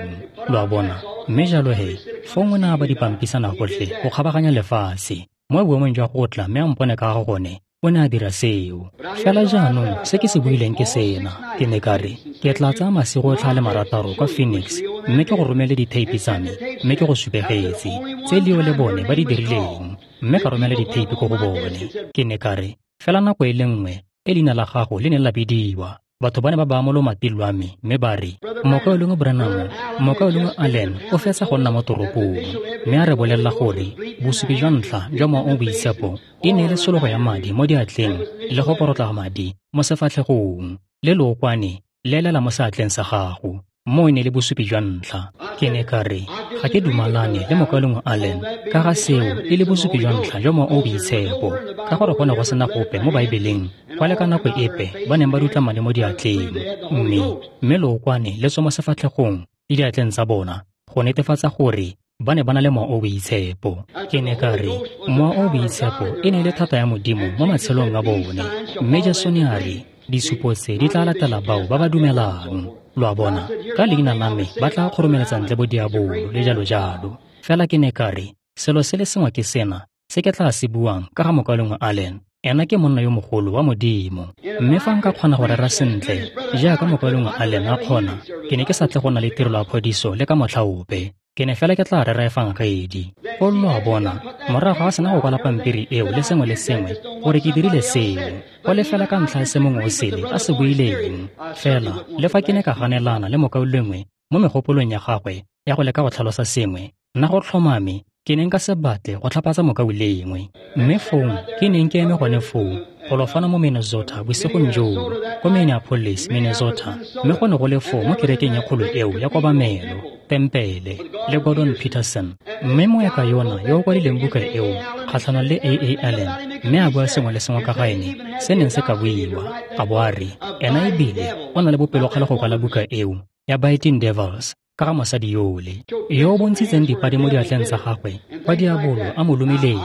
lo a bona. Mme jalo he, fong o ne a ba dipampisana gotlhe go kgabaganya lefatshe, mo boemong jwa go tla mme a mpone ka ga gone, o ne a dira seo. Fela jaanong se ke se buileng ke sena. Ke ne ka re, ke tla tsaya masigo otlhe a le marataro kwa Phoenix, mme ke go romele ditheipi tsa me, mme ke go supegetse tse Leo le bone ba di dirileng, mme ka romela ditheipi ko go bone. Ke ne ka re, fela nako e le nngwe e leina la gago le ne la bidiwa, batho ba ne ba baya mo lomating lwa me mme ba re, mokaulengwe Branham, mokaulengwe Allen o fetsa go nna mo toropong, mme a re bolelela gore bosupi jwa ntlha jwa Mowa o o Boitshepo e ne e le tshologo ya madi mo diatleng le go porotla madi mo sefatlhegong, le lookwane le elela mo seatleng sa gago. Moo e ne le bosupi jwa ntlha. Ke ne ka re, ga ke dumalane le mokaulengwe Allen ka ga seo e le bosupi jwa ntlha jwa Mowa o o Boitshepo, ka gore go ne go sena gope mo Baebeleng kwa le ka nako epe ba neng ba dutla madi mo diatleng, mme lookwane le tswa mo sefatlhegong le diatleng tsa bona go netefatsa gore ba ne ba na le Mowa o o Boitshepo. Ke ne ka re, Mowa o o Boitshepo e ne e le thata ya Modimo mo matshelong a bone, mme Jesu ne a re, disupo tse di tla latela bao ba ba dumelang. Lo a bona, ka leina la me ba tla kgoromeletsa ntle bo diabolo le jalo jalo. Fela ke ne ka re, selo se le sengwe ke sena se ke tla se buang ka ga mokaulengwe Allen. Ena ke monna yo mogolo wa Modimo. Mme fa nka kgona go rera sentle jaaka mokaulengwe Allen a kgona, ke ne ke sa tle go nna le tirelo ya phodiso le ka motlha ope. Ke ne fela ke tla rera efangedi. O lo a bona, morago ga sena go kwala pampiri eo le sengwe le sengwe gore ke dirile seo, go le fela ka ntlha ya se mongwe o sele a se buileng. Fela le fa ke ne ka ganelana le mokaulengwe mo megopolong ya gagwe ya go leka go tlhalosa sengwe, Nna go tlhomame ke ne nka se batle go tlhapatsa mokaulengwe. Mme fong ke neng ke eme gone foo golo fano mo Minnesota bosigong joo, ko Minneapolis, Minnesota, mme go ne go le foo mo kerekeng e kgolo eo ya kobamelo, tempele, le Gordon Peterson. Mme moeka yona yo o kwadileng buka eo kgatlhanong le A.A. Allen, mme a bua sengwe le sengwe ka ga ene se neng se ka buiwa, a bo a re ena ebile o na le bopelokgale go kwala buka eo ya Biting Devils ka ga mosadi yole yo o bontshitseng dipadi mo diatleng tsa gagwe kwa diabolo a mo lomileng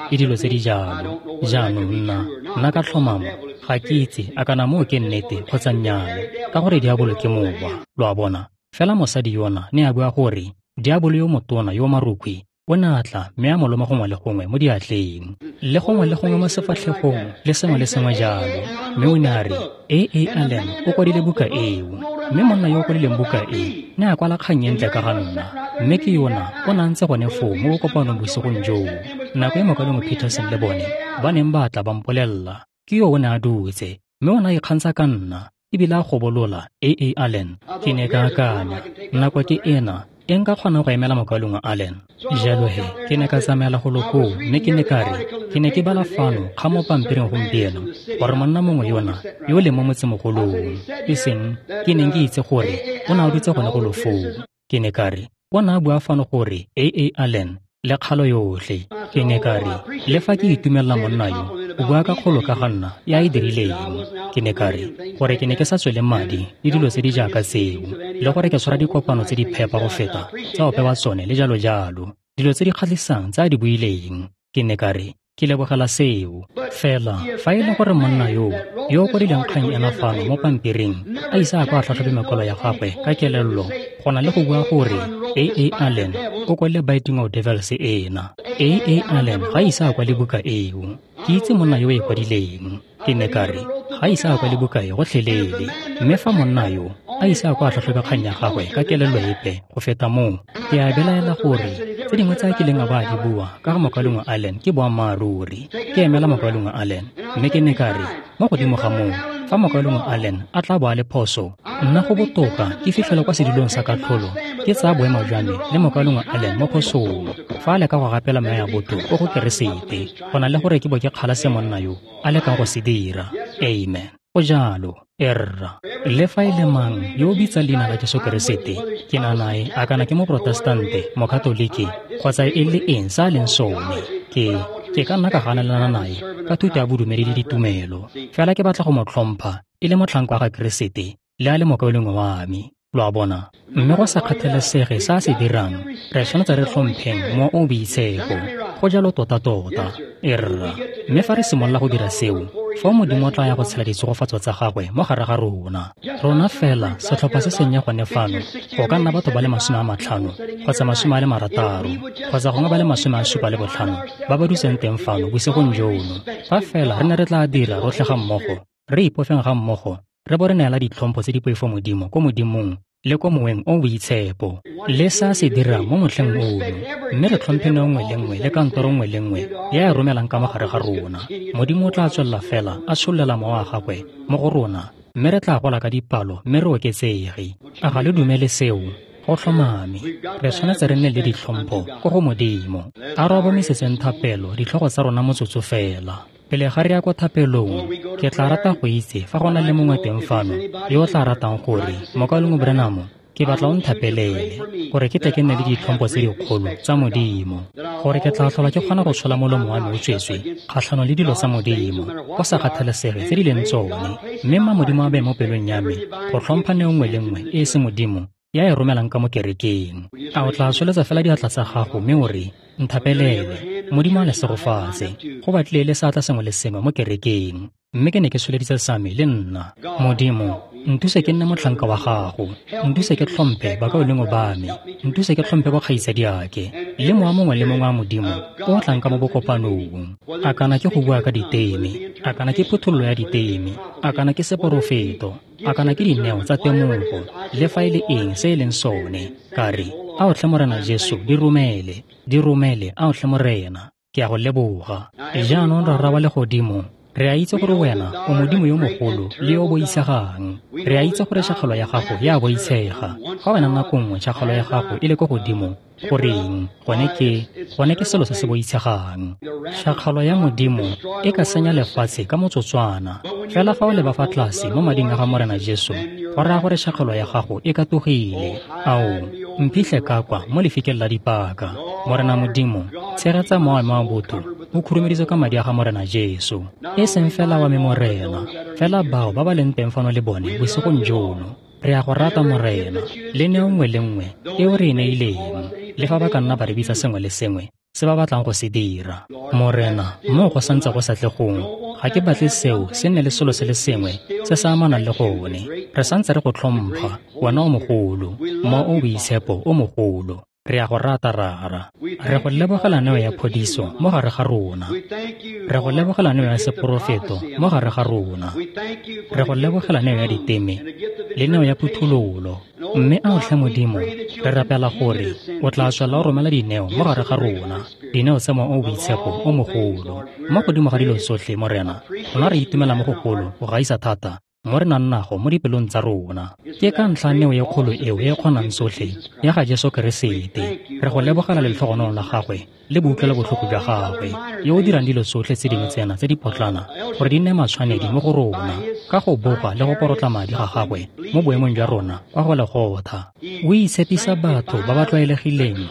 le dilo tse di jalo. Jaanong nna ka tlhomamo ga ke itse a kana moo ke nnete kgotsa nnyaa, ka gore diabolo ke mowa, lo a bona. Fela mosadi yona ne a bua gore diabolo yo motona yo marukhwi o ne a tla mme a mo loma gongwe le gongwe mo diatleng le gongwe le gongwe mo sefatlhegong le sengwe le sengwe jalo. Mme o ne a re A.A. Allen o kwadile buka eo, mme monna yo o kwadileng buka e ne a kwala kgang e ntle ka ga nna, mme ke yona o ne a ntse gone foo mo bokopanong bosigong joo. Nako e mokaulengwe Peterson le bone ba neng ba tla ba mpolelela, ke yo o ne a dutse mme o ne a ikgantsha ka nna ebile a gobolola A.A. Allen. Ke ne ka akanya, nako ke ena e nka kgonang go emela mokaulengwe Allen. Jalo he ke ne ka tsamaela golo koo mme ke ne ka re ke ne ke bala fano ga mo pampiring gompieno gore monna mongwe yona yo o leng mo motsemogolong, e seng ke neng ke itse gore o ne a dutse gone golo foo. Ke ne ka re o ne a bua fano gore A.A. Allen le kgalo yotlhe. Ke ne ka re le fa ke itumelela monna yo o bua ka kgolo ka ga nna ya e dirileng. Ke ne ka re gore ke ne ke sa tswele madi le dilo tse di jaaka tseo, le gore ke tshwara dikopano tse di phepa go feta tsa ope wa tsone le jalo jalo, dilo tse di kgatlhisang tse a di buileng. Ke ne ka re ke lebogela seo. Fela fa e le gore monna yo o kwadileng kgang ena fano mo pampiring a ise a kwa a tlhatlhobe mekwalo ya gagwe ka kelello go na le go bua gore A.A. Allen o kwadile Biting of Devils ena, A.A. Allen ga ise a kwale buka eo. Ke itse monna yo o e kwadileng. Ke ne ka re ga ise a kwale buka e gotlhelele, mme fa monna yo a ise a kwa a tlhatlhobe kgang ya gagwe ka kelello epe go feta moo, ke a belaela gore tse dingwe tse a kileng a ba a di bua ka ga mokaulengwe Allen ke boammaaruri. Ke emela mokaulengwe Allen, mme ke ne ka re mo godimo ga moo, fa mokaulengwe Allen a tla bo a le phoso, nna go botoka ke fitlhela kwa sedulong sa katlholo ke tsaya boemo jwa me le mokaulengwe Allen mo phosong fa a leka go gapela meya ya botho ko go Keresete, go na le gore ke bo ke kgala se monna yo a lekang go se dira. Amen. Go jalo, erra. Le fa e le mang yo o bitsang leina la Jesu Keresete, ke na nae a kana ke moprotestante, mokatoliki, kgotsa e le eng sa a leng sone, ke ka nna ka ganelana nae ka thuto ya bodumedi le ditumelo. Fela ke batla go mo tlhompha e le motlhanka wa ga Keresete le a le mokaulengwe wa me. Lo a bona? Mme go sa kgathalesege se a se dirang, re tshwanetse re tlhompheng mowa o o boitshepo. Go jalo tota-tota, erra. Mme fa re simolola go dira seo, fao Modimo o tla ya go tshela ditshegofatso tsa gagwe mo gare ga rona. Rona fela setlhopha se sennye gone fano, go ka nna batho ba le 50 kgotsa 60 kgotsa gongwe ba le 75 ba ba dutseng teng fano bosigong jono. Fa fela re ne re tla dira rotlhe ga mmogo, re ipofeng ga mmogo, re bo re neela ditlhompho tse di poifo Modimo ko Modimong le ko moweng o boitshepo le sa se dirang mo motlheng ono, mme re tlhomphe neo nngwe le nngwe le kantoro nngwe le nngwe ya e romelang ka mogare ga rona. Modimo o tla tswelela fela a tshollela mowa wa gagwe mo go rona, mme re tla gola ka dipalo mme re oketsege. A ga le dumele seo? Go tlhomame, re tshwanetse re nne le ditlhompho ko go Modimo. A re obamisetseng thapelo ditlhogo tsa rona motsotso fela. Pele ga re ya kwa thapelong, ke tla rata go itse fa go na le mongwe teng fano yo o tla ratang gore mokaulengwe Branham, ke batla o nthapelele gore ke tle ke nne le ditlhompho tse dikgolo tsa Modimo, gore ke tla tlhola ke kgona go tshola molomo wa me o tswetswe kgatlhanong le dilo tsa Modimo go sa kgathalesege tse di leng tsone, mme mma Modimo a beye mo pelong ya me go tlhompha neo nngwe le nngwe e e se Modimo ya e romelang ka mo kerekeng. A o tla tsholetsa fela diatla tsa gago mme o re, nthapelele, Modimo a le segofatse. Go batlile le seatla sengwe le sengwe mo kerekeng, mme ke ne ke tsholeditse sa me le nna. Modimo, nthuse ke nne motlhanka wa gago, nthuse ke tlhomphe bakaulengwe ba me, nthuse ke tlhomphe bokgaitsadiake le mowa mongwe le mongwe wa Modimo o o tlang ka mo bokopanong. A kana ke go bua ka diteme, a kana ke phuthololo ya diteme, a kana ke seporofeto, a kana ke dineo tsa temogo, le fa e le eng se e leng sone, ka re, ao tlhe Morena Jesu, di romele, di romele, ao tlhe Morena, ke a go leboga. Jaanong Rara wa legodimo, Re a itse gore wena o Modimo yo mogolo le yo o boitshegang. Re a itse gore tšhakgalo ya gago e a boitshega. Fa wena nako nngwe tšhakgalo ya gago e le ko godimo, goreng, gone ke selo se se boitshegang. Tšhakgalo ya Modimo e ka senya lefatshe ka motsotswana. Fela fa o leba fa tlase mo mading a ga Morena Jesu, go raya gore tšhakgalo ya gago e katogile. Ao, mphitlhe ka kwa mo lefikeng la dipaka. Morena Modimo, tshegetsa mowa wa botho o khurumeditswe ka madi a ga Morena Jesu. E seng fela wa me Morena, fela bao ba ba leng teng fano le bone bosigong jono. Re a go rata Morena, le neo nngwe le nngwe eo re e neileng, le fa ba ka nna ba re bitsa sengwe le sengwe se ba batlang go se dira. Morena, moo go santse go sa tle gongwe, ga ke batle seo se nne le selo se le sengwe se se amanang le gone. Re santse re go tlhompha, wena o mogolo, mowa o boitshepo o mogolo. Re a go rata Rara. Re go lebogela neo ya phodiso mo gare ga rona. Re go lebogela neo ya seporofeto mo gare ga rona. Re go lebogela neo ya diteme le neo ya phuthololo. Mme ao tlhe Modimo, re rapela gore o tla tswela o romela dineo mo gare ga rona, dineo tsa mowa o boitshepo o mogolo. Mo godimo ga dilo tsotlhe, Morena, rona re itumela mo gogolo go gaisa thata mo re nang nago mo dipelong tsa rona. Ke ka ntlha neo e kgolo eo e kgonang tsotlhe ya ga Jesu Keresete. Re go lebogela letlhogonolo la gagwe le boutlwelo botlhoko jwa gagwe, yo o dirang dilo tsotlhe tse dingwe tsena tse di potlana gore di nne matshwanedi mo go rona, ka go bopa le go porotla madi ga gagwe mo boemong jwa rona kwa Golegotha. O itshepisa batho ba ba tlwaelegileng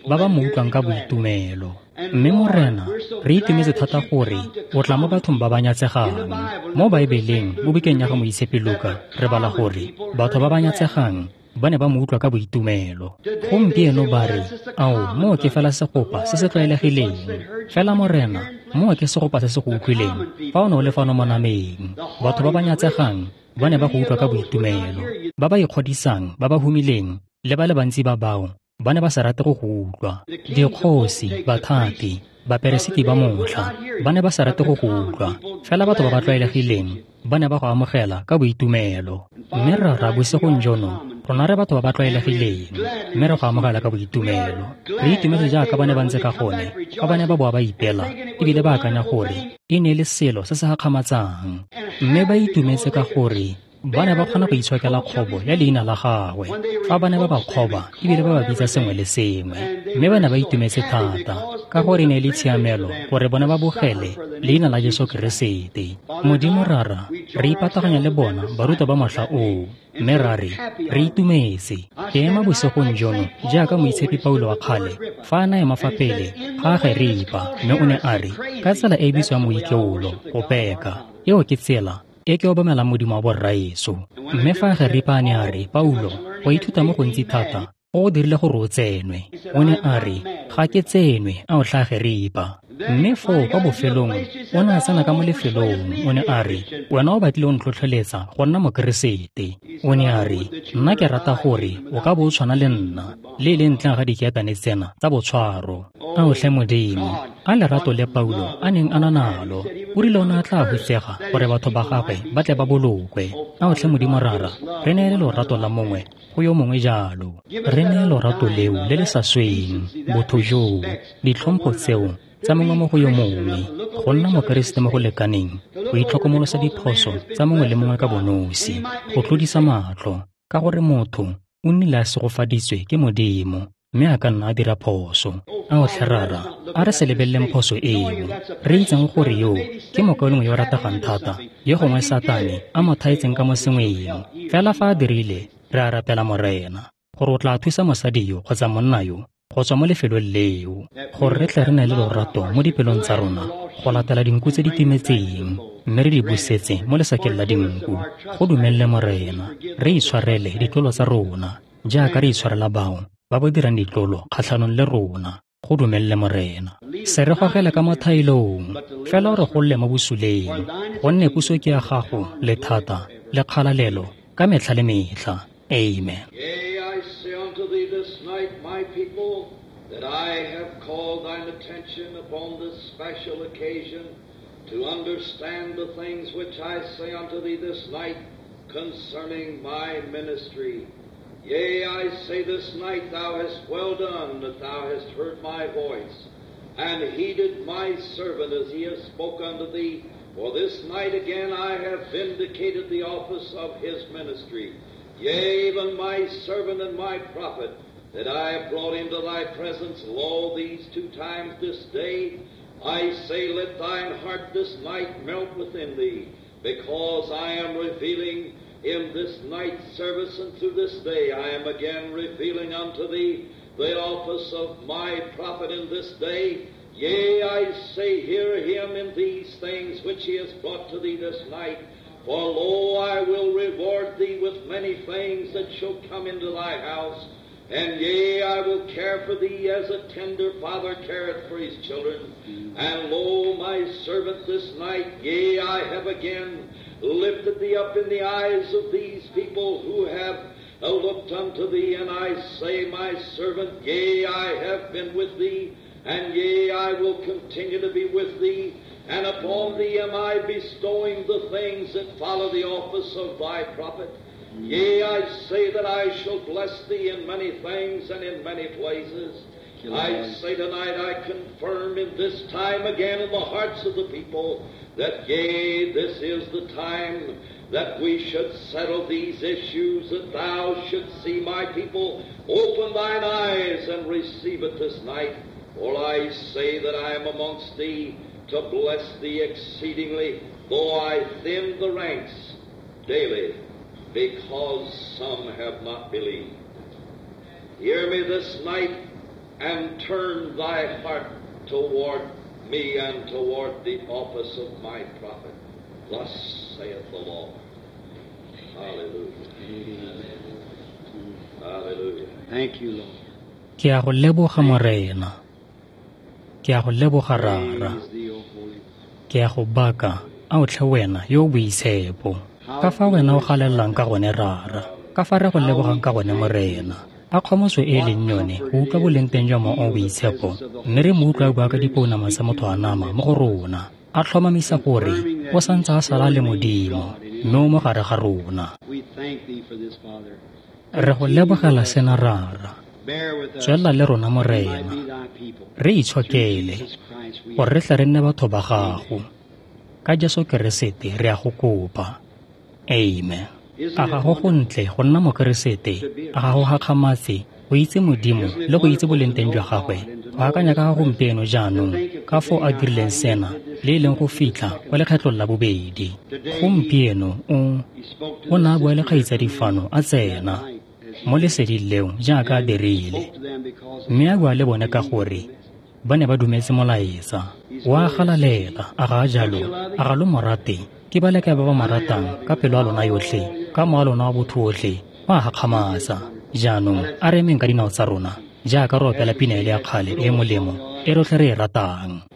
ba ba mo utlwang ka boitumelo. Mme Morena, re itumetse thata gore o tla mo bathong ba ba nyatsegang. Mo Baebeleng, mo bukeng ya ga Moitshepi Luka, re bala gore batho ba ba nyatsegang ba ne ba mo utlwa ka boitumelo. Gompieno ba re, ao, moo ke fela segopa se se tlwaelegileng. Fela Morena, moo ke segopa se se go utlwileng fa o ne o le fano mo nameng. Batho ba ba nyatsegang ba ne ba go utlwa ka boitumelo. Ba ba ikgodisang, ba ba humileng, le ba le bantsi ba bao ba ne ba sa rate go go utlwa. Dikgosi, bathati, baperesiti ba motlha ba ne ba sa rate go go utlwa. Fela batho ba ba tlwaelegileng ba ne ba go amogela ka boitumelo. Mme Rara, bosigong jono, rona re batho ba ba tlwaelegileng, mme re go amogela ka boitumelo. Re itumetse jaaka ba ne ba ntse ka gone fa ba ne ba boa ba ipela ebile ba akanya gore e ne e le selo se se gakgamatsang. Mme ba itumetse ka gore ba ne ba kgona go itshokela kgobo ya leina la gagwe fa ba ne ba ba kgoba ebile ba ba bitsa sengwe le sengwe. Mme ba ne ba itumetse thata ka gore e ne e le tshiamelo gore bone ba bogele leina la Jesu Keresete. Modimo Rara, re ipataganya le bona barutwa ba motlha oo, mme ra re, re itumetse. Ke ema bosigong jono jaaka Moitshepi Paulo wa kgale fa a na ema fa pele ga Ageripa, mme o ne a re, ka tsela e e bitswang moikeolo, go peka. Eo ke tsela e ke obamelang Modimo wa borraeso. Mme fa Ageripa a ne a re, Paulo, go ithuta mo gontsi thata go go dirile gore o tsenwe. O ne a re, ga ke tsenwe, ao tlha Ageripa. Mme foo kwa bofelong o ne a tsena ka mo lefelong, o ne a re, wena o batlile o ntlhotlheletsa go nna Mokeresete. O ne a re, nna ke rata gore o ka bo o tshwana le nna, le e leng ntleng ga dikeetane tsena tsa botshwaro. Ao tlhe Modimo, a lerato le Paulo a neng a na nalo, o rile o ne a tla hutsega gore batho ba gagwe ba tle ba bolokwe. Ao tlhe Modimo Rara, re neele lorato la mongwe go yo mongwe jalo. Re neele lorato leo le le sa sweng, botho joo, ditlhompho tseo tsa mongwe mo go yo mongwe, go nna Mokeresete mo go lekaneng, go itlhokomolosa diphoso tsa mongwe le mongwe ka bonosi, go tlodisa matlho, ka gore motho o nnile a segofaditswe ke Modimo, mme a ka nna a dira phoso. Ao tlhe Rara, a re se lebeleleng phoso eo, re itseng gore yo ke mokaulengwe yo o rategang thata, yo gongwe Satane a mo thaetseng ka mo sengweng. Fela fa a dirile, re a rapela Morena, gore o tla thusa mosadi yo kgotsa monna yo go tswa mo lefelong leo, gore re tle re nne le lorato mo dipelong tsa rona go latela dinku tse di timetseng, mme re di busetse mo lesakeng la dinku. Go dumelele Morena, re itshwarele ditlolo tsa rona jaaka re itshwarela bao ba ba dirang ditlolo kgatlhanong le rona. Go dumelele Morena, se re gogele ka mo thaelong, fela o re golle mo bosuleng, gonne puso ke ya gago le thata le kgalalelo ka metlha le metlha. Amen. That I have called thine attention upon this special occasion to understand the things which I say unto thee this night concerning my ministry. Yea, I say this night thou hast well done that thou hast heard my voice, and heeded my servant as he hath spoke unto thee For this night again I have vindicated the office of his ministry, yea, even my servant and my prophet, that I have brought into thy presence, lo, these 2 times this day. I say, let thine heart this night melt within thee, because I am revealing in this night's service and through this day, I am again revealing unto thee the office of my prophet in this day. Yea, I say, hear him in these things which he has brought to thee this night. For lo, I will reward thee with many things that shall come into thy house. And yea, I will care for thee as a tender father careth for his children. And lo, my servant, this night, yea, I have again lifted thee up in the eyes of these people who have looked unto thee. And I say, my servant, yea, I have been with thee, and yea, I will continue to be with thee. And upon thee am I bestowing the things that follow the office of thy prophet. Yea, I say that I shall bless thee in many things and in many places. I say tonight, I confirm in this time again in the hearts of the people that, yea, this is the time that we should settle these issues, that thou shouldst see my people open thine eyes and receive it this night. For I say that I am amongst thee to bless thee exceedingly, though I thin the ranks daily, because some have not believed. Hear me this night, and turn thy heart toward me and toward the office of my prophet. Thus saith the Lord. Hallelujah. Hallelujah. Thank you, Lord. Ke a go leboga Morena. Ke a go leboga Rara. Ke a go baka a o tlhe wena yo o boitshepo. Ka fa wena o galelelang ka gone Rara, ka fa re go lebogang ka gone Morena. A kgomotso e leng yone go utlwa boleng teng jwa Mowa o boitshepo, mme re mo utlwa bua ka dipounama tsa motho a nama mo go rona. A tlhomamisa gore o santse a sala le Modimo, mme o mo gare ga rona. Re go lebogela sena Rara. Tswelela le rona Morena. Re itshokele gore re tle re nne batho ba gago. Ka Jesu Keresete re a go kopa. Amen. A ga go gontle go nna mokeresete, a ga go gakgamatse go itse Modimo le go itse boleng teng jwa gagwe. Go akanya ka ga gompieno jaanong ka foo a dirileng sena le e leng go fitlha kwa lekgetlong la bobedi. Gompieno o ne a bua le kgaitsadi fano a tsena mo leseding leo jaaka a dirile, mme a bua le bone ka gore ba ne ba dumetse molaetsa. O a galalela, a ga a jalo, a ga lo mo rate? Ke ba leka ba ba mo ratang ka pelo ya lona yotlhe, ka mowa lona wa botho otlhe, ba a gakgamatsa. Jaanong a re emeng ka dinao tsa rona jaaka re opela pina e le ya kgale e molemo e rotlhe re e ratang.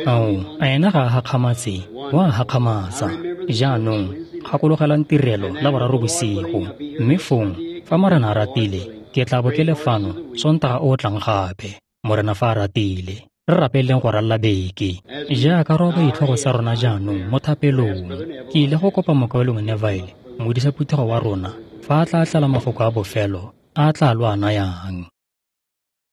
Ao, a ena ga a gakgamatse, o a gakgamatsa. Jaanong, gakologelang tirelo la boraro bosigo, mme fong, fa Morena a ratile, ke tla bo ke le fano Sontaga o tlang gape. Morena fa a ratile, re rapeleng go ralla beke. Jaaka re oba ditlhogo tsa rona jaanong mo thapelong, ke ile go kopa mokaulengwe Neville, modisa phuthego wa rona, fa a tla tlela mafoko a bofelo a tla lo a nayang.